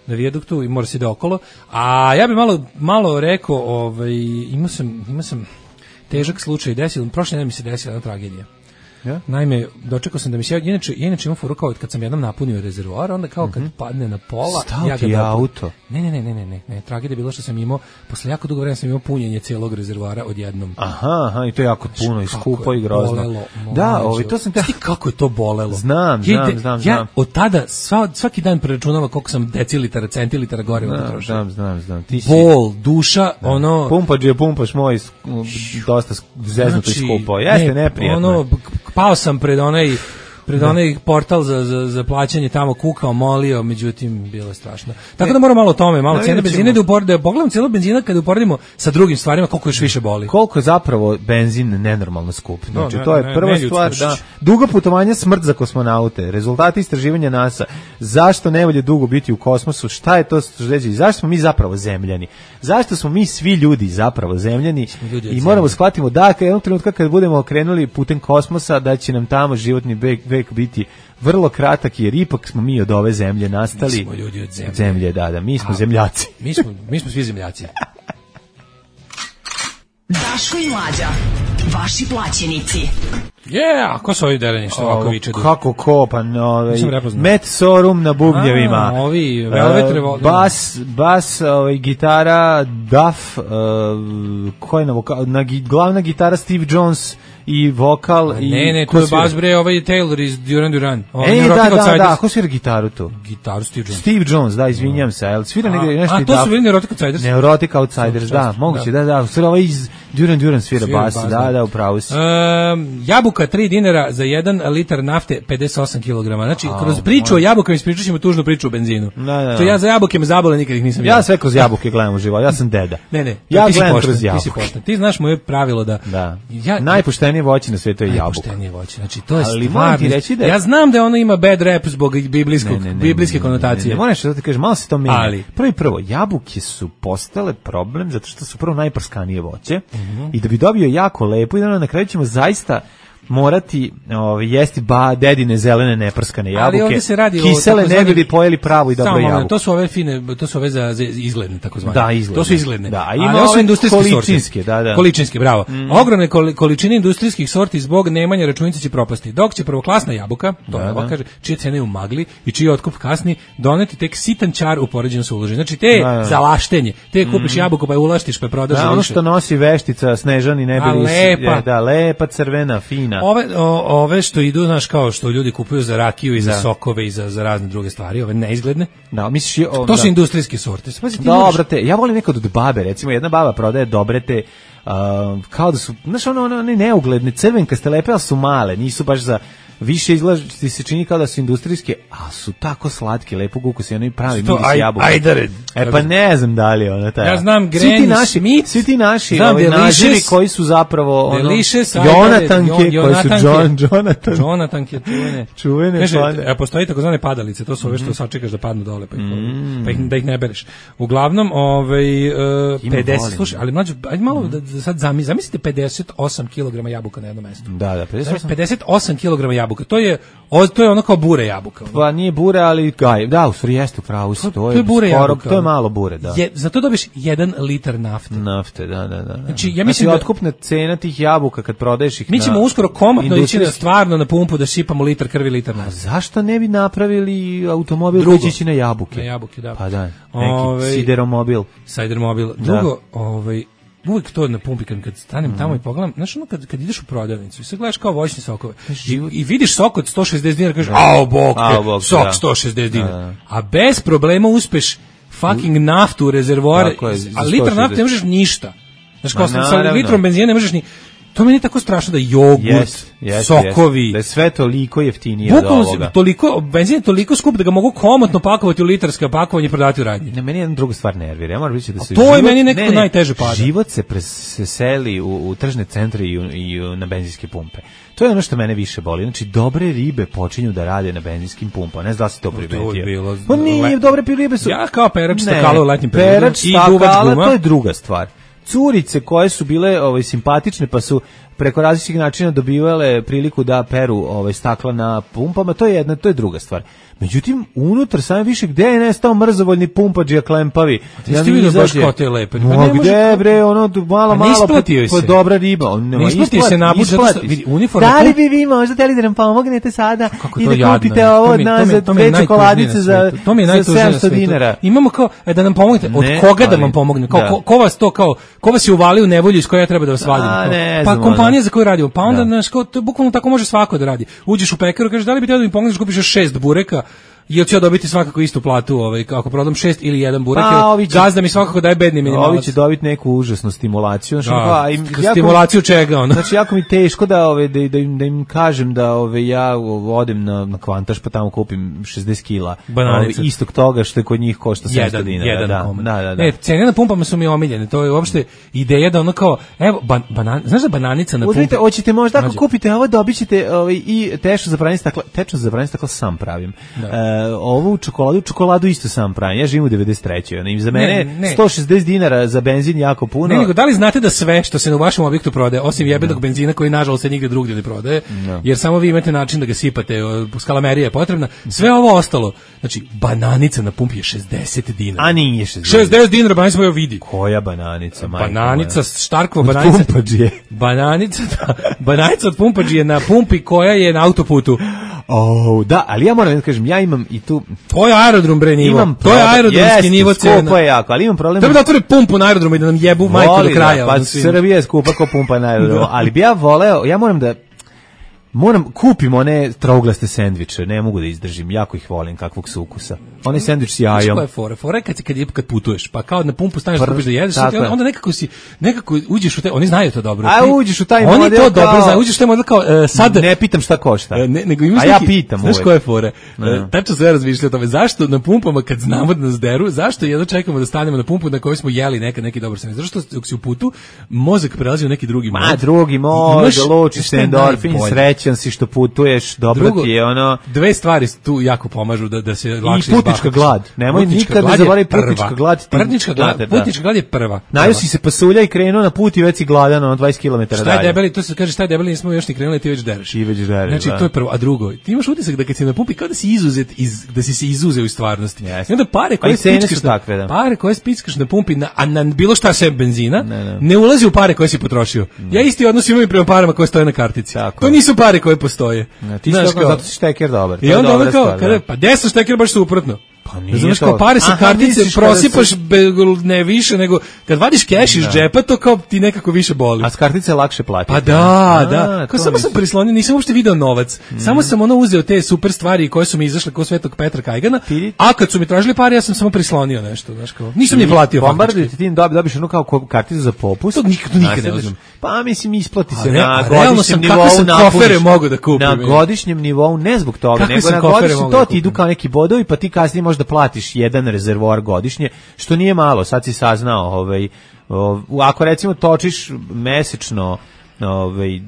na vijaduktu i mora se ide okolo. A ja bih malo malo rekao, ovaj imao sam imao sam težak slučaj desio, prošle nedelje mi se desila jedna tragedija. Ja? Naime, dočekao sam da mi se inače inače imam furu kao kad sam jednom napunio rezervoar, onda kao kad mm-hmm. padne na pola, Stao ja ga ti auto. Ne, ne, ne, ne, ne, ne, ne, tragedija je bilo što sam imao posle jako dugo vremena sam imao punjenje celog rezervoara odjednom. Aha, aha, i to je jako puno i skupo i grozno. Bolelo, da, ovaj to sam te kako je to bolelo. Znam, znam, ja, znam, ja znam. od tada sva, svaki dan preračunavam koliko sam decilitara, centilitara goriva potrošio. Znam, znam, znam. Ti si bol, duša, da. Ono pumpač je pumpaš moj dosta zeznuto znači, i skupo. Jeste ne, neprijatno. Ono pao sam pred onaj pred onaj portal za, za, za plaćanje tamo kukao, molio, međutim, bilo je strašno. Tako da moramo malo o tome, malo cijena benzina, da uporedimo, pogledamo cijelu benzina kada uporedimo sa drugim stvarima, koliko još više boli. Koliko je zapravo benzin nenormalno skup. Znači, no, ne, to je ne, prva ne, stvar, da, dugo putovanje, smrt za kosmonaute, rezultati istraživanja NASA, zašto ne volje dugo biti u kosmosu, šta je to što zašto smo mi zapravo zemljani, zašto smo mi svi ljudi zapravo zemljani i moramo shvatimo da jednog trenutka kad budemo krenuli putem kosmosa da će nam tamo životni vek, vek biti vrlo kratak jer ipak smo mi od ove zemlje nastali. Mi smo ljudi od zemlje. Zemlje, da, da, mi smo A, zemljaci. Mi smo, mi smo svi zemljaci. Daško i Mlađa, vaši plaćenici. Yeah, ko su ovi dereni što ovako viče? Kako kopan, ovaj, Met Sorum na bubnjevima. A, ovi, Velvet Revolver. Bas, bas, ovaj, gitara, Duff, uh, ko je na vokal, na, glavna gitara Steve Jones i vokal. A, i ne, ne, to je bas bre, ovaj Taylor iz Duran Duran. Ovaj, e, da, da, da, ko svira gitaru tu? Gitaru Steve Jones. Steve Jones, da, izvinjam se, ali svira negdje nešto. A, to su bili Neurotic Outsiders? Neurotic Outsiders, da, moguće, da, da, svira ovaj iz Duran Duran svira bas, da, da, upravo si. Um, jabuka tri dinara za jedan litar nafte pedeset osam kilograma. Znači, oh, kroz priču moj. o jabukama ispričat ćemo tužnu priču o benzinu. Da, da. To ja za jabuke me zabole, nikad ih nisam ja. Ja sve kroz jabuke gledam u životu, ja sam deda. Ne, ne, ja ti si gledam pošten, kroz jabuke. Ti si pošten. Ti znaš moje pravilo da... Da. Ja, najpoštenije voće na svijetu je jabuka. Najpoštenije voće, znači to je ali stvarno... Da... Ja znam da ono ima bad rap zbog biblijskog, ne, ne, ne, biblijske konotacije. Ne, ne, ne, moraš da ti kažeš, malo se to menja. Ali... Prvo i prvo, jabuke su postale problem zato što su prvo najprskanije voće mm-hmm. i da bi dobio jako lepo i da na kraju ćemo zaista morati ovaj jesti ba dedine zelene neprskane jabuke. Ali ovdje se radi kisele o, ne bili pojeli pravu i dobro jabuku. To su ove fine, to su ove za, za izgledne takozvane. Da, izgledne. To su izgledne. Da, ima ali su industrijske količinske, da, da. Količinske, bravo. Mm. Ogromne količine industrijskih sorti zbog nemanja računice će propasti. Dok će prvoklasna jabuka, to da, da. kaže, čije cene u magli i čiji otkup kasni, doneti tek sitan čar u poređenju sa uloženjem. Znači te da, da. za laštenje, te kupiš mm. jabuku pa je ulaštiš pa je prodaš. Da, ono što nosi veštica Snežani ne bili lepa. Da, lepa, crvena, fina. Ove o, ove što idu, znaš, kao što ljudi kupuju za rakiju i za da. sokove i za, za razne druge stvari, ove neizgledne. Da, misliš, o, to da. su industrijske sorte. Spazi, dobro te, ja volim nekad od babe, recimo, jedna baba prodaje dobre te, uh, kao da su, znaš, ono, ono, one neugledne, crvenkaste lepe, ali su male, nisu baš za... Više izgleda ti se čini kao da su industrijske, a su tako slatke, lepo ukus i oni pravi miris jabuka. Ajde, e pa ne znam da li ona taj. Ja znam Granny Smith, svi ti naši ovi nazivi koji su zapravo ono Jonatanke, koji su John Jonathan. Jonatanke čuvene. Čuvene. Kaže, a postoji takozvane padalice, to su ove što sačekaš da padnu dole pa ih, mm. pa ih da ih ne bereš. Uglavnom, ovaj uh, pedeset, slušaj, ali mlađe, ajde malo mm. da, da sad zamislite, zamislite pedeset osam kilograma jabuka na jednom mestu. Da, da, pedeset osam kilograma jabuka. To je o, to je ono kao bure jabuka. Ono. Pa nije bure, ali gaj, da, u stvari jeste pravu, to, to je bure skoro, jabuka. To je malo bure, da. Je, zato dobiš jedan litar nafte. Nafte, da, da, da. Znači, ja mislim znači, da otkupna cena tih jabuka kad prodaješ ih. Mi ćemo na, uskoro komotno ići na stvarno na pumpu da šipamo litar krvi, litar nafte. A zašto ne bi napravili automobil koji će ići na jabuke? Na jabuke, da. Pa da, neki Ove, sideromobil. Sideromobil. Drugo, da. ovaj uvijek to na pumpi kad, kad stanem mm. tamo i pogledam, znaš ono kad, kad ideš u prodavnicu i sad gledaš kao voćne sokove i, i vidiš sok od sto šezdeset dinara, kažeš, ao bok, te, sok da. sto šezdeset dinara, da. a bez problema uspeš fucking naftu u rezervoare, a litar nafte ne možeš ništa. Znaš kao sa, sa litrom benzina ne možeš ni... To meni je tako strašno da jogurt, yes, yes, sokovi... Yes. Da je sve toliko jeftinije od ovoga. Toliko, benzin je toliko skup da ga mogu komotno pakovati u litarska pakovanje i prodavati u radnji. Ne, meni je jedna druga stvar nervira. Ja moram reći da se to život, je meni nekako ne, najteže pada. Život se preseli u, u tržne centre i, u, i u, na benzinske pumpe. To je ono što mene više boli. Znači, dobre ribe počinju da rade na benzinskim pumpama. Ne znam da si to primetio. Pa nije, dobre ribe su... Ja kao perač stakala u letnjim periodu. Perač stakala, to je druga stvar. Curice koje su bile ovaj simpatične pa su preko različitih načina dobivale priliku da peru ovaj stakla na pumpama, to je jedna, to je druga stvar. Međutim, unutar same više gde je nestao mrzovoljni pumpađija klempavi. Ja ti vidio baš kao te lepe. Pa ne gde bre, ono malo malo po dobra riba, on ne isplati se naput zato što vidi uniforma. Da li bi vi možda hteli da nam pomognete sada i da kupite ovo od nas za dve čokoladice za sedamsto dinara. Imamo kao da nam pomognete, od koga da vam pomognem? Kao ko vas to kao ko vas je uvalio u nevolju iz koje ja treba da vas vadim? Pa kompanija za koju radimo. Pa onda znaš kao to bukvalno tako može svako da radi. Uđeš u pekaru, kažeš da li bi htio da mi pomogneš, kupiš šest bureka, Jel ću ja dobiti svakako istu platu, ovaj, ako prodam šest ili jedan burek, pa, će, gazda mi svakako daje bedni minimalac. Ovi će dobiti neku užasnu stimulaciju. Znači, da, pa, im, stimulaciju jako, čega? Ono? Znači, jako mi teško da, ove, da, da, im, da im kažem da ove, ja odem na, na Kvantaš pa tamo kupim šezdeset kila ove, istog toga što je kod njih košta sedamsto dinara. Jedan da, da, da, da. E, cene na pumpama su mi omiljene, to je uopšte ideja da ono kao, evo, ban, banan, znaš da bananica na Uzmite, pumpi? Hoćete možda ako kupite ovo, dobit ćete ovaj, i tečno za pranje stakla, tečno za pranje stakla sam pravim. E, ovu čokoladu, čokoladu isto sam pravim. Ja živim u devedeset trećoj Ono, za mene ne, ne. sto šezdeset dinara za benzin jako puno. Ne, nego da li znate da sve što se u vašem objektu prodaje, osim jebenog no. benzina koji nažalost se nigde drugdje ne prodaje, no. jer samo vi imate način da ga sipate, skalamerija je potrebna, sve ovo ostalo, znači bananica na pumpi je šezdeset dinara. A nije šezdeset. šezdeset dinara bananica moja vidi. Koja bananica, majko? Bananica, Štarkova bananica. Pumpađije. Bananica, da, bananica od pumpađije na pumpi koja je na autoputu. Oh, da, ali ja moram da kažem, ja imam i tu... To je aerodrom, bre, nivo. Imam to je aerodromski nivo cena. Skupo je jako, ali imam problem... Treba da otvore pumpu na aerodromu i da nam jebu majku do kraja. Da, pa Srbija je skupa ko pumpa na aerodromu, ali bi ja voleo, ja moram da... Moram, kupim one trouglaste sendviče, ne mogu da izdržim, jako ih volim, kakvog su ukusa. Onaj sendvič s jajom. Što je fora? Fora je kad, kad, kad putuješ, pa kao na pumpu staneš da kupiš da jedeš, onda, onda nekako si, nekako uđeš u te, oni znaju to dobro. A uđeš u taj oni model to dobro znaju, uđeš u taj model kao, uh, sad... Ne pitam šta košta. Ne, nego imaš A ja pitam znaš uvek. Koja je fora? Uh, tačno sve razmišljaju o tome, zašto na pumpama kad znamo da nas deru, zašto jedno čekamo da stanemo na pumpu na kojoj smo jeli neka, neki dobar sendvič? Zašto dok si u putu, mozak prelazi u neki drugi mod. Ma, drugi mod, lučiš endorfin, srećan si što putu putuješ, dobro ti je ono... Dve stvari tu jako pomažu da, da se lakše izbahatiš. I putnička glad. Nemoj nikad ne zaboravi putnička glad. Putnička glad, da. Putnička glad je prva. Najao si se pasulja i krenuo na put i već si gladan, ono dvadeset kilometara dalje. Šta je debeli, to se kaže šta je debeli, nismo još ni krenuli, ti već dereš. I već dereš, znači, da. to je prvo. A drugo, ti imaš utisak da kad si na pumpi, kao da si izuzet, iz, da si se izuzeo iz stvarnosti. Yes. I onda pare koje spickaš na, takve, da. pare koje spickaš na pumpi, na, a na bilo šta sem benzina, ne, ne. ne ulazi u pare koje si potrošio. Ne. Ja isti odnos imam i prema parama koje stoje na kartici. Tako. To nisu pare koje postoje. Ne, ti znaš, kao, zato si šteker dobar. I onda ono kao, kada, pa desno šteker baš suprotno. Pa nije znaš, kao pare sa kartice prosipaš se... be, ne više nego kad vadiš keš iz džepa to kao ti nekako više boli. A s kartice lakše platiti. Pa da, a, da. Kao samo sam prislonio, nisam uopšte video novac. Mm. Samo sam ono uzeo te super stvari koje su mi izašle kao Svetog Petra Kajgana. Ti... A kad su mi tražili pare ja sam samo prislonio nešto, znaš kao. Nisam ni platio. Bombarduju ti dobiš ono kao karticu za popust. To nikad nikad ne uzmem. Pa mislim isplati se ne, na godišnjem nivou na kofere mogu da kupim. Na godišnjem nivou ne zbog toga, nego na godišnjem to ti idu kao neki bodovi, pa ti kasnije možda platiš jedan rezervoar godišnje, što nije malo, sad si saznao, ovaj, ovaj, ako recimo točiš mesečno ovaj,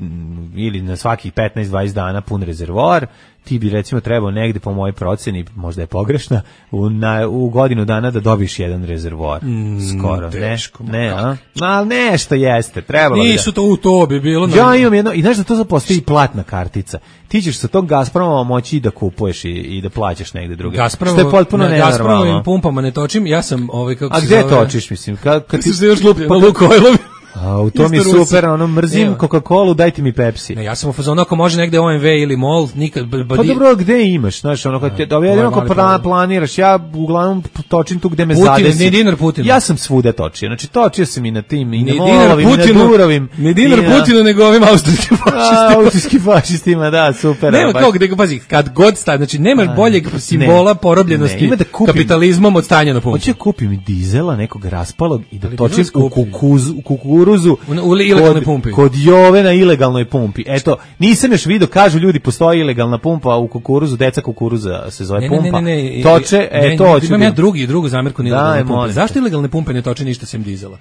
ili na svakih petnaest dvadeset dana pun rezervoar, ti bi recimo trebao negde po mojoj proceni, možda je pogrešna, u, na, u godinu dana da dobiš jedan rezervoar. Mm, skoro, teško, ne? Ne, a? Ma, nešto jeste, trebalo bi da... Nisu to u to bi bilo... Ja imam jedno, i znaš da to zapostoji platna kartica. Ti ćeš sa tog Gazproma moći da kupuješ i, i da plaćaš negde druge. Gazpromo, što je potpuno na nenormalno. Gazpromovim pumpama ne točim, ja sam... Ovaj, kako a gde zove... točiš, mislim? Ka, kad ti se još lupi na Lukojlovi. A u tom je super, ono mrzim Coca-Colu, dajte mi Pepsi. Ne, ja sam u fazonu ako može negde O M V ili MOL, nikad pa dobro, gde imaš, znaš, ono kad te jedino ako plan, planiraš, ja uglavnom točim tu gde me Putin, zadesi. Ni dinar Putinu. Ja sam svuda točio. Znači točio sam i na tim i na Molovim, i na Durovim. Ni dinar Putinu nego ovim austrijskim fašistima. Austrijskim fašistima, da, super. Nema kao gde pazi, kad god sta, znači nemaš boljeg simbola porobljenosti kapitalizmom od stanja na pumpi. Hoće kupim dizela nekog raspalog i da točim u kukuruzu. Ilegalnoj pumpi. Kod Jove na ilegalnoj pumpi. Eto, nisam još vidio, kažu ljudi, postoji ilegalna pumpa u kukuruzu, deca kukuruza se zove ne, pumpa. Ne, ne, ne, toče, e, ne, to hoću. Imam ja drugi, drugu zamerku na ilegalne pumpe. Zašto ilegalne pumpe ne toče ništa sem dizela?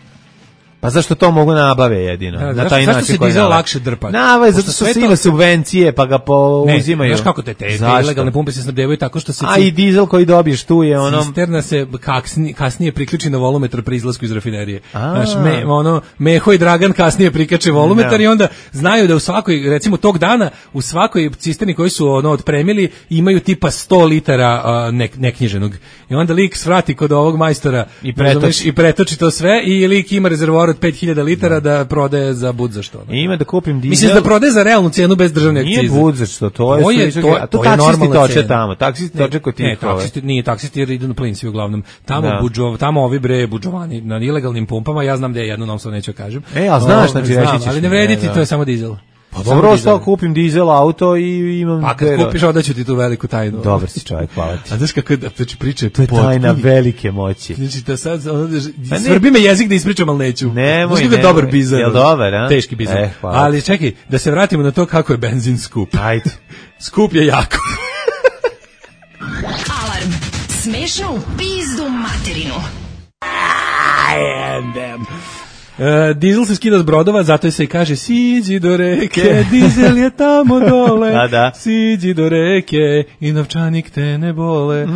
Pa zašto to mogu nabave jedino? Da, na zašto, taj zašto način se dizel lakše drpa? Nava, zato što se ima subvencije, pa ga pouzimaju. Ne, znaš kako te, te, te ilegalne pumpe se snabdevaju tako što se... A i dizel koji dobiješ tu je ono... Cisterna se kasnije, kasnije priključi na volumetar pri izlasku iz rafinerije. Znaš, me, ono, Meho i Dragan kasnije prikače volumetar i onda znaju da u svakoj, recimo tog dana, u svakoj cisterni koji su ono otpremili imaju tipa sto litara uh, ne, neknjiženog. I onda lik svrati kod ovog majstora i pretoči. i pretoči to sve i lik ima rezervoar od pet hiljada litara da prodaje za bud za što. I ima da kupim dizel. Mislim da prodaje za realnu cenu bez državne akcize. Nije bud za što, to je to je, to, a to, to taksisti toče tamo. Taksisti toče kod tih. Ne, taksisti nije taksisti jer idu na plin svi uglavnom. Tamo da. budžov, tamo ovi bre budžovani na ilegalnim pumpama, ja znam da je jedno, nam sad neću kažem. E, a znaš, znači reći ćeš. Ali ne vredi ti, to je samo dizel. Pa dobro, ostao kupim dizel auto i imam... Pa kad kupiš, odaću ti tu veliku tajnu. Dobar si čovjek, hvala ti. A znaš kako je, znači priča je to je tajna velike moći. Znači, da sad, svrbi me jezik da ispričam, ali neću. Nemoj, nemoj. Dobar bizar. Jel dobar, a? Teški bizar. Eh, ali čekaj, da se vratimo na to kako je benzin skup. Ajde. Skup je jako. Alarm. Smešno u pizdu materinu. I am them. Uh, dizel se skida s brodova, zato se i kaže siđi do reke, dizel je tamo dole, da, da. siđi do reke i novčanik te ne bole.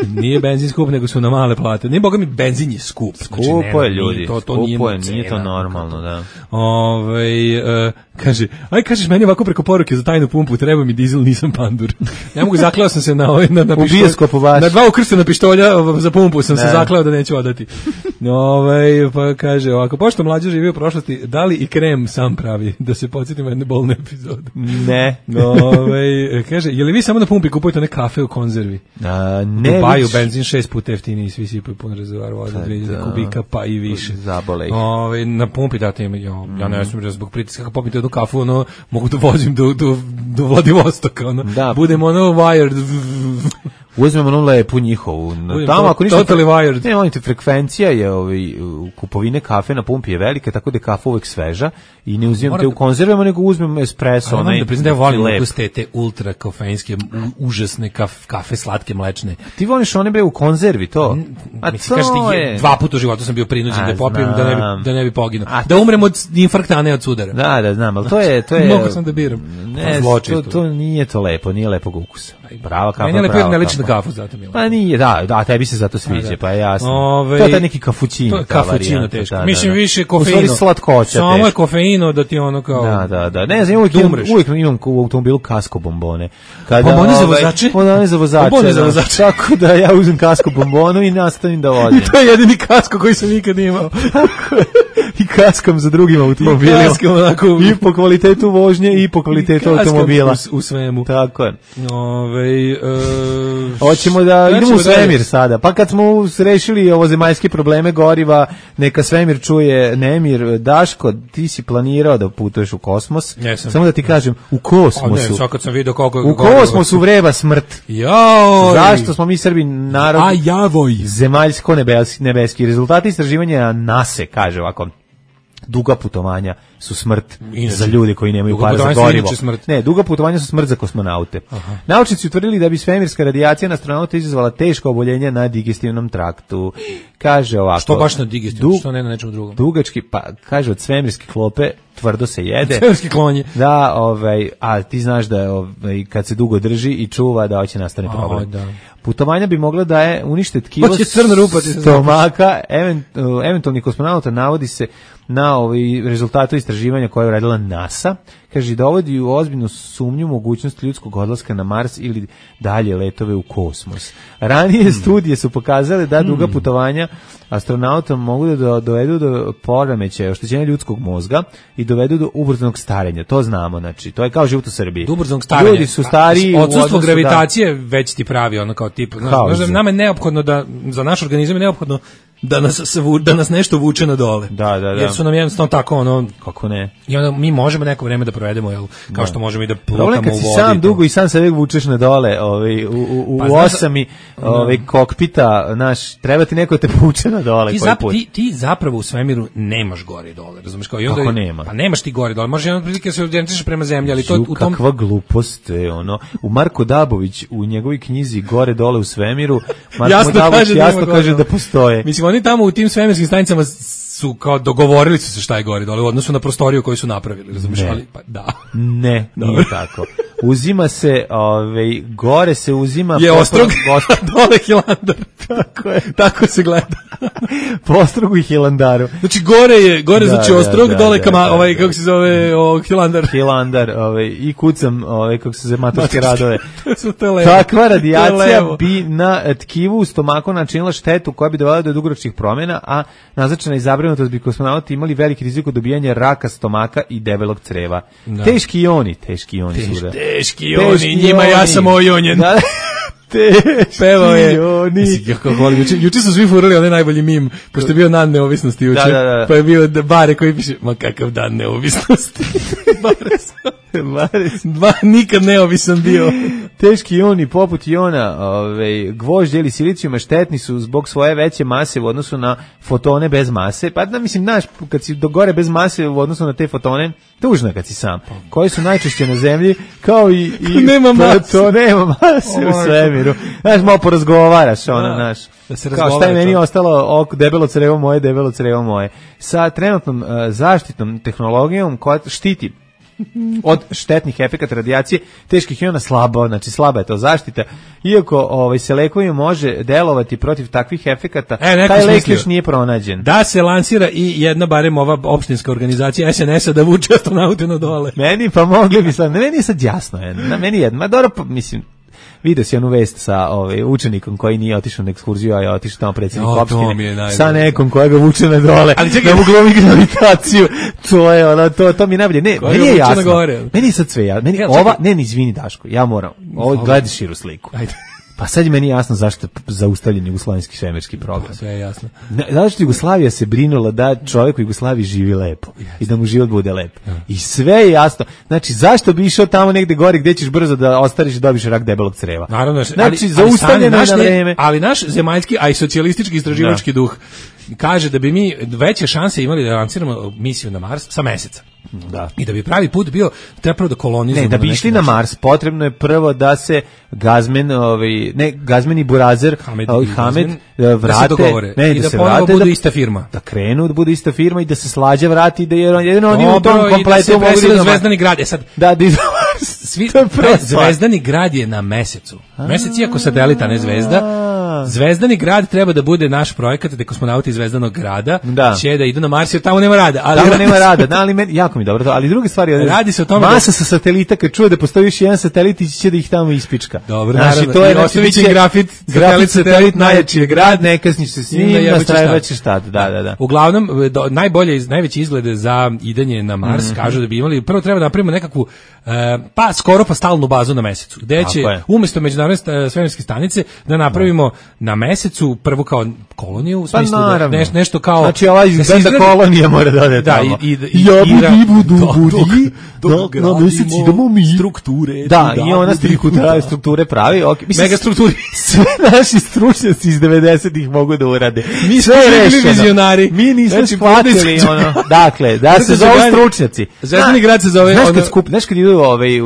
Nije benzin skup, nego su na male plate. Nije, boga mi, benzin je skup. Skupo znači, je, ljudi, to, to skupo nije, je, nije to normalno, da. Ove, uh, kaže, aj kažeš meni ovako preko poruke za tajnu pumpu, treba mi dizel, nisam pandur. Ja mogu, zakleo sam se na, na, na pištolj, na dva ukrštena pištolja za pumpu sam ne. se zakleo da neću odati. Ove, pa kaže ovako, pošto mlađe živi u prošlosti, da li i krem sam pravi, da se podsjetimo jedne bolne epizode? Ne. Ove, kaže, je li vi samo na pumpi kupujete one kafe u konzervi? A, ne. U Baju benzin šest puta jeftiniji, svi sipaju pun rezervoar vode, dve hiljade kubika, pa i više. Zabole ih. Ove, na pumpi date ima, ja, ja ne znam, zbog pritiska, kako popite jednu kafu, ono, mogu da vozim do, do, do Vladivostoka, ono, da. Budemo ono wired. Uzmemo onu lepu njihovu. Tamo ako ništa, totally wired. Ne, monite, frekvencija je ovaj, kupovine kafe na pumpi je velika, tako da je kafa uvek sveža i ne uzimam te u konzervama, nego uzmem espresso. Ali moram da priznam da ja volim ukus te, te ultra kofeinske, užasne kaf, kafe, slatke, mlečne. Ti voliš one bre u konzervi, to? A mislim, kažeš ti, je... dva puta u životu sam bio prinuđen da popijem da ne bi, da ne bi poginuo. Da umrem od infarkta, a ne od sudara. Da, da, znam, ali to je... To je mogu sam da biram. Ne, to, to nije to lepo, nije lepog ukusa. Prava kafa, meni je prava ne liči na kafu, zato mi je. Pa nije, da, da, tebi se zato sviđa, pa je jasno. Ove, to je taj neki kafućino. To je kafućino teško. Da, da, mislim, da. više kofeino. U stvari slatkoća samo teško. Je kofeino da ti ono kao... Da, da, da. Ne znam, uvijek, imam, uvijek imam u automobilu kasko bombone. Kada, bombone za vozače? Bombone za vozače. Bombone za vozače. Tako da ja uzem kasko bombonu i nastavim da vozim. I to je jedini kasko koji sam nikad imao. I kaskom za drugim automobilima. I kaskom, onako, i po kvalitetu vožnje i po kvalitetu i automobila. U, u svemu. Tako je. Ove, uh, hoćemo da idemo u svemir sada. Pa kad smo rešili ovo zemaljske probleme goriva, neka svemir čuje Nemir. Daško, ti si planirao da putuješ u kosmos. Jesam. Samo da ti kažem, u kosmosu. A ne, sad kad sam vidio koliko... U kosmosu vreba smrt. Joj! Zašto smo mi Srbi narod... A javoj! Zemaljsko nebeski. nebeski. Rezultati istraživanja NASA kaže ovako... Duga putovanja su smrt inače, za ljude koji nemaju para za gorivo. Ne, duga putovanja su smrt za kosmonaute. Aha. Naučnici utvrdili da bi svemirska radijacija na astronauta izazvala teško oboljenje na digestivnom traktu. Kaže ovako... Što baš na digestivnom, du, što ne na nečem drugom? Dugački, pa kaže od svemirske klope tvrdo se jede. Svemirski klonje. Da, ovaj, a ti znaš da ovaj, kad se dugo drži i čuva da hoće nastane problem. O, da. Putovanja bi mogla da je unište tkivo rupa, stomaka, event, eventualni kosmonauta navodi se na ovaj rezultatu istraživanja koje je uradila NASA. Kaže, dovodi u ozbiljnu sumnju mogućnost ljudskog odlaska na Mars ili dalje letove u kosmos. Ranije hmm. studije su pokazale da duga hmm. putovanja astronauta mogu da do, dovedu do poremećaja, oštećenja ljudskog mozga i dovedu do ubrzanog starenja. To znamo, znači, to je kao život u Srbiji. Do ubrzanog starenja. Ljudi su stariji u odsustvo gravitacije da... već ti pravi ono kao tip. Znaš, nama je neophodno da, za naš organizam je neophodno da nas, da nas nešto vuče na dole. Da, da, da. Jer su nam jednostavno tako ono... Kako ne? I onda mi možemo neko vreme da provedemo, jel, kao da. Što možemo i da plutamo u vodi. Kad si sam dugo i sam se uvijek vučeš na dole, ovaj, u, u, u pa, osami da, ovaj, kokpita, naš, treba ti neko te vuče na dole. Ti, zap, ti, ti zapravo u svemiru nemaš gore i dole, razumiješ? Kao, i onda, kako nema? Pa nemaš ti gore i dole, možeš jednom prilike se orijentišeš prema zemlji, ali to Ju, u tom... Kakva glupost je, ono. U Marko Dabović, u njegovoj knjizi Gore dole u svemiru, Marko jasno Dabović kaže jasno da kaže da postoje. Mislim, oni tamo u tim svemirskim stanicama su kao dogovorili su se šta je gore dole u odnosu na prostoriju koju su napravili, razumiješ, ali pa da. Ne, nije tako. Uzima se, ovaj, gore se uzima... Je ostrog, dole Hilandar. Tako je. Tako se gleda. Po ostrogu i Hilandaru. Znači gore je, gore da, znači ostrog, da, da, dole kama, da, ovaj, da. kako se zove, o, Hilandar. Hilandar, ovaj, i kucam, ovaj, kako se zove, maturske radove. to levo. Takva radijacija bi na tkivu u stomaku načinila štetu koja bi dovela do dugoročnih promjena, a naznačena i zabrinutost bi kosmonauti imali veliki rizik od dobijanja raka stomaka i debelog creva. Da. Teški ioni, teški ioni Teš, su. Teški ioni, njima ja sam ojonjen. Da. Teški Pevao je. ioni. Juče, juče su svi furali onaj najbolji mim, pošto je bio dan neovisnosti juče. Da, da, da. Pa je bio bare koji piše, ma kakav dan neovisnosti. Bare sam. Dva, nikad neovisan bio. Teški ioni poput iona ovaj, gvožđa ili silicijuma štetni su zbog svoje veće mase u odnosu na fotone bez mase. Pa da mislim, znaš, kad si do gore bez mase u odnosu na te fotone, tužno kad si sam. Koji su najčešće na zemlji, kao i... i nema mase. To nema mase u svemiru. Znaš, malo porazgovaraš, ono, znaš. Da se kao šta je meni to ostalo, ok, debelo crevo moje, debelo crevo moje. Sa trenutnom uh, zaštitnom tehnologijom koja štiti od štetnih efekata radijacije teških iona slabo, znači slaba je to zaštita. Iako ovaj se lekovima može delovati protiv takvih efekata, e, taj lek još nije pronađen. Da se lansira i jedna barem ova opštinska organizacija S N S-a da vuče astronaute na dole. Meni pa mogli bi sad, meni je sad jasno, je, na meni je, ma dobro, pa, mislim, vidio si onu vest sa ovaj učenikom koji nije otišao na ekskurziju, a je otišao tamo predsjednik opštine sa nekom koja ga vuče na dole. Ali čekaj, da mu glumi gravitaciju. To je ono, to to mi najbolje. Ne, meni je jasno. Meni je sad sve ja. Meni ja, ova, ne, ne, izvini Daško, ja moram. Ovo gledaj širu sliku. Ajde. Pa sad je meni jasno zašto je zaustavljen jugoslovenski svemirski program. Sve je jasno. Zašto Jugoslavija se brinula da čovjek u Jugoslaviji živi lepo yes. i da mu život bude lep. Ja. I sve je jasno. Znači, zašto bi išao tamo negde gori gdje ćeš brzo da ostariš i dobiš rak debelog creva? Naravno. Znači, zaustavljeno je na vreme. Ali naš zemaljski, a i socijalistički istraživački duh kaže da bi mi veće šanse imali da lanciramo misiju na Mars sa meseca. Da. I da bi pravi put bio treba prvo da kolonizujemo. Ne, da bi išli na Mars, potrebno je prvo da se Gazmen, ovaj, ne, Gazmen i Burazer, Hamed, ovaj, i Hamed da vrate, da ne, i da, da se ponovo vrate, budu da, ista firma. Da krenu, da bude ista firma i da se Slađa vrati, da je jedino oni u tom kompletu mogu da se Zvezdani grad. E sad, da, da svi, Zvezdani grad je na mesecu. Mesec iako satelita, ne zvezda. Zvezdani grad treba da bude naš projekat da kosmonauti iz Zvezdanog grada da. će da idu na Mars jer tamo nema rada. Ali tamo nema rada, da, ali meni, jako mi dobro to, ali druge stvari, radi se o tome masa da... sa satelita kad čuje da postoji još jedan satelit i će da ih tamo ispička. Dobro, znači to je Ostovićin grafit, grafit satelit najjači je grad, ne kasniš se s njim, nastrajevaće šta, da, da, da. Uglavnom, do, najbolje, najveći izglede za idanje na Mars, mm -hmm. kažu da bi imali, prvo treba da napravimo nekakvu, e, pa skoro pa stalnu bazu na mesecu, gde će umesto međunarodne svemirske stanice da napravimo na mesecu prvu kao koloniju, u smislu pa, da neš, nešto kao... Znači ova izgleda da kolonija mora da ode tamo. Da, i, i, i, ja budi budu budi, dok gradimo strukture. Da, i ona strukture, strukture pravi. Okay. Mislim, mega strukturi. Sve naši stručnjaci iz devedesetih mogu da urade. Mi smo bili vizionari. Mi nismo znači, shvatili ono. Dakle, da se zove stručnjaci. Zvezdani grad se zove... Znaš kad skup, znaš kad idu ovaj,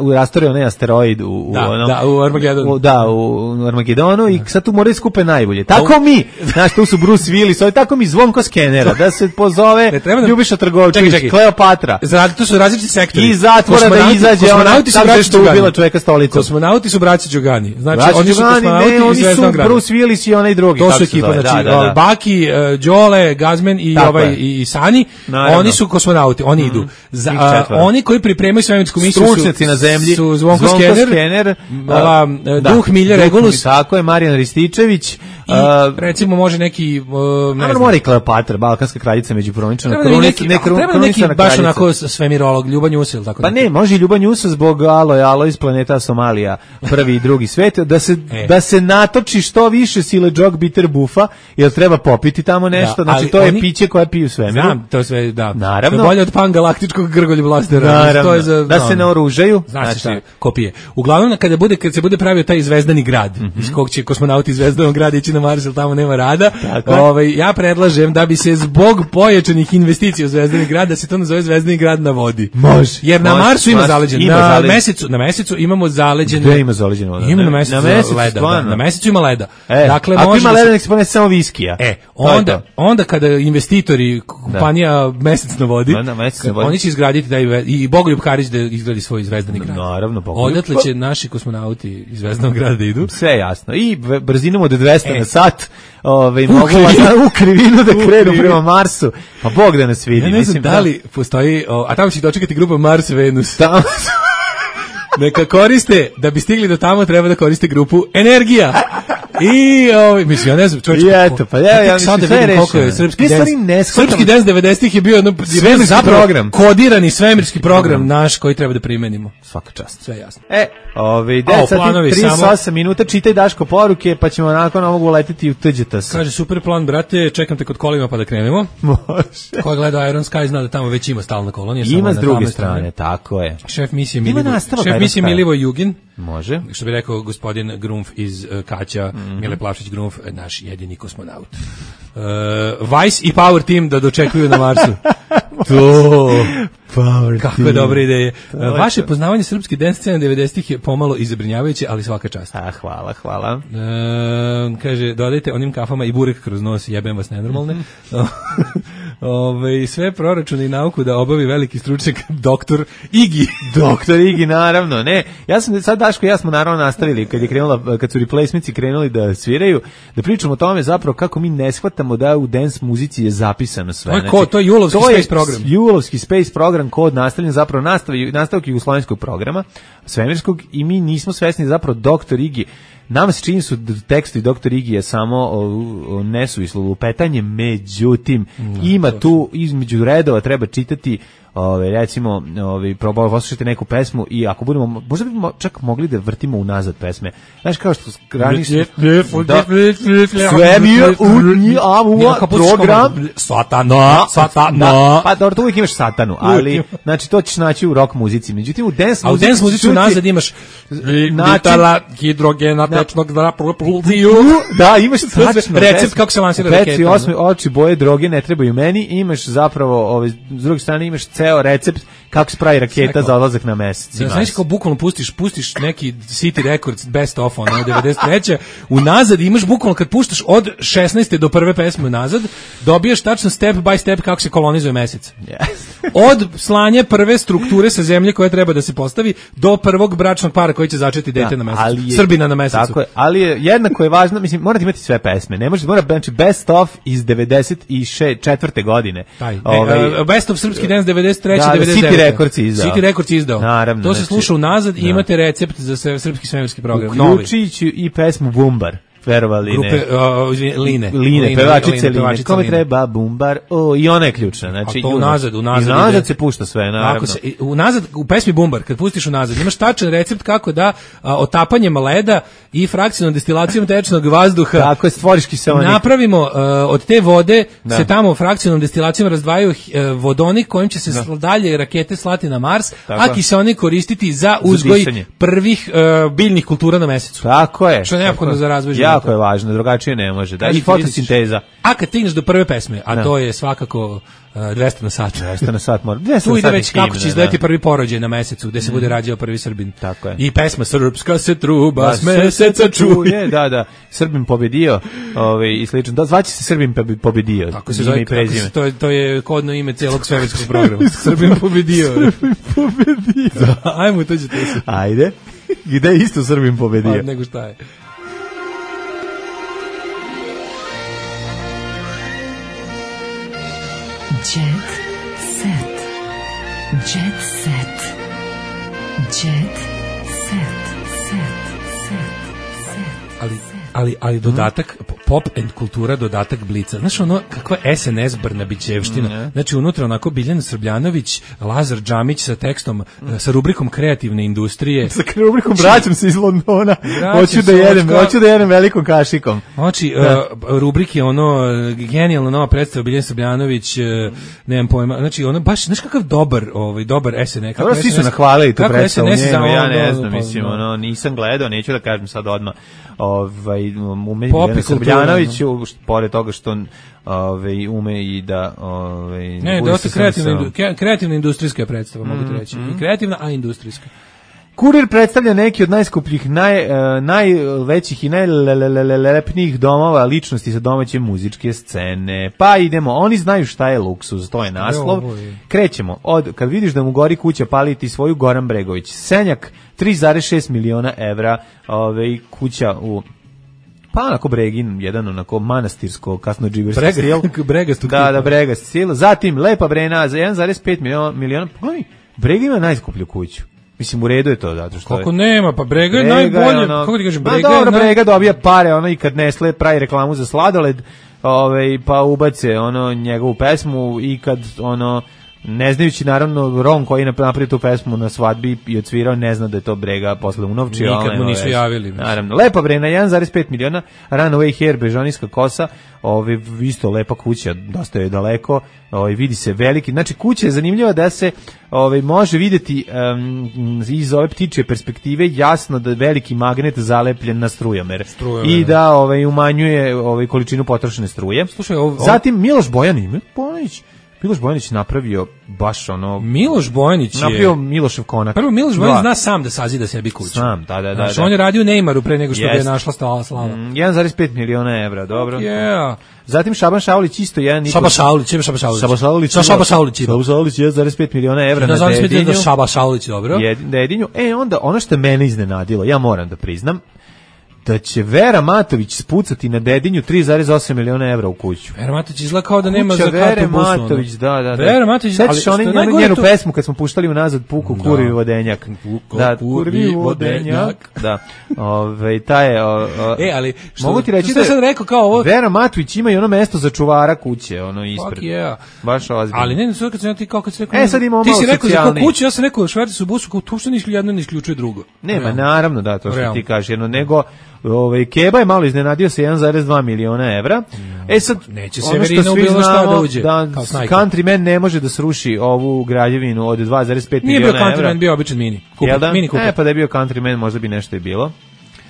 u rastore onaj asteroid u... Da, ono, da, u Armagedonu. Da, u Armagedonu i sad tu moraju skupe najbolje. Tako mi, znaš, tu su Bruce Willis, ovaj tako mi Zvonko Skenera, da se pozove Ljubiša Trgovčević, Kleopatra. Znači, to su različiti sektori. I zatvora da izađe ona tako što ubila čoveka stolicom. Kosmonauti su braća Đogani. Znači, braća oni su kosmonauti ne, oni su Bruce Willis i onaj drugi. To su ekipa, znači, da, da, da. Baki, Đole, Gazmen i tako ovaj i Sani, naravno. Oni su kosmonauti, oni mm. idu. Za, a, oni koji pripremaju svemirsku misiju su stručnjaci na zemlji, su Zvonko, Zvonko Skener, Skener ova, da, Duh Milja Regulus. Tako je, Marijan Rističević. I, uh, recimo može neki uh, ne znam. Mora i Kleopatra, balkanska kraljica međuprovinčana. Treba neki, ne, treba neki baš onako svemirolog, Ljuban Jusel, tako. Pa ne, može i Ljuban Jusel zbog alo je alo iz planeta Somalija, prvi i drugi svet, da se e. da se natoči što više sile džog bitter bufa, jer treba popiti tamo nešto, da, znači to je oni, piće koje piju svemiru. Znam, to sve, da. Naravno. To je bolje od pangalaktičkog grgolj blastera. To je za, da no, se naoružaju, znači šta, kopije. Uglavnom kada bude kad se bude pravio taj zvezdani grad, mm -hmm. iz kog će kosmonauti iz Zvezdanog grada ići na Mars, tamo nema rada. Ovaj ja predlažem da bi se zbog pojačanih investicija u Zvezdani grad da se to nazove Zvezdani grad na vodi. Može. Jer na može, Marsu ima zaleđen, ima na zaleđen. mesecu, na mesecu imamo zaleđen. Gde ima zaleđen voda? Ima na mesecu, na mesecu leda. Da, na mesecu ima leda. E, dakle, ako može ima leda, nek se ponese samo viskija. E, onda onda kada investitori kompanija da. Mesec na vodi, na, na mesec na vodi, oni će izgraditi da i Bogoljub Karić da izgradi svoj Zvezdani grad. Naravno, Bogoljub. Odatle će naši kosmonauti iz Zvezdanog grada da idu. Sve jasno. I brzinom od dvesta e. na sat. Ove, mogu u krivinu da krenu prema Marsu. Pa Bog da nas vidi. Ja ne znam da li postoji, o, a tamo će dočekati grupa Mars Venus. Tamo neka koriste, da bi stigli do tamo treba da koriste grupu Energija. I, ovaj, mislim, ja ne znam, čovječ, I eto, pa ja, ja mislim, sve je rešeno. Srpski dance, srpski dance devedesetih je bio jedno, svemirski program. Kodirani svemirski program naš koji treba da primenimo. Svaka čast. Sve jasno. E, ovaj, deset sati, trideset osam minuta, čitaj Daško poruke, pa ćemo nakon ovog uletiti u Tđetas. Kaže, super plan, brate, čekam te kod kolima pa da krenemo. Može. Ko gleda Iron Sky zna da tamo već ima stalna kolonija. Ima s druge strane, tako je. Šef misije Milivoj, šef misije Milivoj Jugin. Može. Što bi rekao gospodin Grunf iz uh, Kaća, mm-hmm. Mile Plavšić Grunf, naš jedini kosmonaut. Uh, Vice i Power Team da dočekuju na Marsu. To, Power kakve team. Dobre ideje. Uh, vaše poznavanje srpske dance scene devedesetih je pomalo izabrinjavajuće, ali svaka čast. A, hvala, hvala. Uh, kaže, dodajte onim kafama i burek kroz nos, jebem vas nenormalne. Ove, sve proračune i nauku da obavi veliki stručnjak doktor Igi. Doktor Igi, naravno. Ne, ja sam sad Daško i ja smo naravno nastavili kad je krenula, kad su replacements krenuli da sviraju, da pričamo o tome zapravo kako mi ne shvatamo da u dance muzici je zapisano sve. To je, ko, to je Julovski to Space je program. Julovski Space program kod nastavljen zapravo nastavi, nastavak jugoslovenskog programa, svemirskog, i mi nismo svesni zapravo doktor Igi. Nama se čini su tekstovi doktor Igi je samo o, o nesuvislo lupetanje, međutim, no, ima tu između redova treba čitati, ove, recimo, ove, probao poslušati neku pesmu i ako budemo, možda bi čak mogli da vrtimo unazad pesme. Znaš, kao što skrani su... Svemir unijavua program... Satana, satana... Pa dobro, to uvijek imaš satanu, ali, znači, to ćeš naći u rock muzici. Međutim, u dance muzici... A u dance muzici unazad imaš... Vitala, hidrogena, tečnog drapultiju... Da, imaš tačno... Recept kako se lansira raketa. Peci, osmi, oči, boje, droge ne trebaju meni. Imaš zapravo, ove, s druge strane, imaš ceo recept kako se pravi raketa Seko. Za odlazak na mesec. Da, znaš kao bukvalno pustiš, pustiš neki City Records best of, ono, devedeset treće unazad imaš bukvalno kad puštaš od šesnaeste do prve pesme unazad, dobijaš tačno step by step kako se kolonizuje mesec. Yes. Od slanja prve strukture sa zemlje koja treba da se postavi do prvog bračnog para koji će začeti dete da, na mesecu. Je, Srbina na mesecu. Tako je, ali je jednako je važno, mislim, morate imati sve pesme. Ne može, mora znači best of iz devedeset četvrte godine. Taj, ovaj, best of srpski dance devedeset treće da, devedeset devete. City Records izdao. City Records izdao. Naravno, to se znači, sluša unazad i da. imate recept za srpski svemirski program. Uključujući i pesmu Bumbar. Verovali grupe, ne. Uh, Line. Line, Line pevačice Line. Line. Kome treba Bumbar? O, i ona je ključna. Znači, a to unazad, unazad. I unazad se pušta sve, naravno. Ako se, unazad, u pesmi Bumbar, kad pustiš unazad, imaš tačan recept kako da a, otapanjem leda i frakcijnom destilacijom tečnog vazduha tako je, stvoriš kiseonik. Napravimo uh, od te vode da. Se tamo frakcijnom destilacijom razdvajaju uh, vodonik kojim će se da. Dalje rakete slati na Mars, tako. A kiseonik koristiti za uzgoj za prvih uh, biljnih kultura na mesecu. Tako je. Što je neophodno za razvoj života. Jako je važno, drugačije ne može. Da, i fotosinteza. A kad stigneš do prve pesme, a da. To je svakako uh, dvesta na sat. dvesta na sat mora. dvesta tu ide već himne, kako će izgledati prvi porođaj na mesecu, gde se mm. bude rađao prvi Srbin. Tako je. I pesma Srpska se truba s meseca čuje. Da, da. Srbin pobedio, ovaj i slično. Da, zvaće se Srbin pobedio. Tako se zove, tako se, to je to je kodno ime celog svemirskog programa. Srbin pobedio. Srbin pobedio. Da, ajmo to ćete se. Ajde. Gde isto Srbin pobedio? Pa nego šta je. Jet set. Jet set. Jet set. Set. Set. Set. Ali ali ali dodatak pop and kultura, dodatak Blica. Znaš ono kakva S N S Brnabićevština. Mm, znači unutra onako Biljana Srbljanović, Lazar Džamić sa tekstom, mm. sa rubrikom kreativne industrije. Sa rubrikom vraćam se iz Londona. Hoću da jedem, hoću da jedem velikom kašikom. Znači uh, rubrike ono genijalna nova predstava Biljana Srbljanović, uh, nemam pojma. Znači ono baš znaš kakav dobar, ovaj dobar S N S. Kako svi su nahvalili tu predstavu, njenu, ja ne znam, mislim, ono nisam gledao, neću da kažem sad odmah. Ovaj ume Biljana Srbljanović, pored toga što ovaj ume i da ovaj ne, dosta kreativna kreativna industrijska predstava, mm, mogu ti reći. Mm. I kreativna, a industrijska. Kurir predstavlja neki od najskupljih, naj, uh, najvećih i najlepnijih domova ličnosti sa domaće muzičke scene. Pa idemo, oni znaju šta je luksuz, to je naslov. Krećemo od, kad vidiš da mu gori kuća, pali ti svoju, Goran Bregović. Senjak, tri zarez šest miliona evra, ovaj, kuća u... Pa onako Bregin, jedan onako manastirsko, kasno džiberski Brega, stil. Bregastu da, da, Bregast stil. Zatim, Lepa Brena za jedan zarez pet miliona. Pogledaj, Brega ima najskuplju kuću. Mislim, u redu je to, zato što... Kako nema, pa Brega je najbolje, ono, kako ti kažem, Brega je... Dobro, naj... Brega dobija pare, ono, i kad Nestle pravi reklamu za sladoled, ovaj, pa ubace, ono, njegovu pesmu i kad, ono, ne znajući, naravno, Ron koji je napravio tu pesmu na svadbi i odsvirao, ne zna da je to Brega posle unovčio. Nikad mu nisu javili. Naravno, lepa bre, na jedan zarez pet miliona, Runaway Hair, bežanijska kosa, ovaj, isto lepa kuća, dosta je daleko, ovaj, vidi se veliki, znači kuća je zanimljiva da se ovaj, može vidjeti um, iz ove ptičje perspektive jasno da je veliki magnet zalepljen na strujomer i da ovaj, umanjuje ovaj, količinu potrošene struje. Slušaj, ov, ov... Zatim Miloš Bojanić, Bojanić Miloš Bojanić napravio baš ono... Miloš Bojanić je... Napravio Milošev konak. Prvo, Miloš Bojanić zna sam da sazida sebi kuću. Sam, da, da, da. Znaš, da. on je radio u Neymaru pre nego što yes. ga je našla stala slava. Mm, jedan zarez pet miliona evra, dobro. Yeah. Zatim Šaban Šaulić isto jedan... Šaba Šaulić, ima Šaba Šaulić. Šaba Šaulić. Šaba Šaulić. Šaba Šaulić, jedan zarez pet miliona evra na Dedinju. Šaba Šaulić, dobro. Dedinju. E, onda, ono što mene iznenadilo, ja moram da priznam, da će Vera Matović spucati na Dedinju tri zarez osam miliona evra u kuću. Vera Matović izgleda kao da nema za kartu busu. Vera Matović, da, da, da. Vera Matović, sećaš ali oni njenu, njenu to... pesmu kad smo puštali unazad Puku da. Kurvi vodenjak. Puko, da, kurvi vodenjak. Da. Ove, ta je... O, o, e, ali... Što, mogu ti reći što da sad rekao kao ovo... Vera Matović ima i ono mesto za čuvara kuće, ono ispred. Fuck yeah. Baš ozbiljno. Ali ne, sve kad sam ja ti kao kad si rekao... E, sad imamo ti malo si rekao socijalni. za kuću, ja sam rekao šverci su busu, kao to što ni jedno ne isključuje drugo. Nema, naravno, da, to što ti kažeš, jedno, nego... Ovaj Keba je malo iznenadio sa jedan zarez dva miliona evra. E sad neće Severina u bilo šta da uđe. Da Countryman ne može da sruši ovu građevinu od dva zarez pet miliona evra. Nije bio Countryman, bio običan mini. Kupa, da? mini kupa. E pa da je bio Countryman, možda bi nešto i bilo.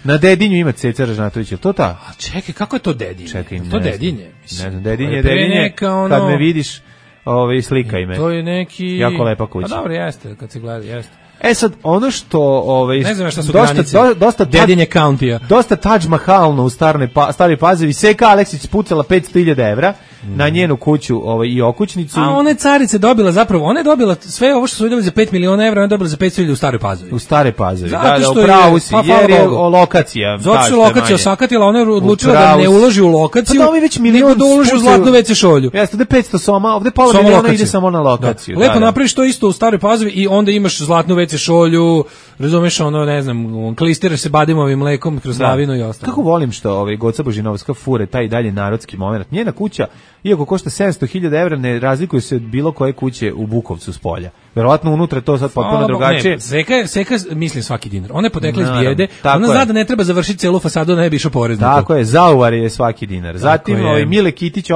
Na Dedinju ima Ceca Ražnatović, je to ta? A čekaj, kako je to Dedinje? Čekaj, to Dedinje. Ne znam, Dedinje, Dedinje. Ono... Kad me vidiš, ovaj slika ime. To je neki jako lepa kuća. A dobro, jeste, kad se gleda, jeste. E sad, ono što... Ovaj, ne znam šta su dosta, granice. Do, dosta Dedinje Countija. Dosta Taj Mahalno u starne, pa, stari Pazovi. Seka Aleksić pucala petsto hiljada evra mm. na njenu kuću ovaj, i okućnicu. A ona je carice dobila zapravo, ona je dobila sve ovo što su vidjeli za pet miliona evra, ona je dobila za petsto hiljada u Staroj Pazovi. U Stare Pazovi, zato da, da, upravo si, pa, jer je o, lokacija. Zato što je lokacija osakatila, ona je odlučila da ne uloži u lokaciju, pa da već nego da uloži u zlatnu ve ce šolju. Jeste, ovde petsto soma, ovde pola Soma miliona lokacija. Ide samo na lokaciju. Da. Lepo da, napraviš to isto u Staroj Pazovi i onda imaš zlatnu ve ce šolju, razumeš, ono, ne znam, klistiraš se badimovim mlekom kroz lavinu i ostalo. Kako volim što ovaj Goca Božinovska fure taj dalje narodski momenat. Njena kuća, iako košta sedamsto hiljada evra, ne razlikuje se od bilo koje kuće u Bukovcu s polja. Verovatno unutra to sad potpuno drugačije. Ne, Seka, Seka mislim svaki dinar. Ona je potekla iz bijede, ona zna da ne treba završiti celu fasadu, da ne bi išao porez na to. Tako je, zauvar je svaki dinar. Zatim ovaj Mile Kitić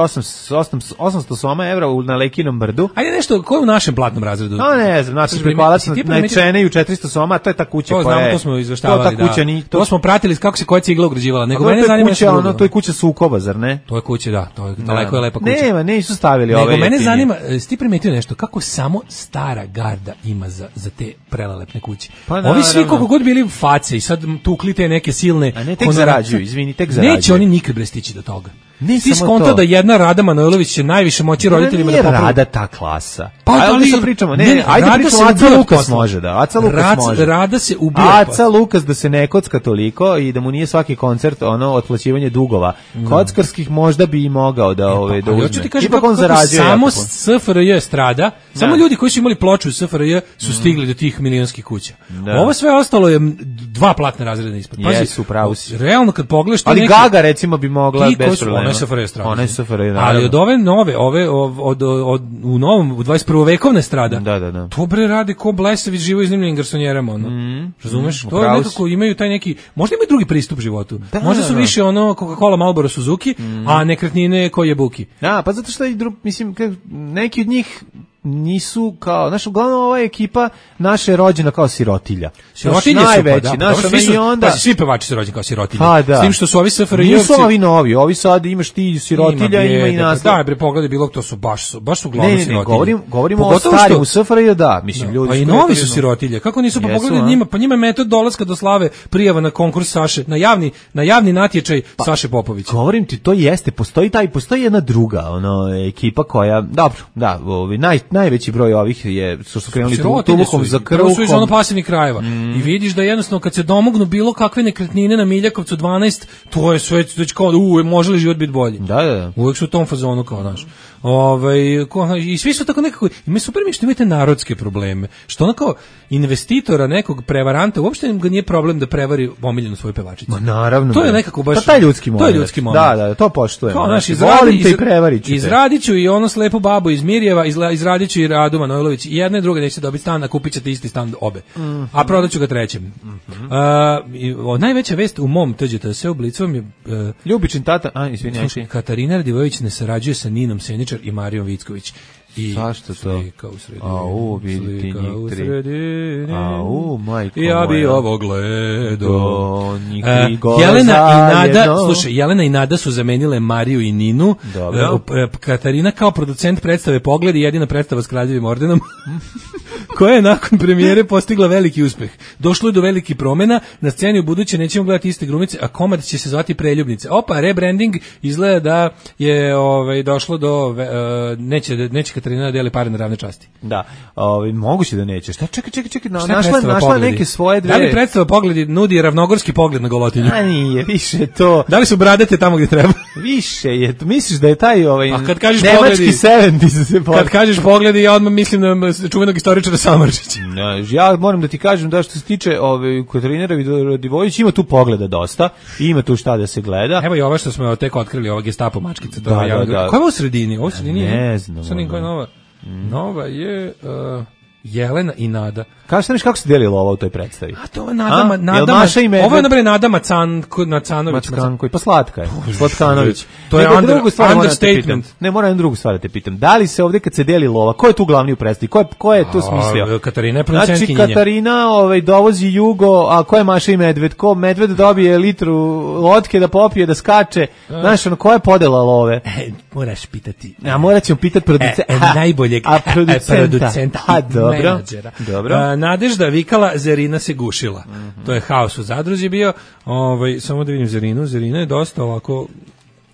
osamsto soma evra na Lekinom brdu. Ajde nešto, ko je u našem platnom razredu? A ne znam, naši prikolac na Čeneju četiristo soma, to je ta kuća koja je... To smo izveštavali, da. Ni, to... to smo pratili kako se koja cigla ugrađivala. Nego mene zanima kuća, ono, to je kuća sukoba, zar ne? To je kuća, da, to je daleko je lepa kuća. Nema, nisu stavili nego ove. Nego mene zanima, sti primetio nešto, kako samo stara garda ima za, za te prelelepne kuće. Pa, ovi svi koliko god bili face i sad tukli te neke silne... A ne, tek zarađuju, izvini, tek zarađuju. Neće oni nikad bre stići do toga. Ne ti skonto da jedna Rada Manojlović će najviše moći roditeljima da popravi. Rada ta klasa. Pa ali se pričamo, ne, ne, ne ajde pričamo, Aca Lukas može da, Aca Lukas Rad, može. Rada se ubija. Aca Lukas da se ne kocka toliko i da mu nije svaki koncert ono otplaćivanje dugova. Mm. Kockarskih možda bi i mogao da ove da uzme. Ti kažeš kako on zarađuje. Samo S F R J strada, da. Samo ljudi koji su imali ploču S F R J su stigli mm. do tih milionskih kuća. Da. Ovo sve ostalo je dva platne razreda ispod. Pazi, yes, pravo si. Realno kad pogledaš ali neki, Gaga recimo bi mogla bez problema. Ona je S F R J strada. Ona je S F R J. Ali od ove nove, ove od, od, od u novom u dvadeset prve vekovne strada. Da, da, da. To bre rade ko blesavi živo iznimljenim garsonjerama, ono. Mm, razumeš? Mm, to je nekako imaju taj neki, možda imaju drugi pristup životu. Da, možda su da, više ono Coca-Cola, Marlboro, Suzuki, mm. a nekretnine koje buki. Da, pa zato što i drug, mislim neki od njih nisu kao, znaš, uglavnom ova ekipa naša je rođena kao sirotilja. Sirotilje su najveći, pa, da, naša svi, su, i onda... pa, svi pevači su rođeni kao sirotilje. Pa, da. S tim što su ovi S F R J-ovci... Nisu ovi novi, ovi sad imaš ti sirotilja, ima, ima i nas. Da, bre, pogledaj bilo, to su baš su, baš su glavno sirotilje. Ne, ne, govorim, govorimo o starim, u S F R J, da, mislim, da, ljudi... Pa i novi su sirotilje, kako nisu, pa pogledaj njima, pa njima je metod dolaska do slave prijava na konkurs Saše, na javni, na javni natječaj pa, Saše Popovića. Govorim ti, to jeste, postoji taj, postoji jedna druga, ono, ekipa koja, dobro, da, ovi, naj, najveći broj ovih je, su su krenuli tuluhom za krvkom. To su iz ono pasivnih krajeva. Mm. I vidiš da jednostavno kad se domognu bilo kakve nekretnine na Miljakovcu dvanaest, to je sve već kao da u, može li život biti bolji. Da, da, da. Uvijek su u tom fazonu kao naš. Ovaj, i svi su tako nekako, ima super mi što imate narodske probleme, što ono kao investitora, nekog prevaranta, uopšte ga nije problem da prevari omiljenu svoju pevačicu. Ma naravno. To je nekako baš... Pa taj ljudski moment. To je ljudski moment. Da, da, to poštujem. Kao, naš, izradi, volim te i prevarit ću te. Izradit ću i ono slepu babu iz Mirjeva, izradit ću i Radu Manojlović. I jedna i druga neće dobiti stan, a kupit ćete isti stan obe. Mm-hmm. A prodat ću ga trećem. Mm-hmm. Uh, najveća vest u mom T Ž T S u Blicovom je... Uh, Ljubičin tata... A, izvini, slušaj, Katarina Radivojević ne sarađuje sa Ninom Seničar i Marijom Vicković. I zašto to? Slika u sredini. Au, vidite njih tri. Au, majko moja. Ja bi ovo gledao. Uh, Jelena i Nada, jedno. Slušaj, Jelena i Nada su zamenile Mariju i Ninu. Dobro. Uh, Katarina kao producent predstave Pogled i jedina predstava s Kraljevim ordenom, koja je nakon premijere postigla veliki uspeh. Došlo je do velikih promjena, na sceni u buduće nećemo gledati iste glumice, a komad će se zvati Preljubnice. Opa, rebranding izgleda da je ovaj, došlo do... Uh, neće, neće Katarina deli pare na ravne časti. Da, ovaj moguće da neće. Šta čekaj, čekaj, čekaj, na, našla našla neke svoje dve. Da li predstava Pogledi nudi ravnogorski pogled na Golotinju? A nije, više to. Da li su bradete tamo gdje treba? Više je, to misliš da je taj ovaj a kad kažeš nemački Pogledi, sedamdeset se kad kažeš Pogledi, ja odmah mislim na čuvenog istoričara Samardžića. No, ja moram da ti kažem da što se tiče ovaj Katarine Radivojević ima tu Pogleda dosta, ima tu šta da se gleda. Evo i ova što smo tek otkrili, ova Gestapo mačkica, to da, je da, da. Koja je u sredini? Ovo sredini ne znam. Sad koja je nova. Mm. Nova je uh, Jelena i Nada. Kažeš neš kako se delilo ovo u toj predstavi? A to je Nada, Nada. Ovo je nabre Nada Macan, Macanović, Macanković, pa slatka je. Slatkanović. To je under, understatement. Ne, moram jednu drugu stvar da te pitam. Da li se ovdje kad se deli lova, ko je tu glavni u predstavi? Ko je ko je to smislio? Katarina je producentkinja. Znači Katarina, ovaj dovozi Jugo, a ko je Maša i Medved? Ko Medved dobije litru lotke da popije, da skače? Znaš, ono, ko je podela love? E, moraš pitati. A morat ćemo pitati producenta. E, e, najboljeg a producenta. producenta a, dobro. Dobro. A, Nadežda vikala, Zerina se gušila. Mm-hmm. To je haos u Zadruzi bio. Ovaj, samo da vidim Zerinu. Zerina je dosta ovako...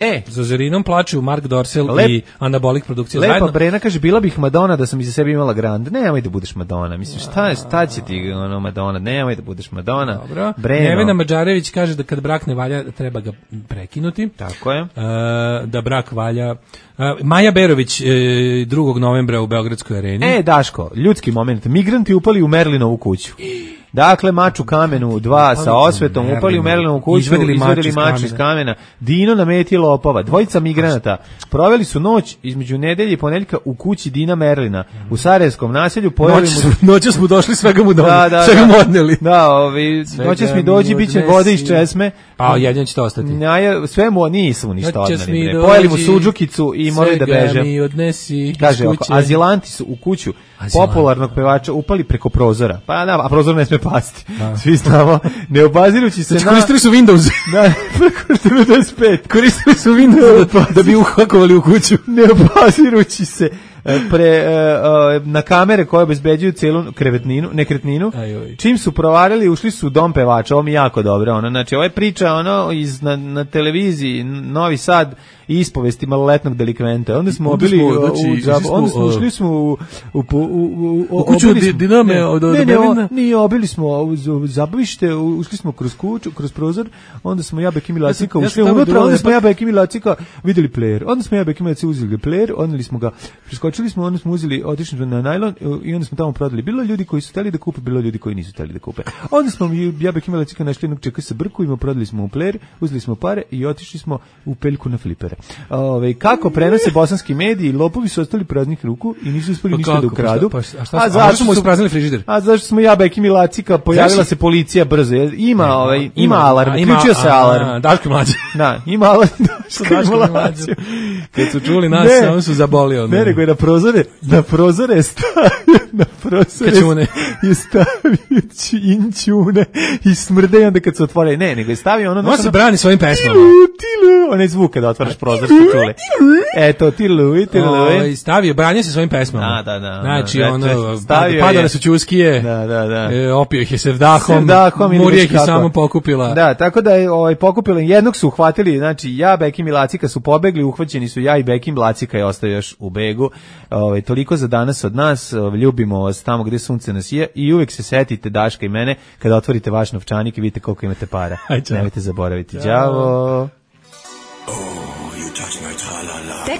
E, za Zerinom plaču Mark Dorsel Lep, i Anabolik produkcija lepa zajedno. Lepa Brena kaže, bila bih Madonna da sam iza sebe imala Grand. Nemoj da budeš Madonna. Mislim, šta, šta će ti ono Madonna? Nemoj da budeš Madonna. Dobro. Breno. Nevena Mađarević kaže da kad brak ne valja, treba ga prekinuti. Tako je. Uh, da brak valja. Uh, Maja Berović, uh, drugog novembra u Beogradskoj areni. E, Daško, ljudski moment. Migranti upali u Merlinovu kuću. Dakle, mač u kamenu, dva sa osvetom, upali u Merlinovu kuću, izvedili, izvedili mač iz kamena. Dino na meti lopova. Dvojica migranata proveli su noć između nedelje i ponedeljka u kući Dina Merlina u Sarajevskom naselju. Noć, mu... Noć smo došli, svega mu da, da, svega mu da, odneli. Da, ovi, noćas mi dođi, bit će vode iz česme. A jedino će to ostati. Ja, sve mu nisu mu ništa odneli. Pojeli mu suđukicu i morali da beže. Svega mi odnesi. Kaže, oko, azilanti su u kuću Azilanti. Popularnog pevača upali preko prozora. Pa da, a prozor ne sme pasti. Da. Svi znamo, ne obazirući se znači, na... koristili su Windows. Da, preko devedeset pet. Koristili su Windows da, da bi uhakovali u kuću. Ne obazirući se pre, uh, na kamere koje obezbeđuju celu krevetninu, nekretninu. Ajoj. Čim su provarili, ušli su u dom pevača. Ovo mi jako dobro. Ono, znači, ovo je priča ono, iz, na, na televiziji Novi Sad ispovesti maloletnog delikventa. Onda smo obili u, znači, u džabu, onda smo ušli smo u, u, u, u, u kuću Diname. Ne, od, od ne, ne, o, nije, obili smo u zabavište, ušli smo kroz kuću, kroz prozor, onda smo ja, Bekim i Lacika ušli ja unutra, onda smo ja, Bekim i Lacika videli player, onda smo ja, Bekim i Lacika uzeli player, odneli smo ga, preskočili smo, onda smo uzeli, otišli smo na najlon i onda smo tamo prodali. Bilo ljudi koji su hteli da kupe, bilo ljudi koji nisu hteli da kupe. Onda smo ja, Bekim i Lacika našli jednog čeka sa brkovima, prodali smo u player, uzeli smo pare i otišli smo u peljku na flipere. Ove, kako prenose bosanski mediji, lopovi su ostali praznih ruku i nisu uspeli ništa da ukradu. Pa, a šta, a zašto smo ispraznili frižider? A zašto smo ja, Bekim i Lacika, pojavila znači, se policija brzo. Ima, ne, ovaj, ima, ima alarm, uključio se alarm. Daško i Mlađe. Da, ima alarm. Daško i Mlađe. Kad su čuli nas, samo su zabolio. Ne, nego je na prozore, na prozore je stavio, na prozore Kačune. je stavio inćune i smrde i onda kad se otvore, ne, nego je stavio ono... On se brani svojim pesmama. Tilu, tilu, onaj zvuk kada otvaraš prozor, su čuli. Eto, tilu, tilu. O, stavio, branio se svojim pesmama. Da, da, da. Znači, ono, padale su čuskije, da, da, da. E, opio ih je sevdahom, sevdahom Murijek ih samo pokupila. Da, tako da je ovaj, pokupila, jednog su uhvatili, znači ja, Bekim i Lacika su pobegli, uhvaćeni su ja i Bekim, Lacika je ostao još u begu. Ovaj, toliko za danas od nas, ljubimo vas tamo gde sunce nas je i uvek se setite Daška i mene kada otvorite vaš novčanik i vidite koliko imate para. Nemojte zaboraviti. Ćao.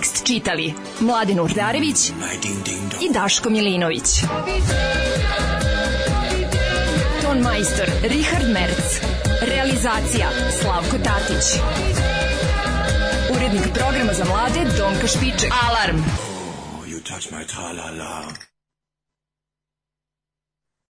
Tekst čitali Mladin Urdarević i Daško Milinović. Ton majstor Richard Merc. Realizacija Slavko Tatić. Urednik programa za mlade Donka Špiček. Alarm! Oh, you touch my tra-la-la.